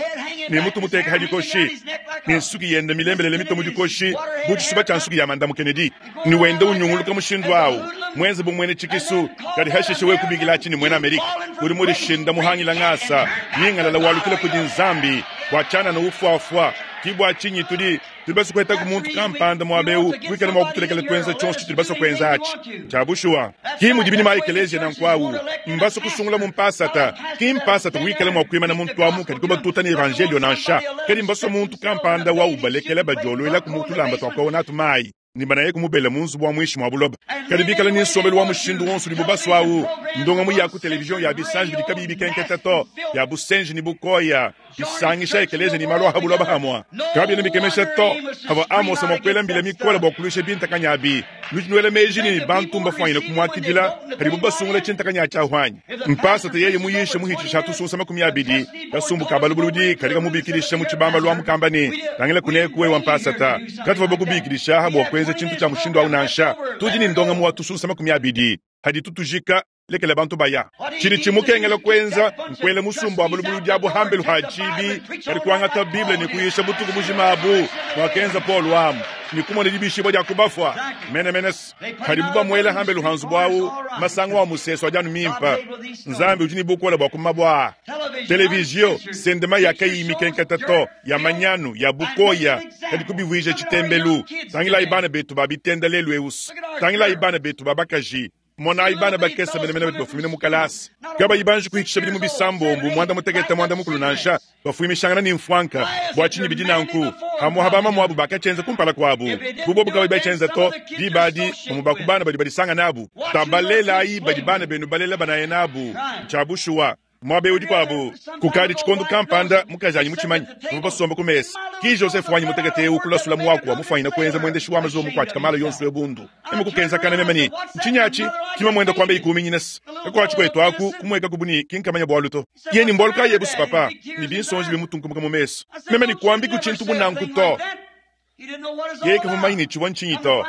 ne mutu muteka ha dikoshi ne nsuki yenda milembelele mitue mu dikoshi bu tshisuba tshia nsuki ya Mandamu Kennedy ne wenda unyunguluka mushindu awu muenze bu muena tshikisu. Kadi hashishe wewe kubikila atshi ne muena Amerika udi mudishinda muhangila ngasa nyingalala walukila kudi Nzambi bua tshianana ufuafua. Ki bua tshinyi tudi Tudi basue kuhetaku muntu kampanda muaba eu wikala mua kutulekela tuenza tshionso tshitudi basue kuenza atshi. Ntshia bushuwa. Ki mudibi ne ma-ekeleziya nanku au. Mbasue kusungula mu mpasata. Ki mpasata wikala mua kuimana muntu amu kadi kubatuta ne evanjeliyo nansha. Kadi mbasue muntu kampanda wa ubalekela badioluelaku mu tulamba tua kuowa natu mayi ne banaye kumubela mu nzubu wa muinshi mua buloba. Kadi bikala ne nsombelu wa mushindu wonso udibu basue au, ndongamu ya ku televizion ya bisanji bidi kabiyi bikenketa to, ya busenji ne bukoya, bisangisha ekeleziya ne malu a ha buloba hamua. Kabiena bikemesha to pavua Amosa mua kuela mbila mikole bua kuluisha bintakanyi abi. Nudi nuela meji ne, bantu mbafuanyine kumuakidila padibu basungula tshintakanyi atshi ahu anyi? Mpasata yeye muyishe muhitshisha tusunsa 20, kasumbu ka balubuludi kadi kamubikidisha mu tshibambalu amu kamba ne, Tangila kuneku wewe mpasata, katuvua bakubikidisha aha bua kuenza tshintu tshia mushindu au nansha. Tudi ne ndongamu wa tusunsa 20 hadi tutujika. Lekela bantu baya. Tshidi tshimukengela kuenza nkuela musumba wa balubuludi abu hambelu ha tshibi, kadi kuangata Bible ne kuyisha butuku bujima abu, muakenza Paulo amu, ne kumona dibishibua dia ku bafua. Menemene padibu bamuela hambelu ha nzubu au, masangu a musesu adi anu mimpe. Nzambi udi ne bukole bua ku mabua aa. Televizio, sendema ya kayiyi mikenketa to, ya manyanu, ya bukoya, kadi kubivuija tshitembelu. Tangilayi bana betu ba bitenda lelu eu. Tangilayi bana betu ba bakaji. Monayi bana bakese menemene badi bafumina mu kalasa, kabayi banji kuhitshisha bidimu bisambombo, muanda mutekete, muanda mukulu nansha, bafuimishangana ne mfuanka. Bua tshinyi bidi nanku? Hamuha bamamuabu bakatshienza kumpala kuabu, bu bobu kabayi batshienza to, diba adi bamue ba ku bana badi badisanga nabu. Tabalelayi badi bana benu balela banaya nabu. Ntshia bushuwa. Muaba eu dikuabu, kukadi tshikondo kampanda, mukajanyi mutshimanye, tuvua basombe ku mesa. Ki Joseph wanyi mutekete eu kulasula muaku wa mufuanyine kuenza muendeshi wa mazuwa mukuatshika mala yonso ebundu. Meme kukenzakana meme ne, Ntshinyi atshi? Ki mamuende kuamba ikuminyina se, kakuatshi kuetu aku, kumuekaku bu ne, ki nkamanya bualu to. Ye ne, Mbualu kayi ebu papa? Ne binsonji bimutunkumuka mu mesu. Meme ne, Kuambiku tshintu bu nanku to. Yeye kavua mumanye ne tshivua ntshinyi to.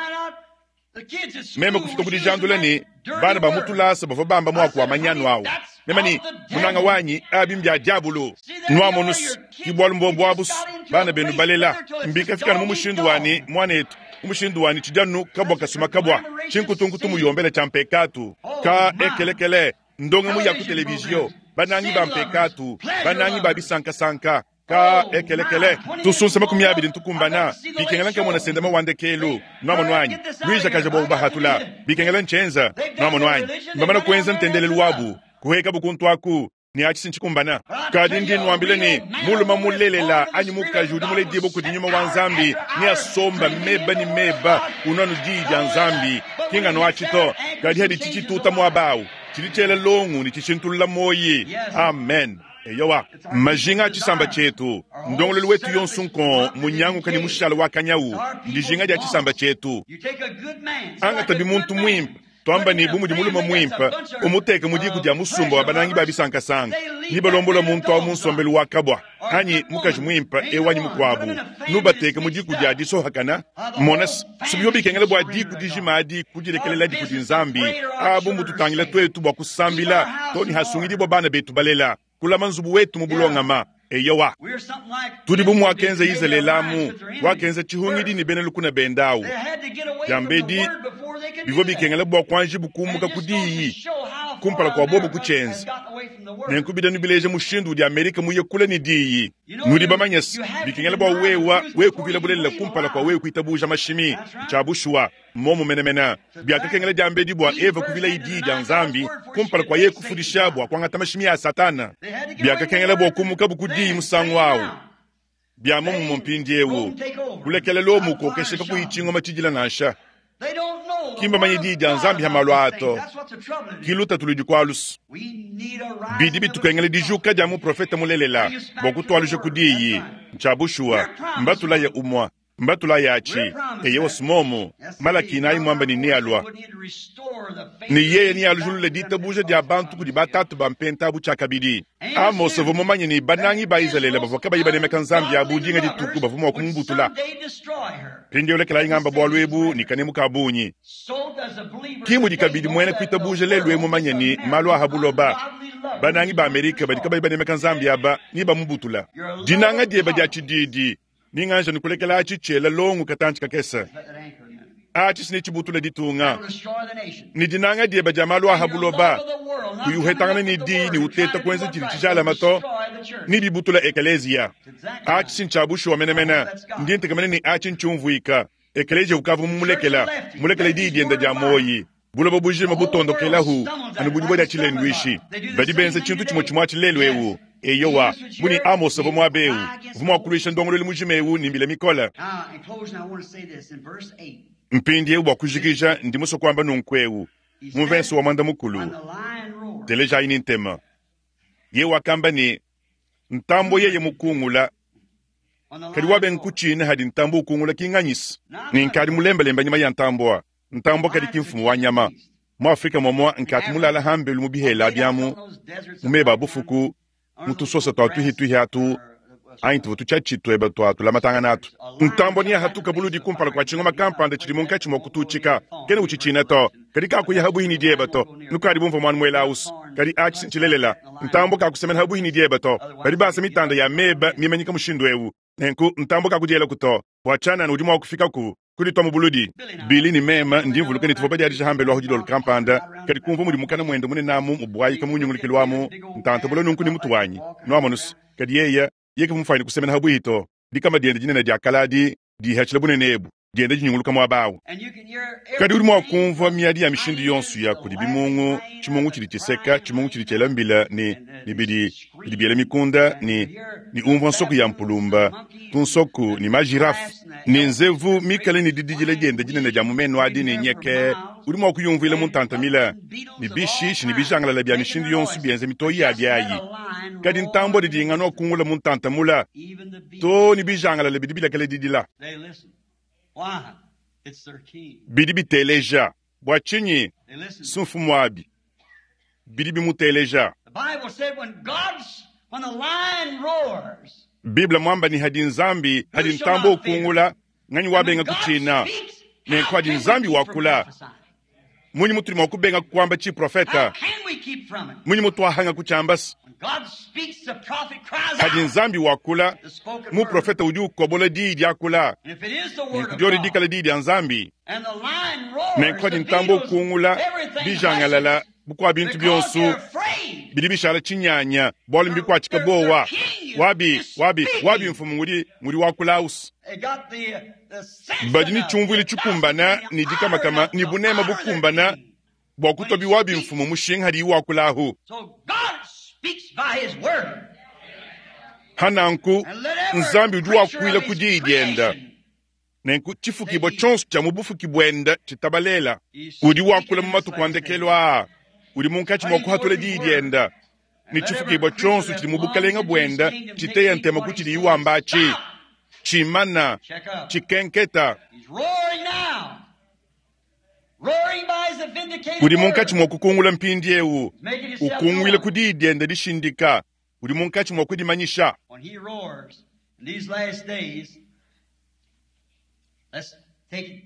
Meme kufika ku dijandula ne, bana ba mu tulasa bavua bamba muaku wa manyanu au. Meme ne, munanga wanyi, abi mbia diabulu. Nuamonu's, ki bualu mbuobu abu's, bana benu balela. Mbikafika anu mu mushindu wa ne, muanetu, mu mushindu wa ne tshidi anu kabua kasuma kabua, tshinkutunkutu muyombela tshia mpekatu. Ka ekelekele, ndongamu ya ku televizio, banangi ba mpekatu, banangi ba bisankasanka. Ka ekelekele tusunsa 20 ntukumbana bikengela nkamona sendama wa ndekelu nuamono anyi luijakaja bua ubahatula bikengela ntshienza nuamono anyi mbamana kuenza ntendelelu wabu kuhekabu kuntu aku ne atshi ntshikumbana. Kadi ndi nnuambila ne, mulume mulelela anyi mukaji udi muledibue kudi nyuma wa Nzambi neasomba meba ne meba unua anu diyi dia Nzambi, ki nganu atshi to, kadi hadi tshitshituta muaba au, tshidi tshiela longu ne tshishintulula muoyi. Amen. Eyowa, majinga a tshisamba tshietu, ndongoluelu wetu yonso nkong munyanguka ne mushala wa kanyawu, ndijinga dia tshisamba tshietu. Angata muntu muimpe, twamba ne bu mudi mulume muimpe, umuteke mu diku dia musumba wa banangi ba bisankasanka, ni balombola muntu awu mu nsombelu wa kabwa, anyi mukaji muimpe ewu anyi mukuabu, nubateke mu diku dia disohakana. Mona, subivua bikengela bua diku dijima adi kudilekeleladi kudi Nzambi. Abu mbututangila tuetu bua kusambila too ne hasungidibua bana betu balela, kulama nzubu wetu mu bulongama. Eyowa, tudi bu muakenza Izalele amu, wakenza tshihungidi ne bena lukuna bende awu. Diambedi bivua bikengela bua kuanjibu kumuka ku diyi kumpala kua bobu kutshienza. Nenku bidi bileja mushindu udi Amerika muye kule ne diyi. Nudi bamanye se, bikengela bua wewa wewe kuvila bulelela kumpala kua wewe kuitabuja mashimi. Tshia bushuwa, mmomu menemene. Biakakengela diambedi bua Eva kuvila diyi dia Nzambi kumpala kua yeye kufundisha bua kuangata mashimi a Satana. Biakakengela bua kumukabu ku diyi musangu awu. Bia muomumue mpindieu, kulekela Lomo ukokesha kakuyi tshingoma tshidila nansha. Ki mbamanye diyi dia Nzambi ha malu aa to. Ki lutatu ludi kualusu. Bidi bitukengela dijuka dia muprofete mulelela bua kutualuja ku diyi. Ntshia bushuwa, mbatulaya umua, mbatulaya atshi. Eyewa sumomu, Malaki nayi muamba ne nealua. Ne yeye nealujulule ditabuja dia bantu kudi batatu ba mpenta abu tshiakabidi. Amos uvua mumanye ne banangi ba Izalele bavua kabayi banemeka Nzambi abu dinga dituku bavua mua kumubutula. Mpindieu lekelayi ngamba bualu ebu ne kanemu ka bungi. Ki mudi kabidi muena kuitabuja lelu eu mumanye ne malu a ha buloba, banangi ba Amerika badi kabayi banemeka Nzambi aba ne bamubutula. Dinanga diebe dia tshididi ni nganja ne kulekela atshi tshiela longo katantshi kakese. Atshi si netshibutule ditunga. Ne dinanga diebe dia malu a ha buloba, kuyi uhetangana ne diyi ne uteta kuenza tshidi tshijalama to, ne bibutula ekeleziya. Atshi si ntshia bushuwa menemene. Ndi ntekemena ne atshi ntshiumvuika. Ekeleziya ukavua mumulekela, mulekele diyi diende dia muoyi. Buloba bujima butondokelahu anu bu dibue dia tshilenduishi. Badi benza tshintu tshimue tshimue atshi lelu eu. Eyowa, bu ne Amose uvua muaba eu, uvua mua kuluisha ndongoluelu mujima eu ne mbila mikole. Mpindieu bua kujikija, ndi musue kuamba nunku eu mu mvese wa muanda-mukulu. Telejayi ne ntema. Yeye wakamba ne, Ntambue yeye mukungula, kadi wabenga kutshina hadi ntambue ukungula ki nganyisa. Ne nkadi mulembalemba nyama ya ntambua. Ntambua kadi ki mfumu wa nyama. Mu Afrika muamua nkatu mulala hambelu mu bihela biamu, mu meba a bufuku, mu tusosa tua tuhituhi atu, anyi tuvua tutshiatshi tueba tua tulamatangana atu. Ntambua neahatuka buludi kumpala kua tshingoma kampanda tshidi munkatshi mua kututshika. Kena utshitshina to, kadi kakuya habuhi ne dieba to. Nukadi bumvua muanu muela ausu, kadi atshi ntshilelela. Ntambua kakusemena habuhi ne dieba to. Badi basa mitanda ya meba mimanyika mushindu eu. Nenku ntambua kakudielaku to, bua tshianana udi mua kufikaku kuditua mu buludi. Billy ne meme ndi mvuluka ne tuvua badiadije hambelu ahu dilolo kampanda, kadi kumvua mudi mukana muende munene amu mubuayika mu nyungulukilu amu, ntanta bule nunku ne mutu wanyi, nuamonu se, kadi yeye, yeye kavua mufuanyine kusemena habuihi to. Dikama diende dinene dia kale adi dihatshila bunene ebu, dienda dinyunguluka muaba awu. Kadi udi mua kumvua miadi ya mishindu yonso ya kudi bimungu, tshimungu tshidi tshiseka, tshimungu tshidi tshiela mbila ne, ne bidi, bidi biela mikunda ne, ne umvua nsoku ya mpulumba, tunsoku ne majirafe, ne nzevu mikale ne dididila diende dinene dia mu menu adi ne nyeke, udi mua kuyumvuila mu ntantamila, ne bishishi ne bijangalala bia mishindu yonso bienza mitoyi yabi ayi. Kadi ntambua didi inganu akungula mu ntantamula, too ne bijangalala bidi bilekela didila. Bidi biteleja. Bua tshinyi? Si mfumuabi. Bidi bimuteleja. Bible muamba ne hadi Nzambi, hadi ntambua ukungula, nganyi wabenga kutshina? Nenku hadi Nzambi wakula, munyi mutudi mua kubenga kuamba tshiprofeta? Munyi mutuahanga kutshiamba se? Hadi Nzambi wakula, muprofeta udi ukobola diyi diakula. Nenku diodi dikala diyi dia Nzambi. Nenku hadi ntambua ukungula, bijangalala bukua bintu bionso bidi bishala tshinyanya, bualu mbikuatshika buowa. Wabi, wabi, wabi mfumu ngudi, ngudi wakula ausu. Badi ne tshiumvuilu tshikumbana ne dikamakama ne bunema bukumbana bua kutua biwabi mfumu mushinga hadiyi wakula ahu. Hananku Nzambi udi wakuila ku diyi dienda. Nenku tshifukibua tshionso tshia mu bufuki buenda tshitabalela. Udi wakula mu matuku a ndekelu aa, udi munkatshi mua kuhatula diyi dienda. Ne tshifukibua tshionso tshidi mu bukalenge buende tshiteya ntema ku tshidiye wamba atshi, tshimana, tshikenketa. Udi munkatshi mua kukungula mpindieu, ukunguila ku diyi diende dishindika. Udi munkatshi mua kudimanyisha.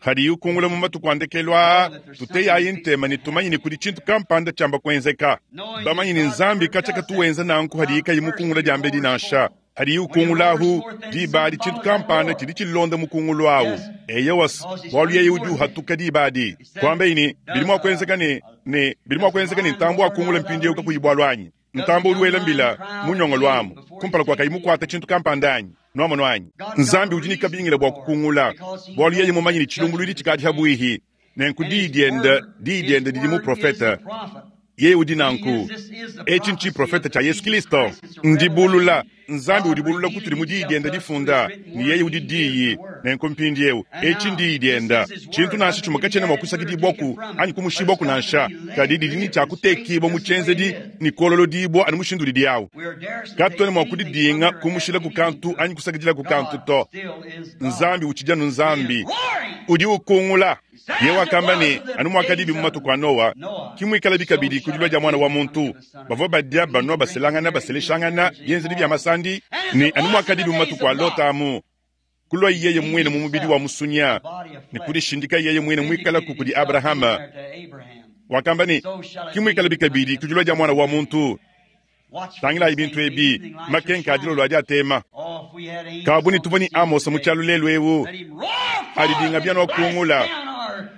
Hadiye ukungula mu matuku a ndekelu aa, tuteyayi ntema ne tumanye ne kudi tshintu kampanda tshiamba kuenzeka. Bamanye ne Nzambi katshia katu wenza nanku hadiye kayi mukungula diambedi nansha. Hadiye ukungula ahu, diba adi tshintu kampanda tshidi tshilonda mukungulu awu. Eyowa, bualu yeye udi uhatuka diba adi. Kuambeyi ne, bidi mua kuenzeka ne, ne bidi mua kuenzeka ne ntambue akungula mpindieu kakuyi bualu anyi? Ntambue udi wela mbila mu nyongolo amu kumpala kua kayi mukuate tshintu kampanda anyi? Nuamonu anyi? Nzambi udi ne kabingila bua kukungula, bualu yeye mumanye ne tshilumbuluidi tshikadi habuihi. Nenku diyi diende, diyi diende didi muprofete. Yeye udi nanku. Etshi ntshiprofete tshia Yesu Kilisto. Ndibulula. Nzambi udibulula kutudi mu Diyi diende difunda, ne yeye udi Diyi. Nenku mpindieu, etshi n'Diyi diende. Tshintu nansha tshimue katshiena mua kusakidibuaku anyi kumushibuaku nansha, kadi didi ne tshia kutekibua mu tshienzedi ne kuololodibua anu mushindu udidi awu. Katuena mua kudidinga kumushilaku kantu anyi kusakidilaku kantu to. Nzambi utshidi anu Nzambi. Udi ukungula. Yeye wakamba ne, Anu muakadibi mu matuku a Noa, ke muikalabi kabidi ku dilua dia Muana wa muntu. Bavua badia, banua, baselangana, baseleshangana, bienzedi bia masandi, ne anu muakadibi mu matuku a Lota amu, kuluaye yeye muine mu mubidi wa musunya ne kudishindika yeye muine muikalaku kudi Abrahama. Wakamba ne, Ke muikalabi kabidi ku dilua dia Muana wa muntu. Tangilayi bintu ebi, makenka a dilolo adi atema. Kabu ne tuvua ne Amosa mu tshialu lelu eu, adi dinga bia nuakungula,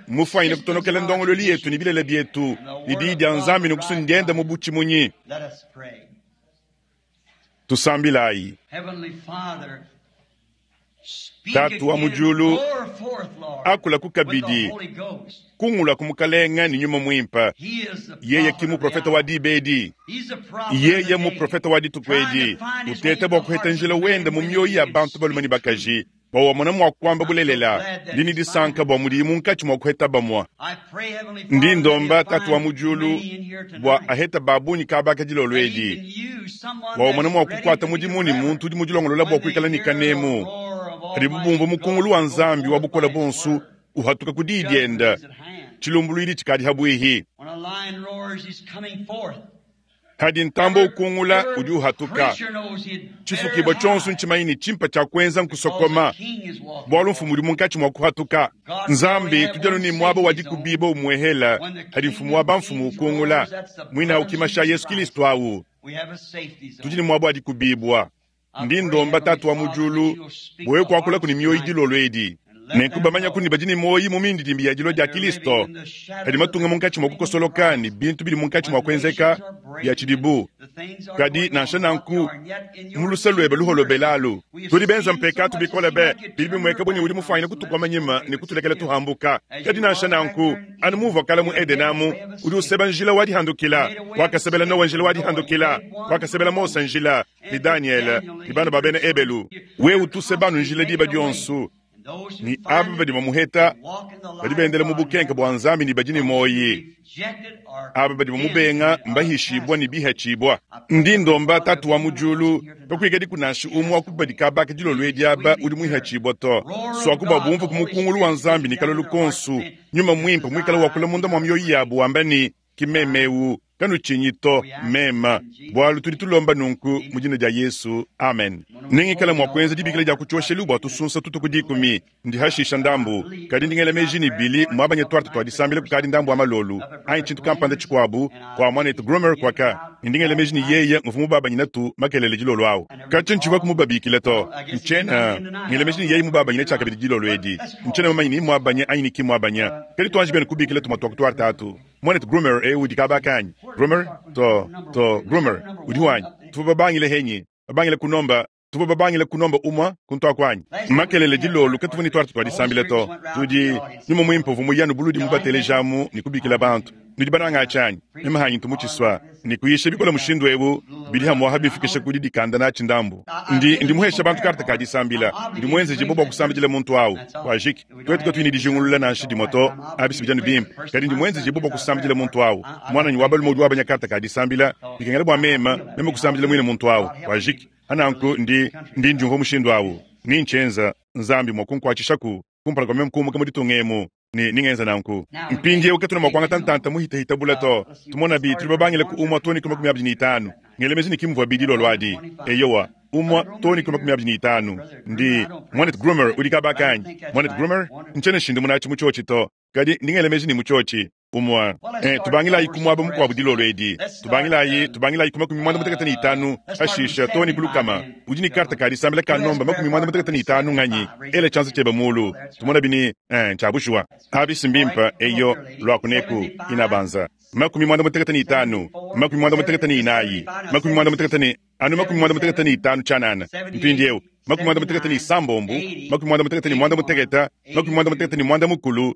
mufuanyine kutonokela ndongoluelu yetu ne bilele bietu ne diyi dia Nzambi ne kusundienda mu butshimunyi. Tusambilayi. Tatu wa mu diulu, akulaku kabidi, kungulaku Mukalenge ne Nyuma Muimpe. Yeye ki muprofete wa diba edi, yeye muprofete wa dituku edi, uteta bua kuheta njila wende mu mioyo ya bantu balume ne bakaji bua wamona mua kuamba bulelela. Ndi ne disanka bua mudiyi munkatshi mua kuheta bamue. Ndi ndomba Tatu wa mu diulu bua aheta ba bungi kaba dilolo edi, bua wamona mua kukuata mudimu ne muntu udi mudilongolola bua kuikala ne kanemu padibu bumvua mukungulu wa Nzambi wa bukole buonso uhatuka ku diyi diende. Tshilumbuluidi tshikadi habuihi. Hadi ntambue ukungula, udi uhatuka. Tshifukibua tshionso ntshimanye ne tshimpe tshia kuenza nkusokoma, bualu mfumu udi munkatshi mua kuhatuka. Nzambi, tudi anu ne muaba wa dikubibua umuehela hadi mfumu wa bamfumu ukungula, muine au kimasha Yesu Kilisto au. Tudi ne muaba wa dikubibua. Ndi ndomba Tatu wa mu diulu bua wewe kuakulaku ne mioyo dilolo edi. Nenku bamanyaku ne badi ne muoyo mu mindidimbi ya dilua dia Kilisto, kadi matunga munkatshi mua kukosoloka ne bintu bidi munkatshi mua kuenzeka bia tshidibu. Kadi nansha nanku, mu luse luebe luholobelalu, tudi benza mpekatu bikole be, bidi bimueka bu ne udi mufuanyine kutukoma nyima ne kutulekela tuhambuka. Kadi nansha nanku, anu muuvua kale mu Edene amu, udi useba njila wa dihandukila. Wakasebela Noa njila wa dihandukila, wakasebela Mose njila, ne Danyele ne bana ba bena Ebelu. Wewe utuse banu njila diba dionso, ne aba badi bamuheta badi bendela mu bukenke bua Nzambi ne badi ne muoyi. Aba badi bamubenga mbahishibua ne bihatshibua. Ndi ndomba Tatu wa mu diulu, kakuikadiku nansha umue wa ku badi kabaka dilolo edi aba udi muihatshibua to. Suaku bua bumvue ku mukungulu wa Nzambi ne kalolu konso, Nyuma Muimpe muikale wakula munda mua mioyo yabu wamba ne, Ki meme eu, kanutshinyi to, meme, bualu tudi tulomba nunku mu dina dia Yesu, amen. Nengikale mua kuenza dibikila dia ku tshioshelu bua tusunsa tutu ku dikumi, ndi hashisha ndambu, kadi ndi ngela meji ne Billy muabanye tuarte tua disambila kukadi ndambu wa malolu, anyi tshintu kampanda tshikuabu, kua muanetu Groomer kuaka, ne ndi ngela meji ne yeye nguvua mubabanyinatu makelele dilolo au. Katshia ntshivua kumubabikila to, ntshiena ngela meji ne yeye mubabanyine tshiakabidi dilolo edi. Ntshiena mumanye ni mmuabanye anyi ni ki mmuabanya, kadi tuanji benu kubikila tumue tua ku tuarte atu. Muanetu Groomer eu udi kaba kanyi? Groomer? To, to, Groomer, udi wanyi. Tuvua babangile henyi? Babangile kunomba, tuvua babangile kunomba umue kuntu kuanyi. Makelele dilolo katuvua ne tuarte tua disambila to. Tudi, Nyuma Muimpe uvua muyanu buludi mubatelejamu ne kubikila bantu. Nudi bananga tshianyi meme hanyi ntu mutshisua ne kuyisha bikole mushindu eu bidi hamuaha bifikisha ku didikanda natshi ndambu. Ndi ndi muhesha bantu karte ka disambila, ndi muenzejibue bua kusambidila muntu au. Wajiki, tuetu katuyi ne dijingulula nansha dimue to, abi si bidi anu bimpe, kadi ndi muenzejibue bua kusambidila muntu au. Muananyi wa balume udi wabanya karte ka disambila, bikengela bua meme meme kusambidila muine muntu au. Wajiki, hananku ndi ndi ndiumvua mushindu au, ni ntshienza Nzambi mua kunkuatshishaku kumpala kua meme kumuka mu ditunga emu. Ne ningenza nanku. Mpindieu katuena mua kuangata ntanta muhitahita bule to. Tumonabi, tudi babangile ku umue too ne ku 25. Ngela meji ne ki muvua bidi dilolo adi. Eyowa, umue too ne ku 25. Ndi, Muanetu Groomer udi kaba kanyi? Muanetu Groomer? Ntshiena nshindamuna atshi mu tshiotshi to, kadi ndi ngela meji ne mu tshiotshi. Umue. Eh, tubangilayi ku muaba mukuabu dilolo edi. Tubangilayi, tubangilayi ku 55, pashishe too ne ku 100. Udi ne karte ka disambila ka nomba 55 nganyi? Ela tshianza tshiebe muulu. Tumonabi ne, eh, ntshia bushuwa. Abi si mbimpe? Eyo, luaku neku, inabanza. 55, 84, 80 ne, anu 95 tshianana. Mpindieu, 96, 98, 90, 80, 61, 92, 93,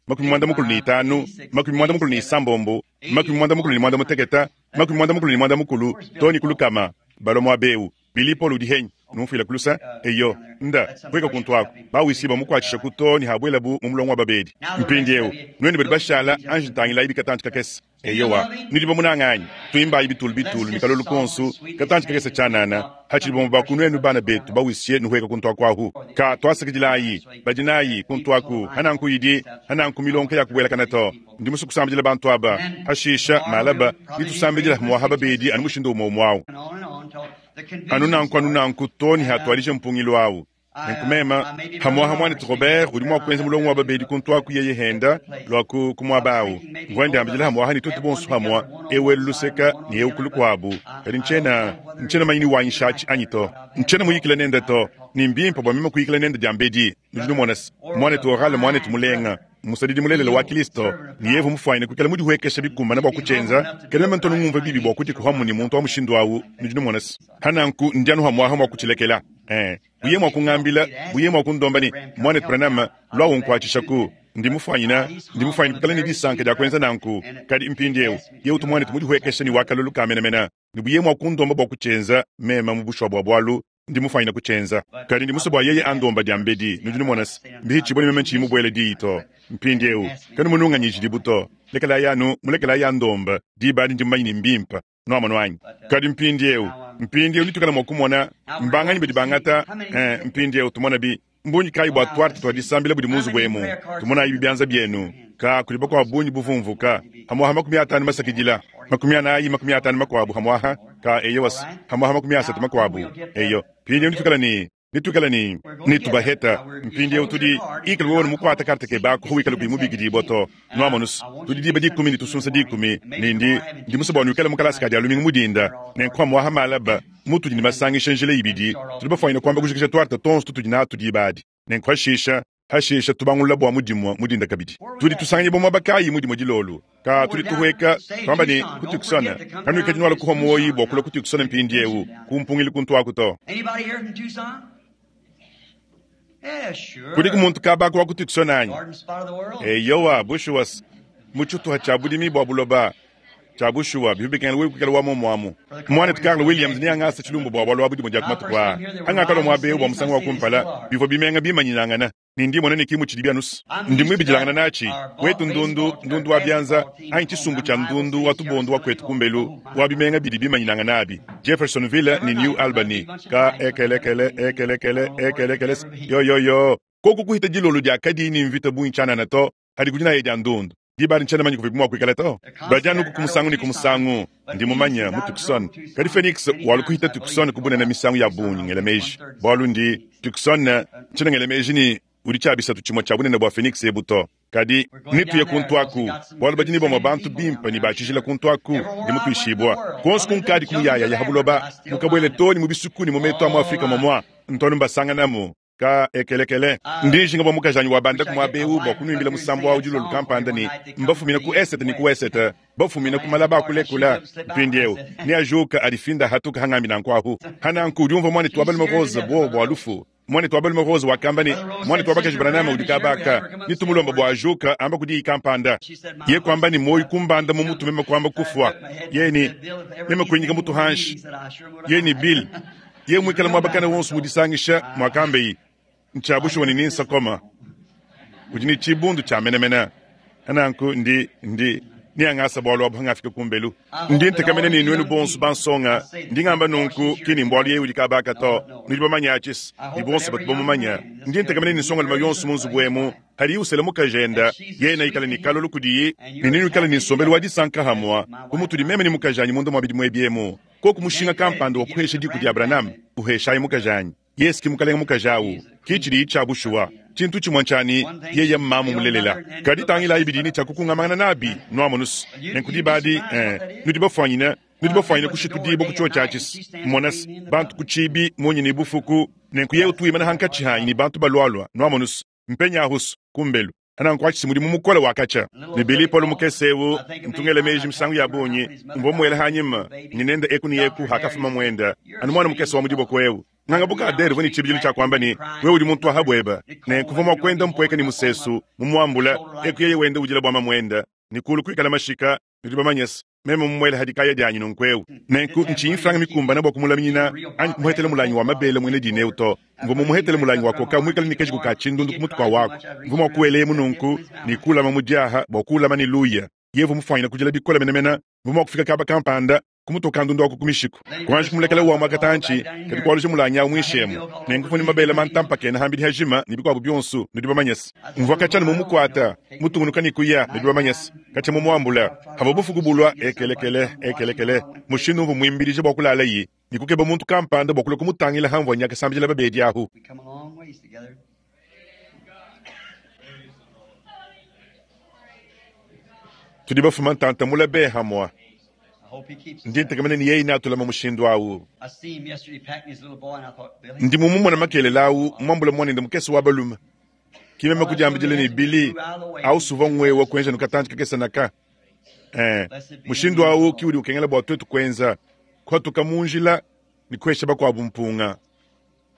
45, 46, 48, 80, too ne ku 100. Balua muaba eu. Billy Paul udi henyi? Numfuila ku lusa. Eyo, nda, pueka kuntu aku. Bawisi bamukuatshishaku too ne habuelabu mu mulongo wa babedi. Mpindieu, nuenu badi bashala, anji ntangilayi bikatantshi kakese. Eyowa, nudi bamunange anyi? Tuimbayi bitulu bitulu ne kalolu konsu, katantshi kakese tshianana, hatshidi bamue ba ku nuenu bana betu bawisye nuhueka kuntu aku ahu. Ka tuasakidilayi badi nayi kuntu aku, hananku idi, hananku milonka ya kubuelakana to. Ndi musue kusambidila bantu aba, hashisha malaba nitusambidila muaha babedi anu mushindu umue umue au. Anu nanku anu nanku to ne hatuadija mpungilu au. Nenku meme, pamu'apa muanetu Robert udi mua kuenza mulongo wa babedi kuntu aku yeye henda lua ku, ku muaba au. Mvua ndiambidila hamu'aha ne tuetu bonso hamua, eu elu luseka ne eu ku lukuabu. Kadi ntshiena, ntshiena manya ni wanyishatshi anyi to. Ntshiena muyikile nende to, ne mbimpe bua meme kuyikila nende diambedi. Nudi numona se, muanetu Oral mmuanetu mulenga. Musadidi mulelela wa Kristo, ne yevu mufuanyine kuikala mudihuekesha bikumbana bua kutshienza, kadi meme ntu ngumvua bibi bua kudikuhamu ne muntu wa mushindu au. Nudi numona se, hananku ndi anu hamuaha mua kutshilekela. Eh, buye mua kungambila, buye mua kundomba ne, Muanetu Branham, lua unkuatshishaku. Ndi mufuanyine, ndi mufuanyine kuikala ne disanka dia kuenza nanku. Kadi mpindieu, yewu utu muanetu mudihuekesha ne wa kalolu ka menamena, ne buye mua kundomba bua kutshienza, meme mu bushuwa bua bualu, ndi mufuanyine kutshienza. Kadi ndi musue bua yeye andomba diambedi. Nudi numona se, mbihitshibue ne meme ntshiyi mubuele diyi to. Mpindieu, kanumununganyijidibu to. Lekelayi anu, mulekelayi andomba, diba adi ndi mumanye ne mbimpe. Nuamonu anyi? Kadi mpindieu, mpindieu nituikala mua kumona mbanganyi badi bangata, eh, mpindieu tumona bi mbungi kayi bua tuarte tua disambila budi mu nzubu emu. Tumonayi bianza bienu. Ka kudi bakuabu bungi buvumvuka hamuaha 50 masakidila 40 50 makuabu hamuaha ka eyowas hamuaha 30 makuabu eyo. Mpindieu nituikala ne Nituikale ne netubaheta. Mpindieu tudi ikala wewe mukuata karte kebe ako wikale kuyi mubikidibua to. Nuamonus, tudi diba dikumi ne tusunsa dikumi, ne ndi, ndi musue bua nuikale mu kalasa ka dia lumingu mu dinda. Nenku amuaha malaba, mutudi ne masangisha njila ibidi, tudi bafuanyine kuamba kujikija tuarte tuonso tutudi natu diba adi. Nenku hashisha, hashisha tubangulula bua mu dimue mu dinda kabidi. Tudi tusanganyibua muaba kayi mu dimue dilolo? Ka tudi tuhueka, tuamba ne, ku Tucson. Kanuikadi nuala kuhua muoyi bua kulua ku Tucson mpindieu, ku mpungilu kuntu aku to. Anybody here from Tucson? Yeah, sure. Kudiku muntu kaba aku wa ku Tucson anyi? Garden spot of the world. Eyowa, bushuwa, mu tshituha tshia budimi bua buloba. Tshia bushuwa, bivua bikengela wewe kuikala wa muomu amu. Muanetu Carl Williams neangase tshilumbu bua bualu abu dimue dia ku matuku aa. Hangakalua muaba eu bua musangu wa kumpala, bivua bimenga bimanyinangana, ne ndi mmona ne ki mutshidi bianus. Ndi muibidilangana natshi. Wetu ndundu, ndundu wa bianza, anyi tshisumbu tshia ndundu wa tubondu wa kuetu kumbelu, wa bimenga bidi bimanyinangana abi, Jeffersonville ne New Albany, ka ekelekele, ekelekele, ekelekele, yo-yo-yo. Koku kuhita dilolo diakadi ne mvita bungi tshianana to, hadi ku dinaya dia ndundu. Diba adi ntshiena manye kuvibu mua kuikala to. Badi anuku ku musangu ne ku musangu. Ndi mumanye mu Tucson. Kadi Phoenix walu kuhita Tucson ku bunene misangu ya bungi, ngela meji. Bualu ndi, Tucson, ntshiena ngela meji ne udi tshia bisatu tshimue tshia bunene bua Phoenix ebu to. Kadi netuye kuntu aku, bualu badi ne bamue bantu bimpe ne ba tshijila kuntu aku, ndi mutuishibua. Kuonso kunkadi ku muyayaya ha buloba, mukabuele too ne mu bisuku ne mu metu a mu Afrika momua, ntu anu mbasanganamu. Ka ekelekele. Ndi njinga bua mukajanyi wabanda ku muaba eu bua kunuimbila musambu wa dilolo kampanda ne, Mbafumina ku esete ne ku esete, bafumina ku malaba a kulekula. Mpindieu neajuka adifinda hatuka hangambi nanku ahu. Hananku udi umvua muanetu wa balume Rose buowa bua lufu. Muanetu wa balume Rose wakamba ne, Muanetu wa bakaji Branham udi kaba aka, ne tumulomba bua ajuka amba ku diyi kampanda. Ye kuamba ne muoyo kumbanda mu mutu meme kuamba kufua. Ye ne, Meme kuinyika mutu hanshi. Ye ne, Bill, ye muikale muaba kana wonso mu disangisha muakambeyi, ntshia bushuwa ne ninsakoma. Udi ne tshibundu tshia menemene. Nanku ndi, ndi, neangasa bualu abu hangafika kumbelu. Ndi ntekamena ne nuenu bonso bansonga, ndi ngamba nunku ki ni mbualu yeye udi kabaka to, nudi bamanye atshis, ne bonso batu bamumanya. Ndi ntekamena ne nsongalume yonso mu nzubu emu, hadiye usela mukajenda, yeye neikale ne kalolo kudiye, ne nenuikale ne nsombelu wa disanka hamua, bu mutudi meme ne mukajanyi munda mua bidimu ebi emu. Koku mushinga kampanda wa kuhesha diku dia Branham, uheshayi mukajanyi. Yesu ki mukalenge mukaji awu. Ki tshidiyi tshia bushuwa. Tshintu tshimue ntshia ne, yeye mmamu mulelela. Kadi tangilayi bidiyi ne tshia kukungamangana nabi, nwamonu's. Nenku diba adi, ee, nudi bafwanyine, nudi bafwanyine kushitudibwa ku cyoci aci's. Mona's, bantu ku ciibi, munya ne bufuku, nenku yeye utu wimana hankaci haanyi ne bantu balwalwa, nwamonu's. Mpenyahu's, kumbelu. Anankuatshise mudimu mukole wa katshia. Ne Billy Paul mukese eu, ntu ngela meji misangu ya bungi, mvua muela hanyima ne nenda eku ne eku hakafuma muenda, anu muana mukese wa mu diboko eu. Nganga bu Kader uvua ne tshibidilu tshia kuamba ne, Wewe udi muntu wa ha bueba. Nenku mvua mua kuenda mpueka ne musesu, mumuambula, eku yeye wenda udila bua mamuenda, ne kulu kuikala mashika, nudi bamanyese, meme mumuele ha dikaya dianyi nunku eu. Nenku ntshinyi mfranga mikumbane bua kumulaminyina anyi kumuhetela mulangi wa mabele muena dina eu to. Mvua mumuhetele mulangi wa koka muikale ne kajiku ka tshindundu ku mutu kua waku. Mvua mua kuwelemu nunku ne kuulama mu diaha bua kuulama ne luya. Yevu mufuanyine kudila bikole menemene, mvua mua kufika kaba kampanda, kumutua kandundu aku ku mishiku, kuanji kumulekela wamua katantshi, kadi kualuja mulangi au muinshi emu. Nenku mvua ne mabele mantampakena hambidi hajima ne bikuabu bionso, nudi bamanyese. Mvua katshia anu mumukuata, mutungunuka ne kuya, nudi bamanyese, katshia mumuambula. Havua bufuku bulua, ekelekele, ekelekele, mushindu umvua muimbidija bua kulalayi ne kukeba muntu kampanda bua kulua kumutangila hamvua nya kasambidila babedi ahu. We come a long ways together. Tudi bafuma ntanta mula be hamua. I hope he keeps us Ndi that way. ntekemena ne yeye neatulama mushindu awu. I see him yesterday packing his little boy, and I thought, Billy, Ndi mumumona makelela awu muambula muanende mukese wa balume. Ki meme well, that's kudiambidila really ne has to Billy move out of the way. awu suvua ngwewa kuenza nukatantshi kakese naka. Eh, Blessed be the mushindu name of the awu ki Lord. udi ukengela bua tuetu kuenza, kuhatuka mu njila ne kuhesha bakuabu mpunga.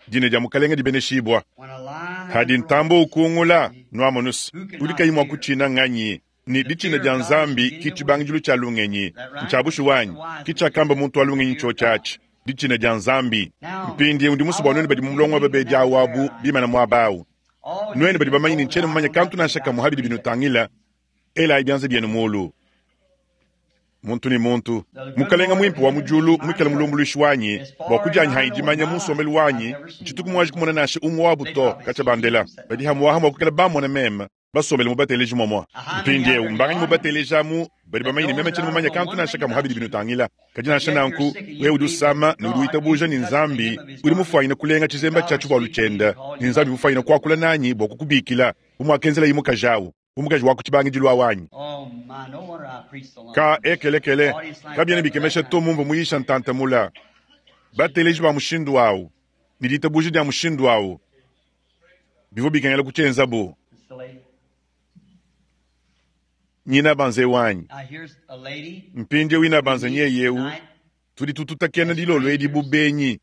Dina dia Mukalenge dibeneshibua. When a lion Hadi ntambo roars, ukungula, nwamonu's, who udi cannot kayi mua fear? kutshina nganyi? Ne The ditshina fear dia of God is the Nzambi beginning ki of tshibangidilu wisdom. tshia lungenyi. Is that right? Ntshia bushuwa That's anyi? the wise Ki man tshiakamba said. muntu wa lungenyi Fear ntsho God. tshiatshi. Ditshina dia Nzambi. Now, Mpindieu ndi I musue bua nuenu want badi you mu mulongo wa people in babedi that awu prayer abu line, bimana muaba awu. all you Nuenu badi that bamanye ne know that ntshiena I mumanye know kantu nothing nansha about kamue habidi you, binutangila, elayi bianza bienu mulu. Muntu ne muntu. the good Mukalenga Lord of muimpe wa mu heaven is diulu my muikale judge. mulumbuluishi wanyi, As bua far as kudianyi I hanyi know in dimanya my mu life, nsombelu I've wanyi, never seen ntshituku one of muanji them. kumona nansha umue wabu They to, probably katshia seen bandela. you sitting Badi up there. hamuaha mua kuikala bamona meme, basombele mu bateleji momua. Now, how many out Mpindieu there in the mbanganyi mu audience bateleji amu badi that bamanye ne knows meme that tshiena I don't mumanye know kantu one nansha thing kamue about habidi you, binutangila. Kadi nansha yet you're nanku, sick and wewe you udi believe that usama ne udi God, you witabuja can ne touch the Nzambi, hem of his udi garment, mufuanyine kulenga and tshizemba God tshia will tshivualu speak to me and tshienda, call ne you Nzambi up. mufuanyine kuakula nanyi bua kukubikila, bu muakenzelayi mukaji awu, bu mukaji wa ku tshibangidilu awu anyi. Oh my, no wonder I preached so long. Ka ekelekele, Audience like kabiena that for that bikemesha to kind of mumvua muyisha ntantamula. Bateleji ba mushindu awu, ne ditabuja dia mushindu awu, bivua bikengela kutshienzabu. It's the lady. Nyina banze wanyi. Now here's a lady Mpindieu ina we banze meet nyeyeu, tonight tudi tututakena as dilolo edi bu strangers, benyi.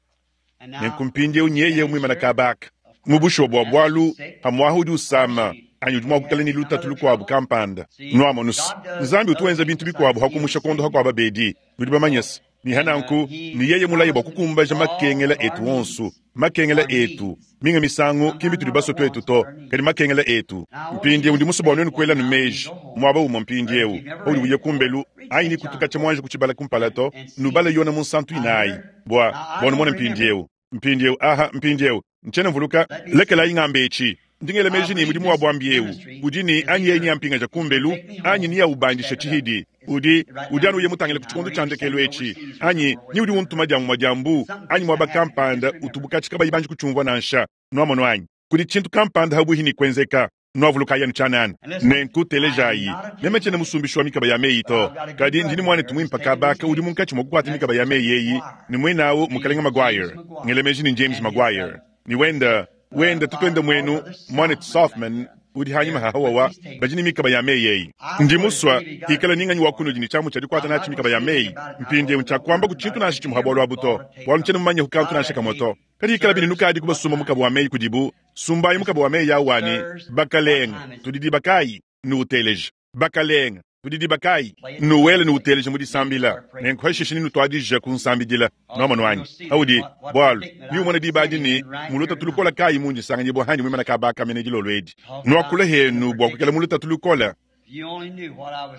and Nenku now mpindieu nyeye stands muimana here. kabaka. Of Mu course, bushuwa bua perhaps she's bualu, sick, hamuaha udi or usama, she anyi udi mua may kuikala have ne lutatu some other lukuabu trouble. kampanda. See, Nwamonu's, God does Nzambi utu other wenza things bintu besides bikuabu heal hakumusha the sick. kondo hakuaba bedi. Nudi So, bamanyese. Ni and hananku, he ni yeye mulaye bua promised to meet kukumbaja all makengela of our etu onsu. needs, Makengela our etu. needs. Minga misangu, kimbi Sometimes tudi not our basue tuetu wants, to, but our kadi needs. makengela etu. Now I want you Mpindieu just ndi to musue bua think nuenu one kuela now and meji. go home. Muaba umue Or if mpindieu, you've never paudi read uya it before, kumbelu, read anyi St. ni John kutukatsha 4 muanji kuchibala kumpala to, and nubala see. yona munsantu Now inayi. here, Bua, now I bua numone don't remember. mpindieu. Mpindieu, aha, mpindieu. Ntshiena mvuluka, Let me lekelayi see. ngamba etshi. Ndingela I meji ne believe mudimu wa this buambi eu. ministry Udi ne is anyi yeye either nyampingaja he's gonna kumbelu, take me anyi home or niyaubandisha step it up. tshihidi. It's Udi, right udi now anu in uye this mutangile ku time, tshikondo or tshia either ndekelu send me etshi. overseas or Anyi, somewhere ni away udi from her. untuma dia mumua dia mbu, Something anyi fixing to muaba happen. Just kampanda remember. utubukatshi kabayi banji kutshiumvua nansha. Nwamono anyi. Kudi tshintu kampanda habuhi ni kwenzeka. Nwavuluka yanu tshianana. And listen, Nenku I am telejayi. not a Meme tape tshiena maker, musumbishi wa mikaba ya meyi but to. I've got a good Kadi ndini brother muanetu here who's muimpe taking these kabaka udi tapes, munkatshi mua and kukuata that's mikaba ya James meyi eyi, McGuire, ni muenawu named mukalenga James Maguire. McGuire, Ngela meji ni James and his Maguire. Ni wenda, Wenda tutuende mwenu, mwanetu Sothmann udi hanyima ha hawawa badi ne mikaba ya meyi eyi. Ndi musua ikala ninganyi wa kunudi ne tshiamu tshia dikuata natshi mikaba ya meyi. Mpindieu ntshiakuamba ku tshintu nansha tshimue ha bualu abu to, bualu ntshiena mumanye ku kantu nansha kamue to. Kadi ikala bine nukadi kubasumba mukaba wa meyi kudibu, sumbayi mukaba wa meyi awu wa ne, Bakalenga, tudi diba kayi? Nuuteleje. Bakalenga, tudi diba kayi? Nuwele nuuteleje mu disambila. Nenku hashishe nenutuadije kunsambidila. Nwamonu anyi? Audi, bualu, niumona diba adi ne, mu lutatu lukola kayi mundi nsanganyibua handi muimana kaba aka mene dilolo edi. Nuakula henu bua kuikala mu lutatu lukola.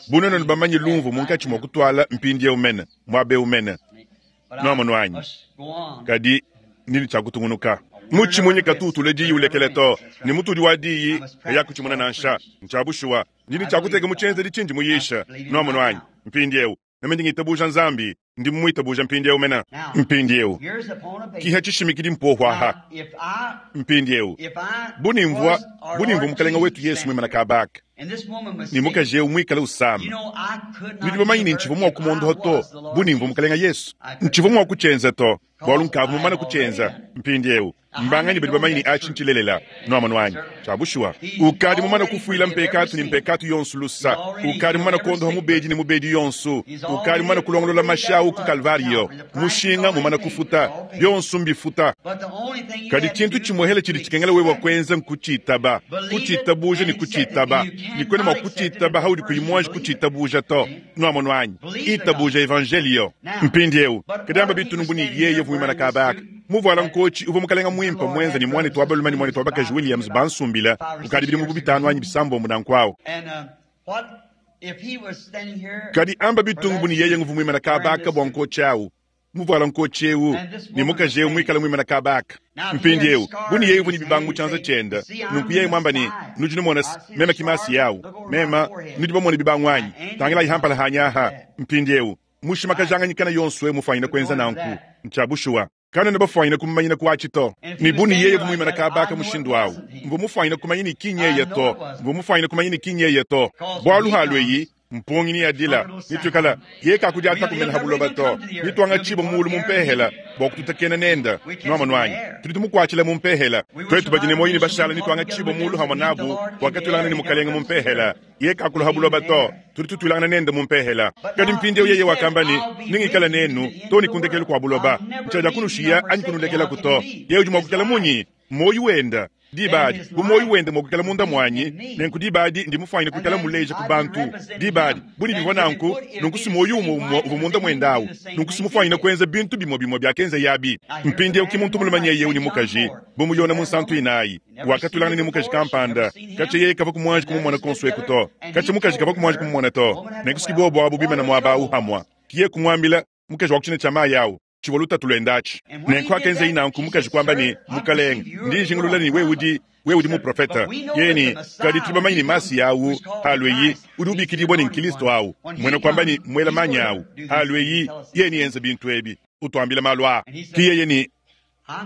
Bu nuenu bamanye lumvu munkatshi mua kutuala mpindieu mene, muaba eu mene. Nwamonu anyi? Kadi ndi ne tshia kutungunuka. Mutshimunyi katu utula diyi ulekela to, ne mutudi wa diyi kayakutshimuna nansha. Ntshia bushuwa, ndi ne tshia kuteka mu tshienzedi tshindi muyisha. Nwamonu anyi? Mpindieu, meme ndi ngitabuja Nzambi, ndi mmuitabuja mpindieu mena. Mpindieu, kiha tshishimikidi mpohu aha. Mpindieu, bu nimvua, bu nimvua Mukalenga wetu Yesu muimana kabaka, ne mukaji eu muikale usama, nudi bamanye ne ntshivua mua kumondoha to, bu nimvua Mukalenga Yesu. Ntshivua mua kutshienza to, bualu nkavua mumane kutshienza. Mpindieu, mbanganyi badi bamanye ne atshi ntshilelela? Nwamonu anyi? Tshia bushuwa. Ukadi mumane kufuila mpekatu ne mpekatu yonso lusa. Ukadi mumane kuondoha mubedi ne mubedi yonso. Ukadi mumane kulongolola mashi awu ku Kalvariyo. Mushinga mumane kufuta. Bionso mbifuta. Kadi tshintu tshimuehele tshidi tshikengela wewe kuenza nkutshitaba, kutshitabuja ne kutshitaba. Ne kuena mua kutshitaba haudi kuyi muanji kutshitabuja to. Nwamonu anyi? Itabuja Evanjeliyo. Mpindieu, kadi amba bitunungu ne yeye uvua muimana kaba aka. Muvuala nkotshi uvua mukalenga muimpe muenza ne muanetu wa balume ne muanetu wa bakaji Williams bansumbila kukadi bidimu bu bitanu anyi bisambombo nanku awu. Kadi amba bitungu bu ne yeye nguvua muimana kaba aka bua nkotshi awu. Muvuala nkotshi eu ne mukaji eu muikale muimana kaba aka. Mpindieu, bu ne yeye uvua ne bibangu mu tshianza tshiende, nunku yeye muamba ne, Nudi numona se, meme ki Masiya awu. Mema, nudi bamone bibangu anyi? Tangilayi hampala hanyi aha. Mpindieu, mushimakajanganyi kana yonso eu mufuanyine kuenza nanku. Ntshia bushuwa. Kanena bafuanyine kumumanyina ku atshi to. Ne bu ne yeye uvua muimana kaba aka mushindu awu, mvua mufuanyine kumanya ne ki nyeye to. Mvua mufuanyine kumanya ne ki nyeye to. Bualu halu eyi, mpungi ne adila, ne tuikala, yeye kakudiata kumena ha buloba to. Ne tuangatshibua mulu mu mpehela bua kututakena nenda. Nwamonu anyi? Tudi tumukuatshila mu mpehela. Tuetu badi ne muoyo ne bashala ne tuangatshibua mulu hamue nabu bua katuilangana ne Mukalenga mu mpehela. Yeye kakulu ha buloba to, tudi tutuilangana nende mu mpehela. Kadi mpindieu yeye wakamba ne, Nengikale nenu to ne ku ndekelu kua buloba. Ntshiadia kunushiya anyi kunulekelaku to. Yeye udi mua kuikala munyi? Muoyo wenda diba adi, bu muoyo wenda mua kuikala munda muanyi, nenku diba adi ndi mufuanyine kuikala muleja ku bantu. Diba adi, bu ne bivua nanku, nunku si muoyo umue umue uvua munda muende awu, nunku si mufuanyine kuenza bintu bimue bimue biakenzaye abi. Mpindieu ki muntu mulume nyeye eu ne mukaji, bu mu Yona munsantu inayi, wakatulangana ne mukaji kampanda, katshia yeye kavua kumuanji kumumona konso eku to, katshia mukaji kavua kumuanji kumumona to. Nenku si bobu abu bimana muaba awu hamua, ki yeye kumuambila, mukaji wa ku tshina tshia mayi awu, tshivua lutatu luende atshi. Nenku akenzayi nanku, mukaji kuamba ne, Mukalenge, ndi njingulula ne wewe udi, wewe udi muprofete. Yeye ne, Kadi tudi bamanye ne Masiya awu, halueyi, udi ubikidibua ne Nkristo awu, muena kuamba ne muela manyi awu, halueyi, yeye neyenze bintu ebi, utuambila malu aa. Ki yeye ne,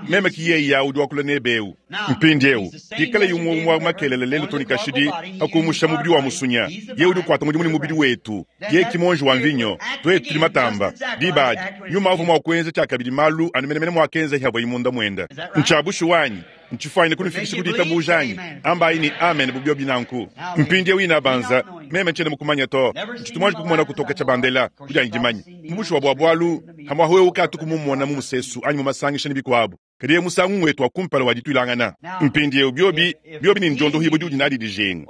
Meme ki yeye awu udi wakula nebe eu. Mpindieu, pikalaye umue umue wa makelela lelu to ne kashidi, pa kumusha mubidi wa musunya, yeye udi ukuata mudimu ne mubidi wetu. Yeye ki muonji wa mvinyo, tuetu tudi matamba. Diba adi, nyuma uvua mua kuenza tshiakabidi malu anu menemene muakenzaye havuaye munda muende. Ntshia bushuwa anyi? Ntshifuanyine kunufikisha ku ditabuja anyi? Ambayi ne, Amen, bu biobi nanku. Mpindieu inabanza, meme ntshiena mukumanya to, ntshitu muanji kukumona kutoka tshia bandela ku dianyi dimanya. Mu bushuwa bua bualu, hamuahu eu katu kumumona mu musesu anyi mu masangisha ne bikuabu, kadi eu musangu wetu wa kumpala wa dituilangana. Mpindieu biobi, biobi ne ndiondohibua diudi nadi dijinga.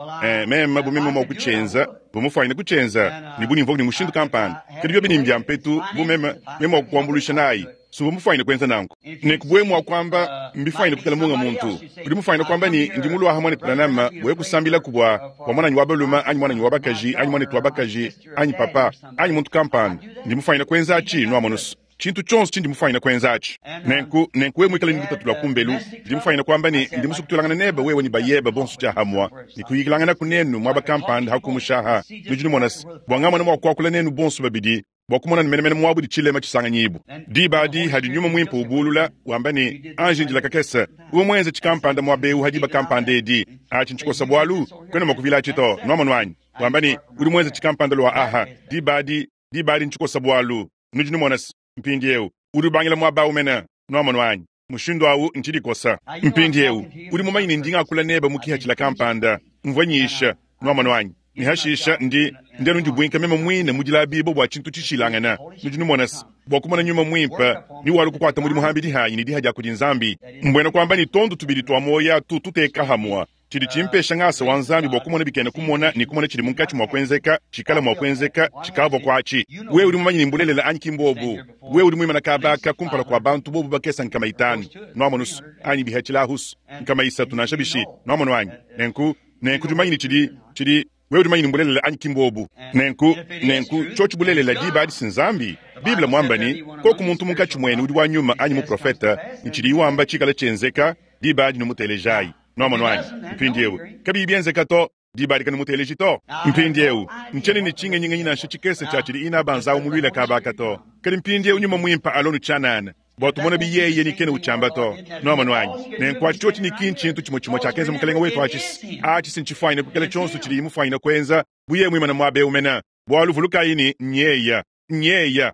Meme bu meme mua kutshienza, bu mufuanyine kutshienza, ne bu nimvua ne mushindu kampanda. Kadi biobi ne mbia mpetu, bu meme, meme mua kukuambuluisha nayi. Suvua mufuanyine kuenza nanku. Nenku buwe mua kuamba mbifuanyine kuikala munga muntu. Udi mufuanyine kuamba ne, ndi muluaha muanetu Branham bua kusambilaku bua bua muananyi wa balume anyi muananyi wa bakaji anyi muanetu wa bakaji anyi papa anyi muntu kampanda. Ndi mufuanyine kuenza atshi, nuamonu tshintu tshionso tshindi mufuanyine kuenza atshi. Nenku, nenku wewe muikale ne lutatu lua kumbelu, ndi mufuanyine kuamba ne, ndi musue kutuilangana nebe wewe ne bayebe bonso tshiahamua ne kuyikilanganaku nenu muaba kampanda ha kumushaha. Nudi numona se, bua ngamona mua kuakula nenu bonso babidi bua kumona ne menemene muabu di tshilema tshisanganyibu. Diba adi hadi nyuma muimpe ubulula, wamba ne, anji ndila kakese, uvua muenze tshikampanda muaba eu ha diba kampanda edi. Atshi ntshikosa bualu, kuena mua kuvila atshi to. Nuamonu anyi? Wamba ne, udi muenze tshikampanda lua aha. Diba adi, diba adi ntshikosa bualu. Nudi numona se, mpindieu, udi ubangila muaba au mene. Nuamonu anyi? Mushindu awu ntshidikosa. Mpindiewu, udi mumanye ne ndi ngakula nebe mu kihatshila kampanda. Mvua nyisha, nuamonu anyi? Ne hashisha ndi, ndi anu ndibuinka meme muine mu dilabibua bua tshintu tshishilangana. Nudi numona se, bua kumona Nyuma Muimpe ni walua kukuata mudimu hambidi hanyi ne diha dia kudi Nzambi. Mbuena kuamba ne tondu tubidi tua muoyo atu tuteka hamua. Tshidi tshimpesha ngasa wa Nzambi bua kumona bikena kumona ne kumona tshidi munkatshi mua kuenzeka, tshikala mua kuenzeka, tshikavua kuatshi. Wewe udi mumanye ne mbulelela anyi ki mbuobu? Wewe udi muimana kaba aka kumpala kua bantu bobu bakese 500, nuamonu's, anyi bihatshilahu's 300 nansha bishi, nuamonu anyi? Nenku, nenku udi mumanye ne tshidi, tshidi, wewe udi mumanye ne mbulelela anyi ki mbuobu? Nenku, nenku tshiotshi bulelela diba adi si Nzambi. Bible muamba ne, Koku muntu munkatshi muenu udi wa nyuma anyi muprofete, ne tshidiyi wamba tshikala tshienzeka, diba adi numutelejayi. Nuamonu anyi? Mpindiewu, kabiyi bienzeka to, diba adi kanumuteleji to. Mpindiewu, ntshiena ne tshingenyingenyi nansha tshikese tshia tshidi Inabanza umuluila kaba aka to. Kadi mpindiewu Nyuma Muimpe alonu tshianana, bua tumone bi yeye ni kena utshiamba to. Nuamonu anyi? Nenku atshi tshiotshi ni ki ntshintu tshimue tshimue tshiakenza Mukelenge wetu atshi se, atshi se ntshifuanyine kuikala tshionso tshidiyi mufuanyine kuenza bu yeye muimane muaba eu mene. Bualu vulukayi ne, nyeya. Nyeya.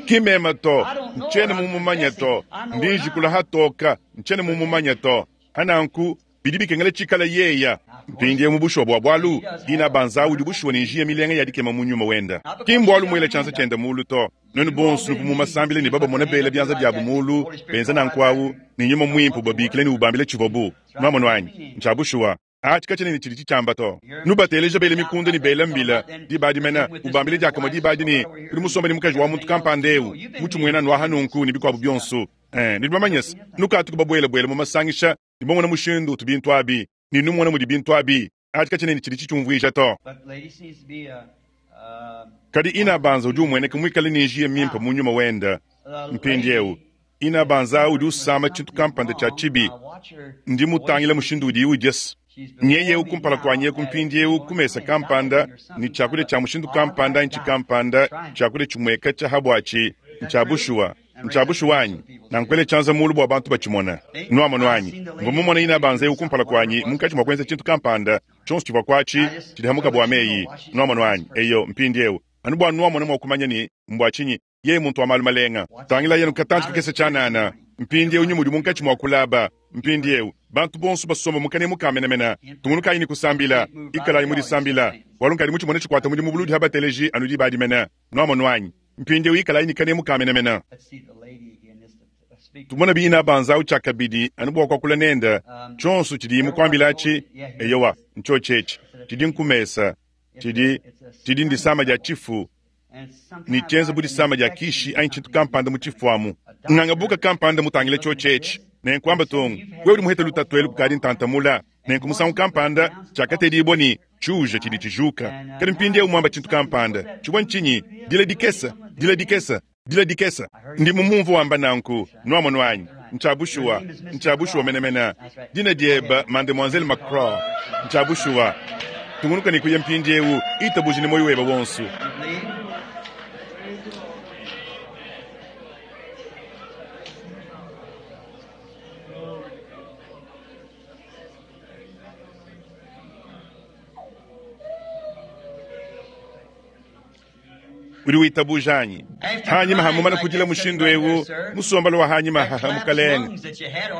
Ki meme to. Ntshiena mumumanye to. Ndi njikula hatoka. Ntshiena mumumanye to. Hananku, bidi bikengela tshikala yeya. Mpindieu mu bushuwa bua bualu, Inabanza udi bushuwa ne njiya milenga ya dikema mu nyuma wenda. Ki mbualu muela tshianza tshienda mulu to. Nuenu bonso nuvua mu masambila ne babamona bela bianza biabu mulu, benza nanku awu, ne Nyuma Muimpe ubabikila ne ubambila tshivuabu. Nuamonu anyi? Ntshia bushuwa. Atshi katshiena ne tshidi tshitshiamba to. Nubateleje bela mikunda ne bela mbila diba adi mene, ubambile diakamue diba adi ne, udi musombe ne mukaji wa muntu kampanda eu, mutshi muena nuaha nunku ne bikuabu bionso. Eh, nudi bamanye se, nukatuku babuelabuela mu masangisha ne bamona mushindu utu bintu abi, ne numona mudi bintu abi. Atshi katshiena ne tshidi tshitshiumvuija to. Kadi Inabanza udi umueneka muikale ne njiya mimpe mu nyuma wende. Mpindieu, Inabanza udi usama tshintu kampanda tshia tshibi. Ndi mutangila mushindu udiye udia se. Nyeye eu kumpala kuanyi eku mpindieu ku mesa kampanda ne tshiakudia tshia mushindu kampanda anyi tshikampanda, tshiakudia tshimueka tshia ha buatshi, ntshia bushuwa. Ntshia bushuwa anyi? Nankuele tshianza mulu bua bantu batshimone. Nuamonu anyi? Mvua mumone Inabanza eu kumpala kuanyi munkatshi mua kuenza tshintu kampanda, tshionso tshivua kuatshi tshidi hamuka bua meyi. Nuamonu anyi? Eyo, mpindieu, anu bua nuamona mua kumanya ne mbua tshinyi yeye muntu wa malu malenga. Tangilayi anu katantshi kakese tshianana. Mpindieu nyuma udi munkatshi mua kulaba. Mpindieu, bantu bonso basomba mu kanemu ka menemene. Tungunukayi ne kusambila. Ikalayi mu disambila, bualu nkadi mutshimone tshikuata mudimu buludi ha bateleji anu diba adi mene. Nuamonu anyi? Mpindieu ikalayi ne kanemu ka menemene. Tumone bi Inabanza awu tshiakabidi anu bua kuakula nende. Tshionso tshidiyi mukuambila atshi, eyowa, ntshiotshi etshi. Tshidi nkumesa. Tshidi, tshidi ndisama dia tshifu, ne tshienza bu disama dia kishi anyi tshintu kampanda mu tshifu amu. Nganga buka kampanda mutangile tshiotshi etshi, nenku amba tongu, wewe udi muhete lutatu elu kukadi ntantamula. Nenku musangu kampanda tshiakatedibua ne tshiuja tshidi tshijuka. Kadi mpindieu muamba tshintu kampanda, tshivua ntshinyi? Dila dikese, dila dikese, dila dikese. Ndi mumumvua wamba nanku, nuamonu anyi? Ntshia bushuwa, ntshia bushuwa menemene. Dina diebe Mademoiselle McCraw. Ntshia bushuwa. Tungunuka ne kuya mpindieu, itabuja ne muoyo webe wonso. Udi witabuja anyi? Hanyima ha mumana kudila mushindu eu, musombelo wa hanyima haha mukalenge,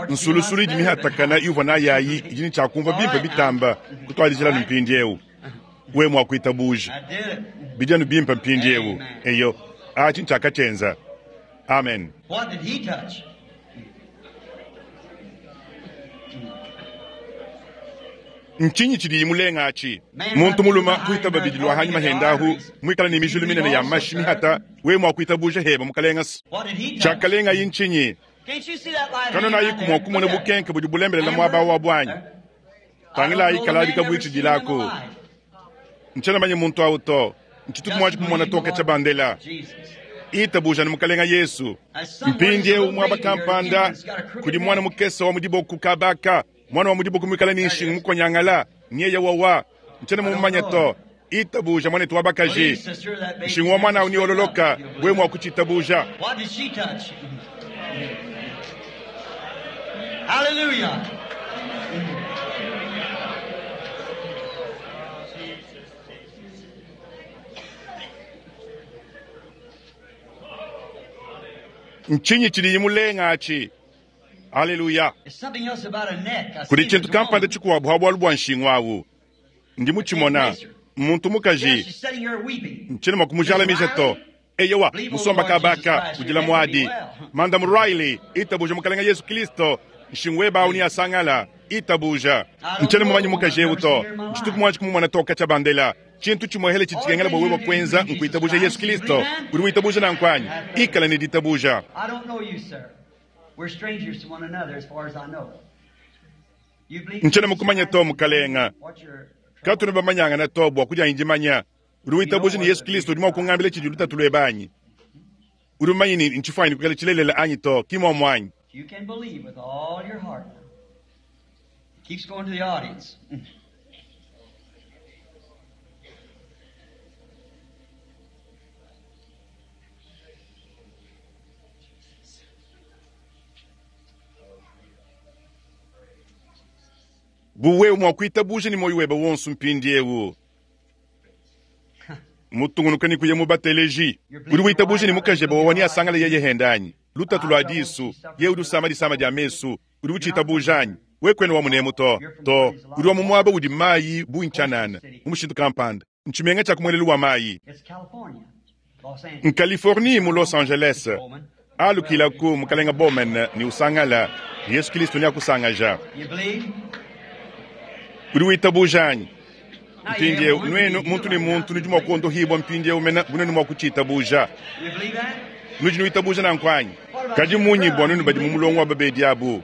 nsulusulu idi mihatakana yuvua nayi ayi idi ne tshiakumvua bimpe bitamba kutuadijila anu mpindieu. We mua kuitabuja bidi anu bimpe mpindieu. Eyo, atshi ntshiakatshienza. Amen. What did he touch? Ntshinyi tshidiyi mulenga atshi? Muntu mulume kuitaba bidi lua hanyima hendahu, muikale ne mijulu minene ya mashi mihata, we mua kuitabuja heba mukalenge se. What did he touch? Tshiakalengayi ntshinyi? Can't you see that light Kanonayi hanging kumua down there? kumona Look at it. bukenke budi bulembelela muaba wa buanyi. Tangilayi kaladi kabuitshidilako. Ntshiena manye muntu awu to. Ntshituku muaji kumona toka tshia bandela. Jesus. Itabuja ni mukalenga Yesu. Mpindieu muaba kampanda kudi mwana mukese wa mudiboku kabaka, mwana wa mudiboku muikale ne nshingu mukonyangala, nyeye wawa. Ntshiena mumumanye to. Itabuja mwanetu wa bakaji. Nshingu wa mwana awu ni ololoka, we mua kutshitabuja. What did she touch? Hallelujah. Ntshinyi tshidiyi mulenga atshi? Aleluya. There's something else about a neck. I Kudi see tshintu there's a kampanda woman. tshikuabu ha bualu bua nshingu awu. Ndi mutshimona muntu Yeah, mukaji she's sitting here weeping. nchini mwa kumujalamija to. Eyowa musomba kabaka ujila mwadi Madam Riley itabuja mukalenga Yesu Kristo nshingu weba uni asangala itabuja nchini mumanyi mukaji ewu to nchituku mwanji kumumona toka cha bandela chintu chimwehele chichikengela bwa wewe kwenza nkuitabuja Yesu Kristo uri witabuja na nkwanyi ikala ni ditabuja. I don't know you, sir. We're strangers to one another as far as I know. You believe Nchini mukumanya to mukalenga What's your katuna bamanyanga na to bwa kuja injimanya uri witabuja ni Yesu Kristo uri mwakungambile chiji lutatu lwebanyi uri mumanyi ni nchifwanyi kukala chilelela anyi to kimwa mwanyi. You can believe with all your heart. It keeps going to the audience. Buwewu mwakuitabuja ni moyo weba wonso mpindi ewu mutungunuka ni kuya mubateleji uri witabuja ni mukaje bawa wani asangala yeye hendanyi lutatu lwa disu ye uri usama disama dia mesu uri uchitabuja anyi wekwene wa munemu to to uri wa mumwaba udi mayi bunchanana mumushintu kampanda nchimenga cha kumwelelu wa mayi It's California, Los Angeles. Nkaliforni mu Los Angeles alukilaku mukalenga Bowman ni usangala Yesu Kristo ni akusangaja You believe? uri witabuja anyi Now you mpindiewu have one nwenu to muntu be ni muntu nudi mwa kuondohibwa mpindiewu mena bunenu mwa kuchitabuja You believe that? nudi nuitabuja na nkwanyi kadi munyi bwa nwenu badi mumulongo wa babedi abu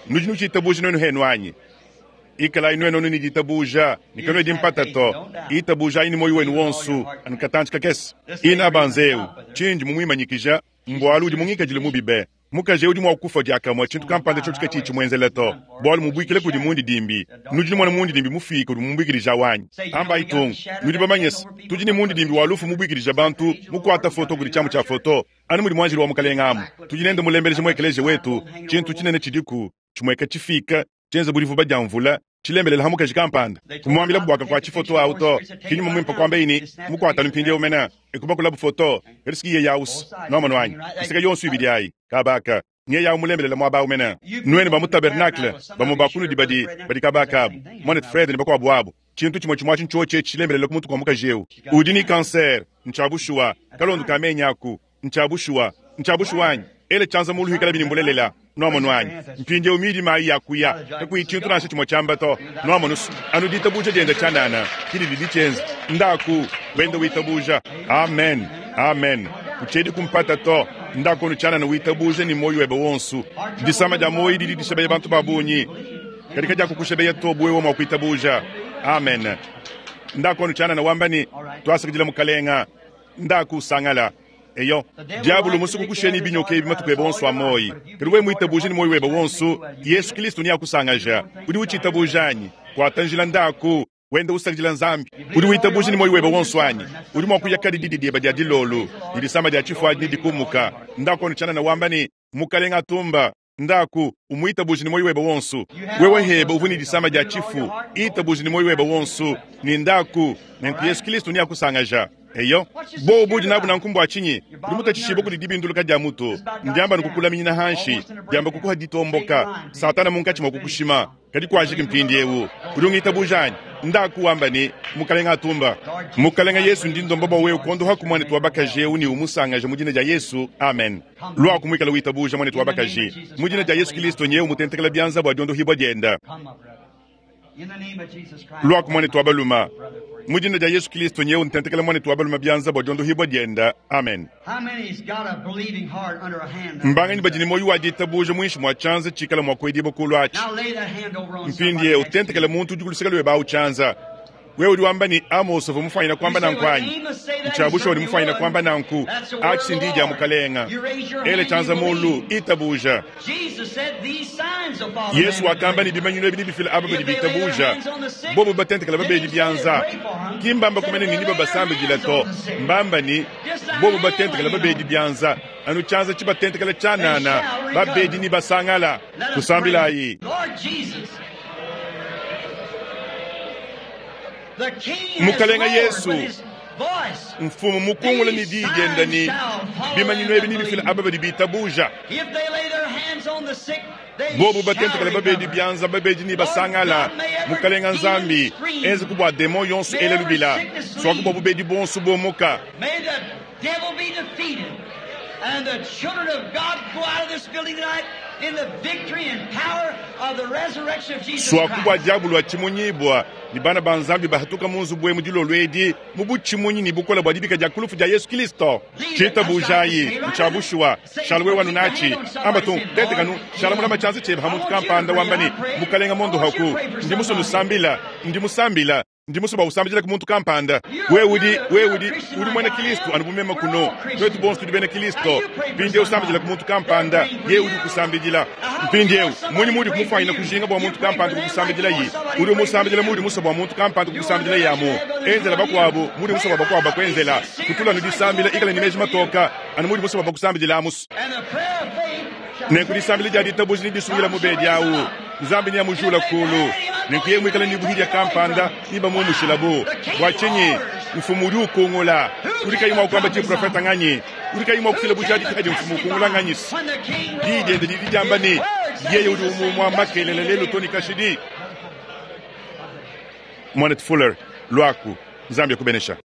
nudi nuchitabuja nwenu henu anyi ikalayi nwenu nu niditabuja nikanwe dimpata to itabuja ayi ni moyo wenu wonsu anukatanchi kakese ina banzeu chinji mumwimanyikija mbwalu udi mungikajile mubibe mukaje udi mwa kufa diakamwa chintu kampanda cho chikachi chimwenzele to bwalu mubwikile kudi mundi dimbi nudi mwana mundi dimbi mufika udi mumubwikilija wanyi amba itungu nudi bamanyesa tudi ni mundi dimbi walufu mubwikilija bantu mukwata foto kudi chamu cha foto anu mudi mwanjili wa mukalenga amu tudi nende mulembeleje mwekeleje wetu chintu chinene chidiku chimweka chifika chenze bulivu badya mvula chilembelela hamukaji kampanda kumwambila bwaka kwa chifoto auto kinyuma mwimpa kwamba ini mukwata lumpindi umena ikuba foto erisikiye yausi nomano wanyi isika yonsu ibidi ayi kabaka nye yawu mulembelela mwaba umena nwene ba mu tabernacle bamu bakunudi badi badi kabaka abu mwanet fred ni bakwabu abu chintu chimwe chimwachi nchoche chilembelela kumutu kwa mukaji ewu udi ni kanser nchabushuwa kalondo kamenyaku nchabushuwa nchabushuwanyi ele chanza mulu hikala binimbulelela nomono anyi mpindiewu midi mayi yakuya kakuyi chintu nasho chimwe chamba to nomono anu ditabuja dienda chanana chili lidi chenza ndaku wenda witabuja amen amen kuchedi kumpata to ndaku onu chanana witabuja ni moyo webe wonsu disama dia moyi didi dishabeya bantu babunyi kadika dia kukushabeya to buwewa mwa kuitabuja amen ndaku onu chanana wambani twasakidila mukalenga ndaku usangala eyo diabulu musuku kusheni binyoka ebi matuku ebe wonso amoyi kadi we muitabuje ni moyi webe wonso Yesu Kristo ni akusangaja udi uchitabuja anyi kwatanjila ndaku wenda usakidila nzambi udi witabuje ni moyi webe wonso anyi udi mwa kuya kadi didi dieba dia dilolu didisama dia chifuadi ni dikumuka ndaku onu chanana wamba ni mukalenga atumba ndaku umuitabuje ni moyi webe wonso wewe heba uvuni disama dia chifu itabuje ni moyi webe wonso ni ndaku nenku Yesu Kristo ni akusangaja eyo bo budi nabu nankumbu achinyi udi mutachishiba kudi dibinduluka dia mutu ndiamba nikukulaminyina hanshi diamba kukuha ditomboka satana munkatshi mwa kukushima kadi kwajiki mpindi ewu udi ungitabuja anyi ndaku wamba ni mukalenga atumba mukalenga Yesu ndi ndomba bwa wewe kondoha ku mwanetu wa bakaji ewu ni umusangaje mu dina dia Yesu amen lwaku mwikala witabuja mwanetu wa bakaji mu dina dia Yesu Kristo nyewe mutentekela byanza bwa diondohibwa dienda Come, my brother. In the name of Jesus Christ. lwaku mwanetu wa baluma Brother, for you. mu dina dia Yesu Kristo nyewe ntentekela mwanetu wa baluma byanza bwa diondohibwa dienda amen How many's got a believing heart under a hand? mbangani badi ni moyo wa ditabuja mwinshi mwa chanza chikala mwa kwediba kulwachi Now lay that hand over on mpindi somebody ye next to you. utentekele muntu udi kuluseka lwe bawu chanza wewe udi wamba ni Amos uvua mufanyina kwamba nankwanyi nchabusha udi mufanyina kwamba nanku achi ndi dia mukalenga ele chanza mulu itabuja Jesus said these signs will follow Yesu them that wakamba ni believe. bimanyino ebi nibifila aba badi bitabuja bobo batentekela babedi byanza kimbamba kumene nini babasambijila to mbamba ni bobo batentekela babedi byanza anu chanza chibatentekela chanana babedi ni basangala Let us kusambilayi pray. Lord Jesus, the King has Mukalenga roared Yesu, with his voice. Mfumu mukungula ne diyi diende ne, bimanyinu ebi nebifile aba badi bitabuja. If they lay their hands on the sick, they Bobu shall batentekela babedi recover. bianza babedi ne basangala. Mukalenga Nzambi, enze ku bua demon yonso ele lubila. Swaku bua bubedi bonso bomuka. May the devil be defeated and the children of God go out of this building tonight in the victory and power of the resurrection of Jesus Swaku bua Christ. diabulu atshimunyibua ne bana ba Nzambi bahatuka mu nzubu emu dilolo edi mu butshimunyi ne bukola bua dibika dia kulufu dia Yesu Kristo. Tshitabujayi ntshiabushuwa shala wewe wanu nachi amba tu tetekanu shala mulama tshianza tshiebe ha muntu kampanda wamba ne mukalenga mondo haku ndi muso nusambila ndi musambila ndi muso bausambila ku muntu kampanda. Wewe udi wewe udi udi muena Kristo anu bumema kuno twetu bonso tudi bena Kristo mpindieu usambila ku muntu kampanda ye udi ukusambidila mpindieu munyi mudi kumufanyina kujinga bua muntu kampanda kukusambidila yi udi umusambidila mudi musa bua muntu kampanda kukusambidila yamu enzela bakuabu mudi musa bua bakuabu bakuenzela kutula nudisambila ikala ne meji matoka anu mudi musa bua bakusambidila amusu And the prayer of faith shall nenku disambila dia ditabuja ne disungila mubedi awu Nzambi ne amujula kulu nenku ye muikala ne buhidia kampanda nibamumushilabu bua tshinyi mfumu udi ukungula udi kayi mua kuamba tshiprofeta nganyi udi kayi mua kufila bujadiki hadi mfumu ukungula nganyi when the king diyi diende didi diamba ne yeye udi umumua makelele lelu to ne kashidi. Mwanet Fuller lwaku Nzambi akubenesha.